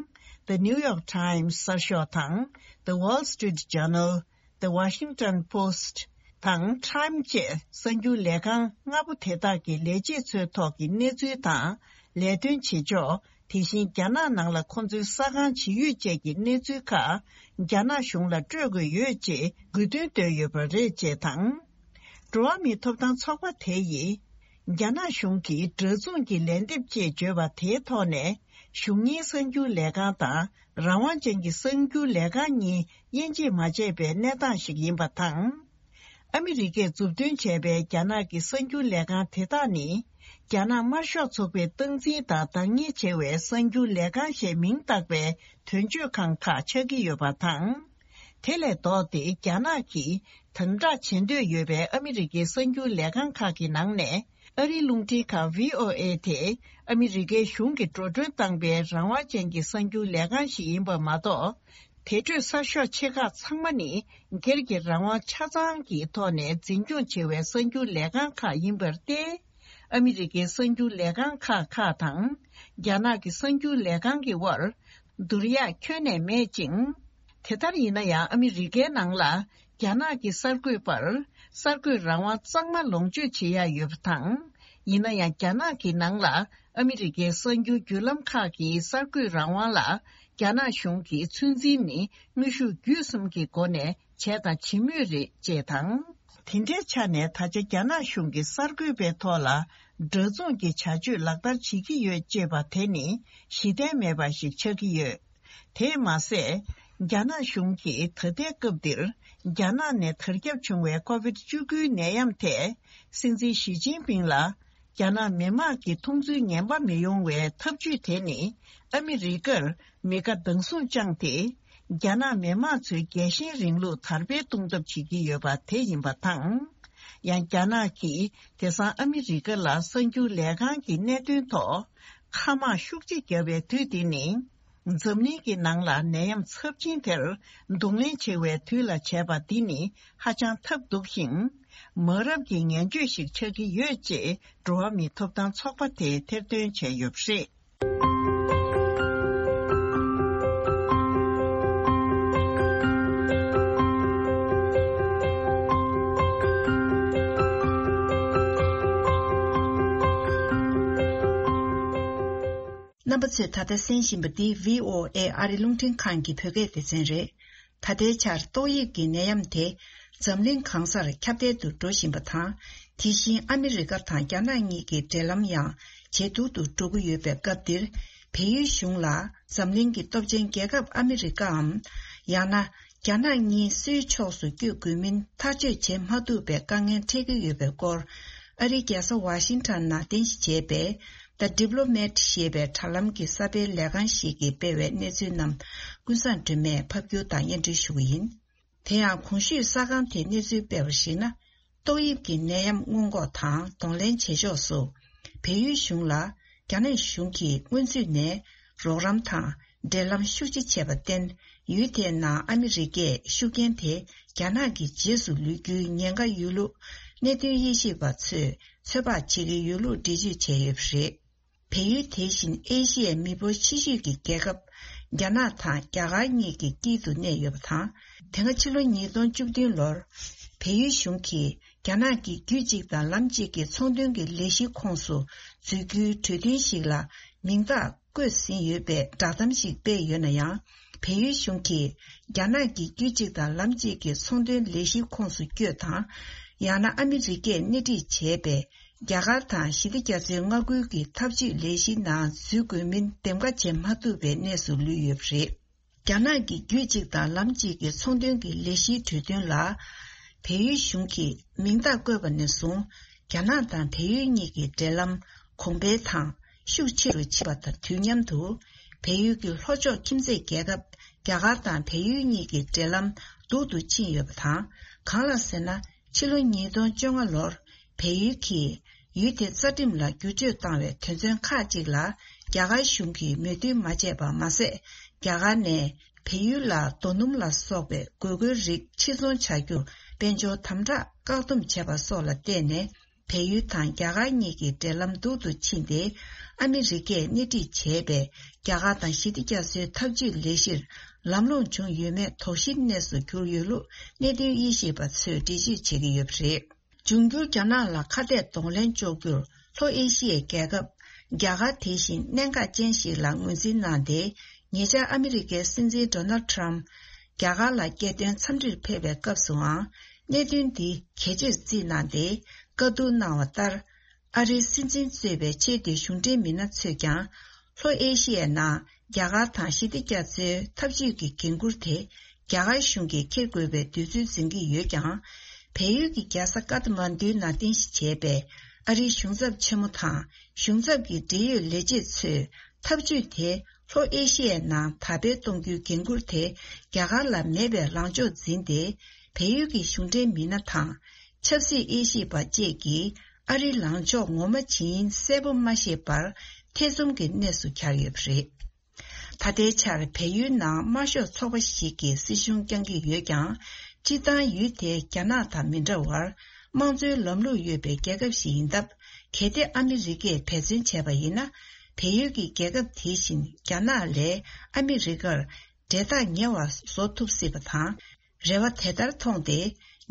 The New York Times གསར་ཤོག་དང་། The Wall Street Journal། The Washington Post དང་Time བཅས་གསར་འགྱུར་ལས་ཁང་ལྔ་པོ་དེ་དག་གི་ལས་བྱེད་ཚོའི་ཐོག་གི་གནས་ཚུལ་དང་། ལས་དོན་བྱེད་ཕྱོགས། དེ་བཞིན་རྒྱ་ནག་ནང་ལ་ཁོང་ཚོའི་ས་ཁང་ཇི་ཡོད་བཅས་ཀྱི་གནས་ཚུལ་ཁག་རྒྱ་ནག་གཞུང་ལ་སྤྲོད་དགོས་ཡོད་ཅེས་དགོས་འདུན་བཏོན་ཡོད་པ་རེད་ཅེས་དང་། འགྲོ་བ་མིའི་ཐོབ་ཐང་ཚོགས་པ་དེ་ཡིས། རྒྱ་ནག་གཞུང་གིས་འདྲ་མཚུངས་ཀྱི་ལན་འདེབས་ཅེས་བརྗོད་པ་དེའི་ཐོག་ནས། གཞུང་གཉེར་གསར་འགྱུར་ལས་ཁང་དང་། རང་དབང་ཅན་གྱི་གསར་འགྱུར་ལས་ཁང་གཉིས་དབྱེ་འབྱེད་མ་བྱས་པའི་གནས་སྟངས་ཤིག་ཡིན་པ་དང་། ཨ་མི་རི་ཀས་མཛུབ་སྟོན་བྱས་པའི་རྒྱ་ནག་གི་གསར་འགྱུར་ལས་ཁང་དེ་དག་ནི། རྒྱ་ནག་དམར་ཤོག་ཚོགས་པས་སྟངས་འཛིན་དང་བདག་གཉེར་བྱེད་པའི་གསར་འགྱུར་ལས་ཁང་ཞེས་མིང་བཏགས་པའི་དོན་གཅོད་ཁང་ཁག་ཆགས་ཀྱི་ཡོད་པ་དང་། དེ་ལས་ལྡོག་སྟེ་རྒྱ་ནག་གིས་དམ་དྲག་བྱེད་འདོད་ཡོད་པའི་ཨ་མི་རི་ཀའི་གསར་འགྱུར་ལས་ཁང་ཁག་གི་ནང་ནས། ཨ་རིའི་རླུང་འཕྲིན་ཁང་བྷི་ཨོ་ཨེ་དེ་ཨ་མི་རི་ཀའི་གཞུང་གིས་འགྲོ་གྲོན་བཏང་པའི་རང་དབང་ཅན་གྱི་གསར་འགྱུར་ལས་ཁང་ཞིག་ཡིན་པ་མ་གཏོགས། དེ་འཕྲོས་གསར་ཤོག་ཆེ་ཁག་ཚང་མ་ནི་སྒེར་གྱི་རང་དབང་ཆ་ཚང་གི་ཐོག་ནས་འཛིན་སྐྱོང་བྱེད་པའི་གསར་འགྱུར་ལས་ཁང་ཁག་ཡིན་པར་བརྟེན། ཨ་མི་རི་ཀའི་གསར་འགྱུར་ལས་ཁང་ཁག་ཁག་དང་། རྒྱ་ནག་གི་གསར་འགྱུར་ལས་ཁང་གི་དབར། བསྡུར་ཡག་ཁྱོན་ནས་མེད་ཅིང་། དེ་ལྟར་ཡིན་ན་ཡང་ཨ་མི་རི་ཀའི་ནང་ལ། རྒྱ་ནག་གི་གསར་འགོད་པར། གསར་འགོད་རང་དབང་གཙང་མ་ལོངས་སྤྱོད་བྱེད་ཡག་ཡོད་པ་དང་། ཡིན་ན་ཡང་རྒྱ་ནག་གི་ནང་ལ། ཨ་མི་རི་ཀའི་གསར་འགྱུར་བརྒྱུད་ལམ་ཁག་གི་གསར་འགོད་རང་དབང་ལ། རྒྱ་ནག་གཞུང་གིས་ཚོད་འཛིན་ནི། དངོས་ཤུགས་བརྒྱུད་གསུམ་གྱི་སྒོ་ནས། བྱས་དང་བྱེད་མུས་རེད། ཅེས་དང་། དེ་འདྲའི་ཆ་ནས་ད་ཆ་རྒྱ་ནག་གཞུང་གིས་གསར་འགོད་པའི་ཐོག་ལ། འདྲ་མཚུངས་ཀྱི་བྱ་སྤྱོད་ལག་བསྟར་བྱེད་ཀྱི་ཡོད་ཅེས་པ་དེ་ནི། གཞི་རྟེན་མེད་པ་ཞིག་ཆགས་ཀྱི་ཡོད། དེས་མ་ཟད། རྒྱ་ནག་གཞུང་གིས་ད་ལྟའི་སྐབས་འདིར། རྒྱ་ནག་ནས་དར་ཁྱབ་བྱུང་བའི་ཀོ་བིད་བཅུ་དགུའི་ནད་ཡམས་ཐད། སྲིད་འཛིན་ཞི་ཅིན་ཕིང་ལ། རྒྱ་ནག་མི་དམངས་ཀྱི་མཐོང་ཚུལ་ངན་པ་མི་ཡོང་བའི་ཐབས་ཇུས་དེ་ནི། ཨ་མི་རི་ཀར་མི་དགའ་སྡང་ཟུག་བཅངས་ཏེ། རྒྱ་ནག་མི་དམངས་ཚོའི་རྒྱལ་ཞེན་རིང་ལུགས་དར་སྤེལ་གཏོང་ཐབས་བྱེད་ཀྱི་ཡོད་པ་དེ་ཡིན་པ་དང་། ཡང་རྒྱ་ནག་གིས་དེང་སང་ཨ་མི་རི་ཀ་ལ་གསར་འགྱུར་ལས་ཁང་གི་གནད་དོན་ཐོག་མཁའ་དམག་ཤུགས་ཆེ་བརྒྱབ་པའི་དུས་འདི་ནི། འཛམ་གླིང་གི་ནང་ལ་ནད་ཡམས་ཚབས་ཆེན་དེར་གདོང་ལེན་བྱེད་པའི་དུས་ལ་བྱས་པ་འདི་ནི་ཧ་ཅང་ཐབས་སྡུག་ཅིང་། མ་རབས་ཀྱི་ངན་བྱུས་ཤིག་ཆགས་ཀྱི་ཡོད་ཅེས་འགྲོ་བ་མིའི་ཐོབ་ཐང་ཚོགས་པ་དེས་ཐེར་འདོན་བྱས་ཡོད་པ་རེད། རྣམ་པ་ཚོས་ད་ལྟ་གསན་བཞིན་པ་འདི་བྷི་ཨོ་ཨེ་ཨ་རི་རླུང་འཕྲིན་ཁང་གི་བོད་སྐད་སྡེ་ཚན་རེད། ད་ལྟའི་ཆར་ཏོག་དབྱིབས་ཀྱི་ནད་ཡམས་དེ་འཛམ་གླིང་གང་སར་ཁྱབ་གདལ་དུ་འགྲོ་བཞིན་པ་དང་། དེ་བཞིན་ཨ་མི་རི་ཀ་དང་རྒྱ་ནག་གཉིས་ཀྱི་འབྲེལ་ལམ་ཡང་ཇེ་སྡུག་ཏུ་འགྲོ་གི་ཡོད་པའི་སྐབས་འདིར། བལ་ཡུལ་གཞུང་ལ་འཛམ་གླིང་གི་སྟོབས་ཆེན་རྒྱལ་ཁབ་ཨ་མི་རི་ཀའམ། ཡང་ན། རྒྱ་ནག་གཉིས་སུའི་ཕྱོགས་སུ་བསྐྱོད་དགོས་མིན་ཐག་གཅོད་བྱེད་མ་ཐུབ་པའི་དཀའ་ངལ་འཕྲད་ཀྱི་ཡོད་པའི་སྐོར། ཨ་རིའི་རྒྱལ་ས་ཝ་ཤིང་ཊོན་ནང་རྟེན་གཞི་བྱས་པའི། The Diplomat ཞེས་པའི་དྲ་ལམ་གྱི་གསར་སྤེལ་ལས་ཁང་ཞིག་གིས་སྤེལ་བའི་གནས་ཚུལ་རྣམས། ཀུན་བཟང་སྒྲོལ་མས་ཕབ་སྒྱུར་དང་སྙན་སྒྲོན་ཞུ་གི་ཡིན། དེ་ཡང་གོང་ཞུས་གསར་ཁང་དེས་གནས་ཚུལ་སྤེལ་བར་གཞིགས་ན། ཏོག་དབྱིབས་ཀྱི་ནད་ཡམས་སྔོན་འགོག་དང་གདོང་ལེན་བྱེད་ཕྱོགས་སུ། བལ་ཡུལ་གཞུང་ལ་རྒྱ་ནག་གཞུང་གིས་སྔོན་ཚུད་ནས་རོགས་རམ་དང་འབྲེལ་ལམ་ཤུགས་ཆེ་བྱས་པར་བརྟེན། ཡུལ་དེའི་ནང་ཨ་མི་རི་ཀས་ཤུགས་རྐྱེན་དེ་རྒྱ་ནག་གི་རྗེས་སུ་ལུས་རྒྱུའི་ཉེན་ཁ་ཡོད་ལུགས་གནད་དོན་དབྱེ་ཞིབ་པ་ཚོས་ཚོད་དཔག་བྱེད་ཀྱི་ཡོད་ལུགས་འགྲེལ་བརྗོད་བྱས་ཡོད་པ་རེད། བལ་ཡུལ་དེ་བཞིན་ཨེ་ཤི་ཡའི་མི་འབོར་ཆེ་ཤོས་ཀྱི་རྒྱལ་ཁབ་རྒྱ་ནག་དང་རྒྱ་གར་གཉིས་ཀྱི་དཀྱིལ་དུ་གནས་ཡོད་པ་དང་། དེ་སྔ་ཕྱི་ལོ་ཉིས་སྟོང་བཅུ་བདུན་ལོར་བལ་ཡུལ་གཞུང་གིས་རྒྱ་ནག་གི་རྒྱུད་གཅིག་དང་ལམ་གཅིག་གི་ཚོང་དོན་གྱི་ལས་གཞིའི་ཁོངས་སུ་འཛུལ་རྒྱུའི་གྲོས་མཐུན་ཞིག་ལ་མིང་རྟགས་བཀོད་ཟིན་ཡོད་པའི་བསྒྲགས་གཏམ་ཞིག་སྤེལ་ཡོད་ན་ཡང་། བལ་ཡུལ་གཞུང་གིས་རྒྱ་ནག་གི་རྒྱུད་གཅིག་དང་ལམ་གཅིག་གི་ཚོང་དོན་ལས་གཞིའི་ཁོངས་སུ་བསྐྱོད་དང་། ཡང་ན་ཨ་མི་རི་ཀས་སྣེ་ཁྲིད་བྱས་པའི། རྒྱ་གར་དང་ཞི་བདེ་རྒྱ་མཚོའི་མངའ་ཁུལ་གྱི་འཐབ་ཇུས་ལས་གཞིའི་ནང་འཛུལ་དགོས་མིན་འདེམས་ཀ་བྱེད་མ་ཐུབ་པའི་གནས་སུ་ལུས་ཡོད་པ་རེད། རྒྱ་ནག་གི་རྒྱུད་གཅིག་དང་ལམ་གཅིག་གི་ཚོང་དོན་གྱི་ལས་གཞིའི་གྲོས་མཐུན་ལ། བལ་ཡུལ་གཞུང་གིས་མིང་རྟགས་བཀོད་པ་ནས་བཟུང་། རྒྱ་ནག་དང་བལ་ཡུལ་གཉིས་ཀྱི་འབྲེལ་ལམ་གོང་འཕེལ་དང་ཤུགས་ཆེ་རུ་ཕྱིན་པ་དང་དུས་མཉམ་དུ། བལ་ཡུལ་གྱི་ལྷོ་ཕྱོགས་ཁྱིམ་མཚེས་རྒྱལ་ཁབ་རྒྱ་གར་དང་བལ་ཡུལ་གཉིས་ཀྱི་འབྲེལ་ལམ་སྡུག་ཏུ་ཕྱིན་ཡོད་པ་དང་། གང་ལ་ཟེར་ན། ཕྱི་ལོ་ཉིས་སྟོང་བཅོ་ལྔ་ལོར་བལ་ཡུལ་གྱིས་ཡུལ་དེ་རྩ་ཁྲིམས་ལ་བསྒྱུར་བཅོས་བཏང་བའི་དོན་ཚན་ཁག་ཅིག་ལ་རྒྱ་གར་གཞུང་གིས་མོས་མཐུན་མ་བྱས་པ་མ་ཟད། རྒྱ་གར་ནས་བལ་ཡུལ་ལ་རྡོ་སྣུམ་ལ་སོགས་པའི་དགོས་མཁོའི་རིགས་ཕྱིར་ཚོང་བྱ་རྒྱུར་དཔལ་འབྱོར་དམ་དྲག་བཀག་སྡོམ་བྱས་པ་སོགས་ལ་བརྟེན་ནས། བལ་ཡུལ་དང་རྒྱ་གར་གཉིས་ཀྱི་འབྲེལ་ལམ་སྡུག་ཏུ་ཕྱིན་ཏེ། ཨ་མི་རི་ཀས་སྣེ་ཁྲིད་བྱས་པའི་རྒྱ་གར་དང་ཞི་བདེ་རྒྱ་མཚོའི་འཐབ་ཇུས་ལས་གཞིར་ལམ་ལྷོང་བྱུང་ཡོད་མེད་དོགས་གཞིའི་གནས་སུ་གྱུར་ཡོད་ལུགས་གནད་དོན་དབྱེ་ཞིབ་པ་ཚོས་འགྲེལ་བརྗོད་བྱེད་ཀྱི་ཡོད་པ་རེད། འབྱུང་འགྱུར་རྒྱ་ནག་ལ་ཁ་གཏད་གདོང་ལེན་གཅོག་རྒྱུར་ལྷོ་ཨེ་ཤི་ཡའི་རྒྱལ་ཁབ་རྒྱ་གར་དེ་བཞིན་གནད་འགག་ཅན་ཞིག་ལ་ངོས་འཛིན་གནང་སྟེ། ཉེ་ཆར་ཨ་མི་རི་ཀའི་སྲིད་འཛིན་ཌོ་ནལ་ཊམ་རྒྱ་གར་ལ་རྒྱལ་དོན་འཚམས་འདྲིར་ཕེབས་པའི་སྐབས་སུའང་གནད་དོན་འདི་གལ་ཆེར་བརྩིས་གནང་སྟེ། བཀའ་བསྡུར་གནང་བ་ལྟར། ཨ་རིའི་སྲིད་འཛིན་གཙོས་པའི་ཆེས་མཐོའི་གཞུང་འབྲེལ་མི་སྣ་ཚོས་ཀྱང་། ལྷོ་ཨེ་ཤི་ཡའི་ནང་རྒྱ་གར་དང་ཞི་བདེ་རྒྱ་མཚོའི་འཐབ་ཇུས་ཀྱི་འགན་འཁུར་དེ་རྒྱ་གར་གཞུང་གིས་འཁྱེར་དགོས་པའི་འདོད་ཚུལ་འཛིན་གྱི་ཡོད་ཀྱང་། བལ་ཡུལ་གྱི་རྒྱལ་ས་ཀ་ཐ་མན་ཌུའི་ནང་རྟེན་གཞི་བྱས་པའི་ཨ་རིའི་གཞུང་ཚབ་ཆེན་མོ་དང་གཞུང་ཚབ་ཀྱི་འབྲེལ་ཡོད་ལས་བྱེད་ཚོས་འཐབ་ཇུས་དེ་ལྷོ་ཨེ་ཤི་ཡའི་ནང་དར་སྤེལ་གཏོང་རྒྱུའི་འགན་འཁུར་དེ་རྒྱ་གར་ལ་མེད་པའི་ལངས་ཕྱོགས་འཛིན་ཏེ། བལ་ཡུལ་གྱི་གཞུང་འབྲེལ་མི་སྣ་དང་། ཆབ་སྲིད་དབྱེ་ཞིབ་པ་བཅས་ཀྱིས་ཨ་རིའི་ལངས་ཕྱོགས་ངོ་མ་ཇི་ཡིན་གསལ་པོ་མ་ཤེས་པར་ཐེ་ཚོམ་གྱི་གནས་སུ་གྱར་ཡོད་པ་རེད། ད་ལྟའི་ཆར་བལ་ཡུལ་ནང་དམར་ཤོག་ཚོགས་པ་ཞིག་གིས་སྲིད་གཞུང་བསྐྱངས་ཀྱི་ཡོད་ཀྱང་། སྤྱིར་བཏང་ཡུལ་དེ་རྒྱ་ནག་དང་མི་འདྲ་བར་དམངས་གཙོའི་ལམ་ལུགས་ཡོད་པའི་རྒྱལ་ཁབ་ཞིག་ཡིན་སྟབས། གལ་ཏེ་ཨ་མི་རི་ཀས་འབད་བརྩོན་བྱས་པ་ཡིན་ན། བལ་ཡུལ་གྱི་རྒྱལ་ཁབ་དེ་བཞིན་རྒྱ་ནག་ལས་ཨ་མི་རི་ཀར་འབྲེལ་ཐག་ཉེ་བ་བཟོ་ཐུབ་སྲིད་པ་དང་། རེ་བ་དེ་ལྟར་མཐོང་སྟེ།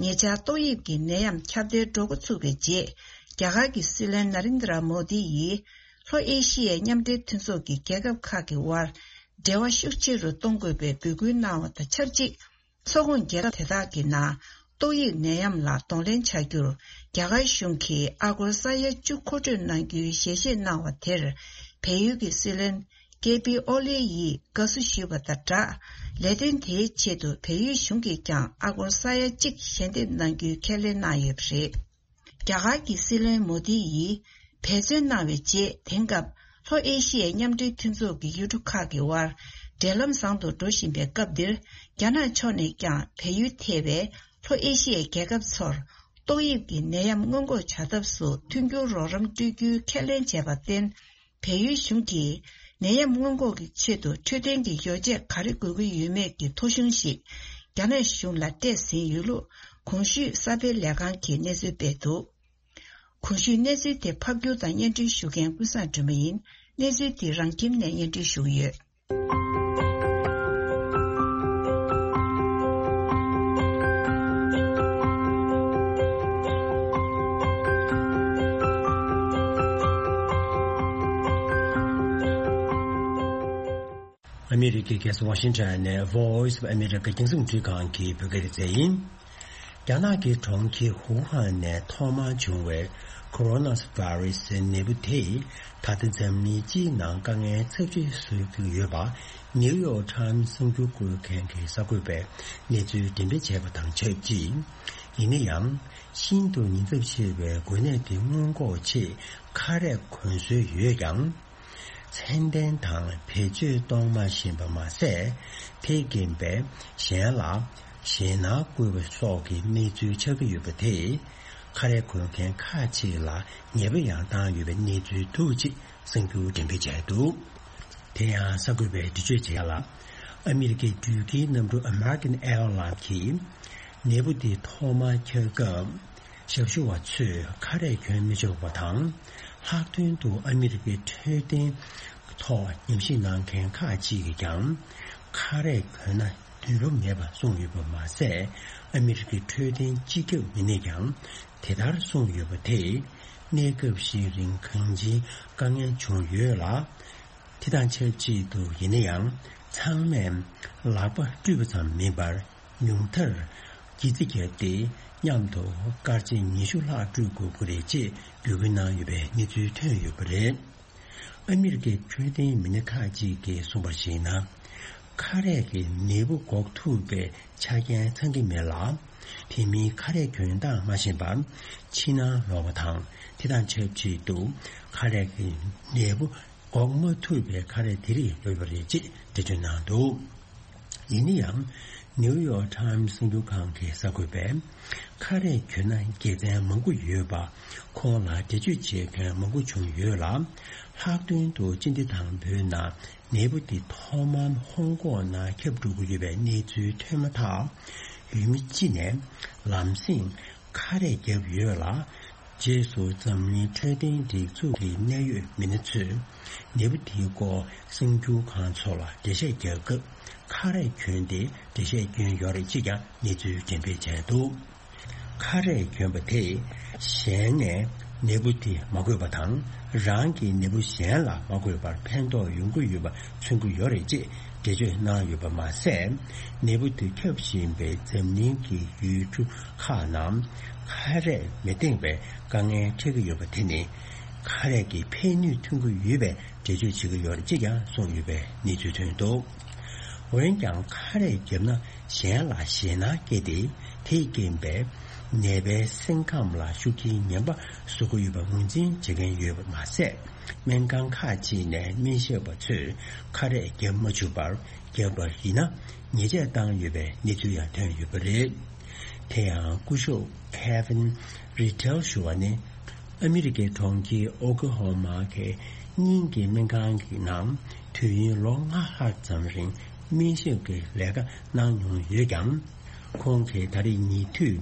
ཉེ་ཆར་ཏོག་དབྱིབས་ཀྱི་ནད་ཡམས་ཁྱབ་གདལ་འགྲོ་འགོ་ཚུགས་པའི་རྗེས། རྒྱ་གར་གྱི་སྲིད་བློན་ན་རིན་དྲ་མོ་དི་ཡིས། ལྷོ་ཨེ་ཤི་ཡའི་མཉམ་འབྲེལ་མཐུན་ཚོགས་ཀྱི་རྒྱལ་ཁབ་ཁག་གི་དབར། འབྲེལ་བ་ཤུགས་ཆེ་རུ་གཏོང་དགོས་པའི་འབོད་སྐུལ་གནང་བ་དང་ཆབས་ཅིག་མཚོ་ཁོངས་རྒྱལ་ཁབ་དེ་དག་གི་ནང་ཏོག་དབྱིབས་ནད་ཡམས་ལ་གདོང་ལེན་བྱ་རྒྱུར། རྒྱ་གར་གཞུང་གིས་ཨ་སྒོར་ས་ཡ་བཅུ་མཁོ་སྤྲོད་གནང་རྒྱུའི་ཞལ་བཞེས་གནང་བ་དེར། བལ་ཡུལ་གྱི་སྲིད་བློན་ཀེ་པི་ཨོ་ལེ་ཡིས་དགའ་བསུ་ཞུས་པ་དང་སྦྲགས། ལས་དོན་དེའི་ཆེད་དུ་བལ་ཡུལ་གཞུང་གིས་ཀྱང་ཨ་སྒོར་ས་ཡ་གཅིག་ཞལ་འདེབས་གནང་རྒྱུའི་ཁས་ལེན་གནང་ཡོད་པ་རེད། རྒྱ་གར་གྱི་སྲིད་བློན་མོ་དི་ཡིས་འབད་བརྩོན་གནང་བའི་རྗེས། དེང་སྐབས་ལྷོ་ཨེ་ཤི་ཡའི་མཉམ་འབྲེལ་མཐུན་ཚོགས་ཀྱི་ཡུལ་གྲུ་ཁག་གི་དབར་འབྲེལ་ལམ་བཟང་དུ་འགྲོ་བཞིན་པའི་སྐབས་འདིར། རྒྱ་ནག་ཕྱོགས་ནས་ཀྱང་བལ་ཡུལ་ཐེ་བའི་ལྷོ་ཨེ་ཤི་ཡའི་རྒྱལ་ཁབ་ཚོར་ཏོག་དབྱིབས་ཀྱི་ནད་ཡམས་སྔོན་འགོག་བྱ་ཐབས་སུ་མཐུན་འགྱུར་རོགས་རམ་སྤྲོད་རྒྱུའི་ཁས་ལེན་བྱས་པར་བརྟེན། བལ་ཡུལ་གཞུང་གིས་ནད་ཡམས་སྔོན་འགོག་གི་ཆེད་དུ་འཕྲོད་བསྟེན་གྱི་ཡོ་བྱད་ག་རེ་དགོས་ཀྱི་ཡོད་མེད་ཀྱི་ཐོ་གཞུང་ཞིག་རྒྱ་ནག་གཞུང་ལ་སྤྲད་ཟིན་ཡོད་ལུགས་གོང་ཞུས་གསར་སྤེལ་ལས་ཁང་གིས་གནས་ཚུལ་སྤེལ་འདུག་གོང་ཞུས་གནས་ཚུལ་དེ་ཕབ་སྒྱུར་དང་སྙན་སྒྲོན་ཞུ་མཁན་ཀུན་བཟང་སྒྲོལ་མ་ཡིན། གནས་ཚུལ་འདི་རང་ཁྱིམ་ནས་སྙན་སྒྲོན་ཞུ་གི་ཡོད། ཨ་མི་རི་ཀའི་རྒྱལ་ས་ཝ་ཤིང་ཊོན་ནས་Voice of America རྒྱང་སྲིང་རླུང་འཕྲིན་ཁང་གི་བོད་སྐད་སྡེ་ཚན་ཡིན། རྒྱ་ནག་གི་གྲོང་ཁྱེར་ཧུའུ་ཧན་ནས་ཐོག་མར་བྱུང་བའི་ཁོ་རོ་ན་བྷ་རི་སིའི་ནད་འབུ་དེས་ད་ལྟ་འཛམ་གླིང་སྤྱིའི་ནང་དཀའ་ངལ་ཚབས་ཆེ་བཟོ་གི་ཡོད་པ་ནིའུ་ཡོག་ཊའིམ་གསར་འགྱུར་བཀོད་མཁན་གྱི་གསར་འགོད་པས་གནས་ཚུལ་འགྲེམས་སྤེལ་བྱས་པ་དང་ཆབས་ཅིག་ཡིན་ན་ཡང་། ཤིན་ཏུ་ཉེན་ཚབས་ཆེ་བའི་འགོས་ནད་དེ་སྔོན་འགོག་ཆེད་ཁ་རས་གོན་སྲོལ་ཡོད་ཀྱང་། ཚད་ལྡན་དང་བེད་སྤྱོད་གཏོང་མ་ཤེས་པ་མ་ཟད། དེའི་རྐྱེན་པས་གཞན་ལ་ཞེད་སྣང་བསྐུལ་བ་སོགས་ཀྱི་གནས་ཚུལ་ཆགས་ཀྱི་ཡོད་པ་དེས། ཁ་རས་གོན་མཁན་ཁག་ཅིག་ལ་ཉེས་པ་ཡང་བཏང་ཡོད་པའི་གནས་ཚུལ་འདུག་ཅེས་གསར་འགྱུར་འགྲེམས་སྤེལ་བྱས་འདུག་དེ་ཡང་གསར་འགོད་པས་འགྲེལ་བརྗོད་བྱས་ལ། ཨ་མི་རི་ཀའི་འགྲུལ་སྐྱེལ་གནམ་གྲུ་American Airlines གིས་ནད་འབུ་འདི་ཐོག་མར་འཁྱག་སྐབས། ཞབས་ཞུ་བ་ཚོས་ཁ་རས་གྱོན་མི་ཆོག་པ་དང་། ལྷག་དོན་དུ་ཨ་མི་རི་ཀའི་འཕྲོད་བསྟེན་ཐོག་ཉམས་ཞིབ་གནང་མཁན་ཁག་ཅིག་གིས་ཀྱང་ཁ་རས་གྱོན་ན་ནུས་པ་མེད་པ་གསུངས་ཡོད་པ་མ་ཟད། ཨ་མི་རི་ཀའི་འཕྲོད་བསྟེན་སྤྱི་ཁྱབ་མི་སྣས་ཀྱང་དེ་ལྟར་གསུངས་ཡོད་པ་དེས་གནས་སྐབས་ཤིག་རིང་གང་ཅིའི་དཀའ་ངལ་བྱུང་ཡོད་ལ། དེ་དང་ཆབས་ཅིག་ཏུ་ཡིན་ན་ཡང་ཚང་མས་ལག་པ་བཀྲུས་པ་ཙམ་མིན་པར། ཉུང་མཐར་སྒྱིད་རྩི་བརྒྱབ་སྟེ་མཉམ་དུ་སྐར་ཆ་ཉི་ཤུ་ལྷག་བཀྲུ་དགོས་ཀྱི་རེད་ཅེས་འབོད་སྐུལ་གནང་ཡོད་པའི་གནས་ཚུལ་ཐོན་ཡོད་པ་རེད། ཨ་མི་རི་ཀའི་འཕྲོད་བསྟེན་མི་སྣ་ཁག་ཅིག་གིས་གསུངས་པར་གཞིགས་ན། ཁ་རས་ཀྱིས་ནད་འབུ་འགོག་ཐུབ་པའི་ཆ་རྐྱེན་ཚང་གི་མེད་ལ། དེ་མིན་ཁ་རས་གྱོན་སྟངས་མ་ཤེས་པར་ཕྱི་ནང་ལོག་པ་དང་། དེ་དང་ཆབས་ཅིག་ཏུ་ཁ་རས་ཀྱིས་ནད་འབུ་འགོག་མ་ཐུབ་པའི་ཁ་རས་དེ་རིགས་ཡོད་པ་རེད་ཅེས་འགྲེལ་བརྗོད་གནང་འདུག་ཡིན་ན་ཡང་། ནིའུ་ཡོག་ཊའིམ་གསར་འགྱུར་ཁང་གི་གསར་འགོད་པས། ཁ་རས་གྱོན་ན་དགེ་མཚན་མང་པོ་ཡོད་པ། ཁོང་ལ་འགྲེལ་བརྗོད་བྱེད་མཁན་མང་པོ་བྱུང་ཡོད་ལ། ལྷག་དོན་དུ་སྤྱི་ཟླ་དང་པོའི་ནང་ནད་འབུ་འདི་ཐོག་མར་ཧོང་ཀོང་ནང་ཁྱབ་འགྲོ་གི་ཡོད་པའི་གནས་ཚུལ་ཐོན་མ་ཐག་ཡུལ་མི་སྤྱི་ནས་ལམ་སེང་ཁ་རས་བརྒྱབ་ཡོད་ལ། རྗེས་སུ་འཛམ་གླིང་འཕྲོད་བསྟེན་སྒྲིག་འཛུགས་ཀྱི་གནད་ཡོད་མི་སྣ་ཚོས་ནད་འབུ་དེའི་སྐོར་གསར་འགྱུར་ཁང་ཚོ་ལ་འགྲེལ་བཤད་རྒྱག་སྐབས་ཁ་རས་གྱོན་ཏེ་འགྲེལ་བཤད་བསྐྱོན་ཡོད་རེད་ཅེས་ཀྱང་གནས་ཚུལ་འགྲེམས་སྤེལ་བྱས་འདུག་ཁ་རས་གྱོན་པ་དེས་གཞན་ནས་ནད་འབུ་དེ་མ་འགོས་པ་དང་། རང་གིས་ནད་འབུ་གཞན་ལ་མ་འགོས་པར་ཕན་ཐོགས་ཡོང་གི་ཡོད་པ་མཚོན་གྱི་ཡོད་རེད་ཅེས་འགྲེལ་བརྗོད་གནང་ཡོད་པ་མ་ཟད། ནད་འབུ་དེ་ཁྱབ་བཞིན་པའི་འཛམ་གླིང་གི་ཡུལ་གྲུ་ཁག་ནང་ཁ་རས་མི་འདེང་བའི་དཀའ་ངལ་འཕྲད་ཀྱི་ཡོད་པ་དེ་ནི་ཁ་རས་ཀྱི་ཕན་ནུས་ཐོན་གྱི་ཡོད་པའི་འགྲེལ་བརྗོད་བྱེད་ཀྱི་ཡོད་རེད་ཅེས་ཀྱང་གསུངས་ཡོད་པའི་གནས་ཚུལ་ཐོན་འདུག་འོན་ཀྱང་ཁ་རས་བརྒྱབ་ན་གཞན་ལ་ཞེད་སྣང་སྐྱེས་ཏེ། དེས་རྐྱེན་པས་ནད་པའི་སེམས་ཁམས་ལ་ཤུགས་རྐྱེན་ངན་པ་བཟོ་གི་ཡོད་པ་ངོས་འཛིན་བྱེད་མཁན་ཡོད་པ་མ་ཟད། སྨན་ཁང་ཁག་ཅིག་ནས་སྨན་ཞབས་པ་ཚོས་ཁ་རས་བརྒྱབ་མ་བཅུག་པར། བརྒྱབ་པ་ཡིན་ན་ཉེས་ཆད་བཏང་ཡོད་པའི་གནས་ཚུལ་ཡང་ཐོན་ཡོད་པ་རེད། དེ་ཡང་སྐུ་ཞབས་Kevin Riddell ཞུ་བ་ནི། ཨ་མི་རི་ཀའི་གྲོང་ཁྱེར་ཨོ་ཀི་ཧོ་མ་གི་སྙིང་གི་སྨན་ཁང་གི་ནང་དུས་ཡུན་ལོ་ལྔ་ལྷག་ཙམ་རིང་སྨན་ཞབས་ཀྱི་ལས་ཀ་གནང་མྱོང་ཡོད་ཀྱང་། ཁོང་གིས་ད་རེས་ཉེ་དུས་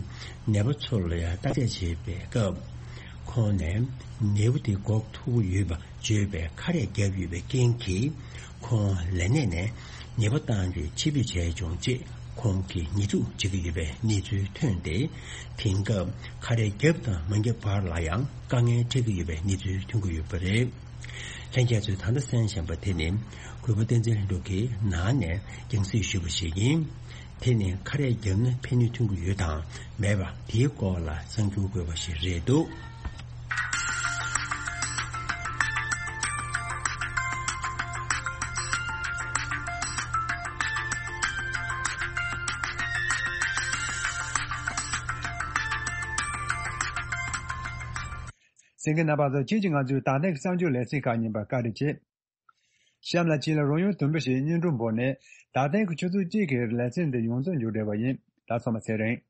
ནད་པ་ཚོ་ལ་ཡང་བརྟག་དཔྱད་བྱེད་པའི་སྐབས། ཁོང་ནས་ནད་འབུ་དེ་འགོག་ཐུབ་ཀྱི་ཡོད་པ་བརྗོད་པའི་ཁ་རས་བརྒྱབ་ཡོད་པའི་རྐྱེན་གྱིས། ཁོང་ལས་གནས་ནས་ཉེས་པ་བཏང་རྒྱུའི་ཆེད་འབོད་བྱས་བྱུང་ཅེས་ཁོང་གིས་ཉེས་འཛུགས་བྱེད་ཀྱི་ཡོད་པའི་གནས་ཚུལ་ཐོན་ཏེ། དེང་སྐབས་ཁ་རས་བརྒྱབ་དང་མ་བརྒྱབ་བར་ལ་ཡང་དཀའ་ངལ་འཕྲད་ཀྱི་ཡོད་པའི་གནས་ཚུལ་ཐོན་གྱི་ཡོད་པ་རེད། ལྷན་རྒྱས་ཚོས་ད་ལྟ་གསན་བཞིན་པ་དེ་ནི་གུས་པ་བསྟན་འཛིན་ལྷུན་གྲུབ་ཀྱིས་ནང་ནས་རྒྱང་སྲིང་ཞུས་པ་ཞིག་ཡིན། དེ་ནི་ཁ་རས་བརྒྱབ་ན་ཕན་ནུས་ཐོན་གྱི་ཡོད་དང་མེད་པ་དེའི་སྐོར་ལ་གསར་འགྱུར་བཀོད་པ་ཞིག་རེད་འདུག་གསན་མཁན་རྣམ་པ་ཚོ། ཁྱེད་ཀྱིས་ང་ཚོའི་ད་ལྟའི་གསར་འགྱུར་ལེ་ཚན་ཁག་ཉན་པར་བཀའ་དྲིན་ཆེ། གཤམ་ལ་ཁྱེད་ལ་རོལ་དབྱང་དུམ་བུ་ཞིག་སྙན་སྒྲོན་འབོར་ནས། ད་ཐེངས་ཀྱི་ཆུ་ཚོད་གཅིག་གི་ལེ་ཚན་འདི་ཡོངས་རྫོགས་མཇུག་བསྒྲིལ་བ་ཡིན། ད་སོ་མ་ཚེ་རིང་།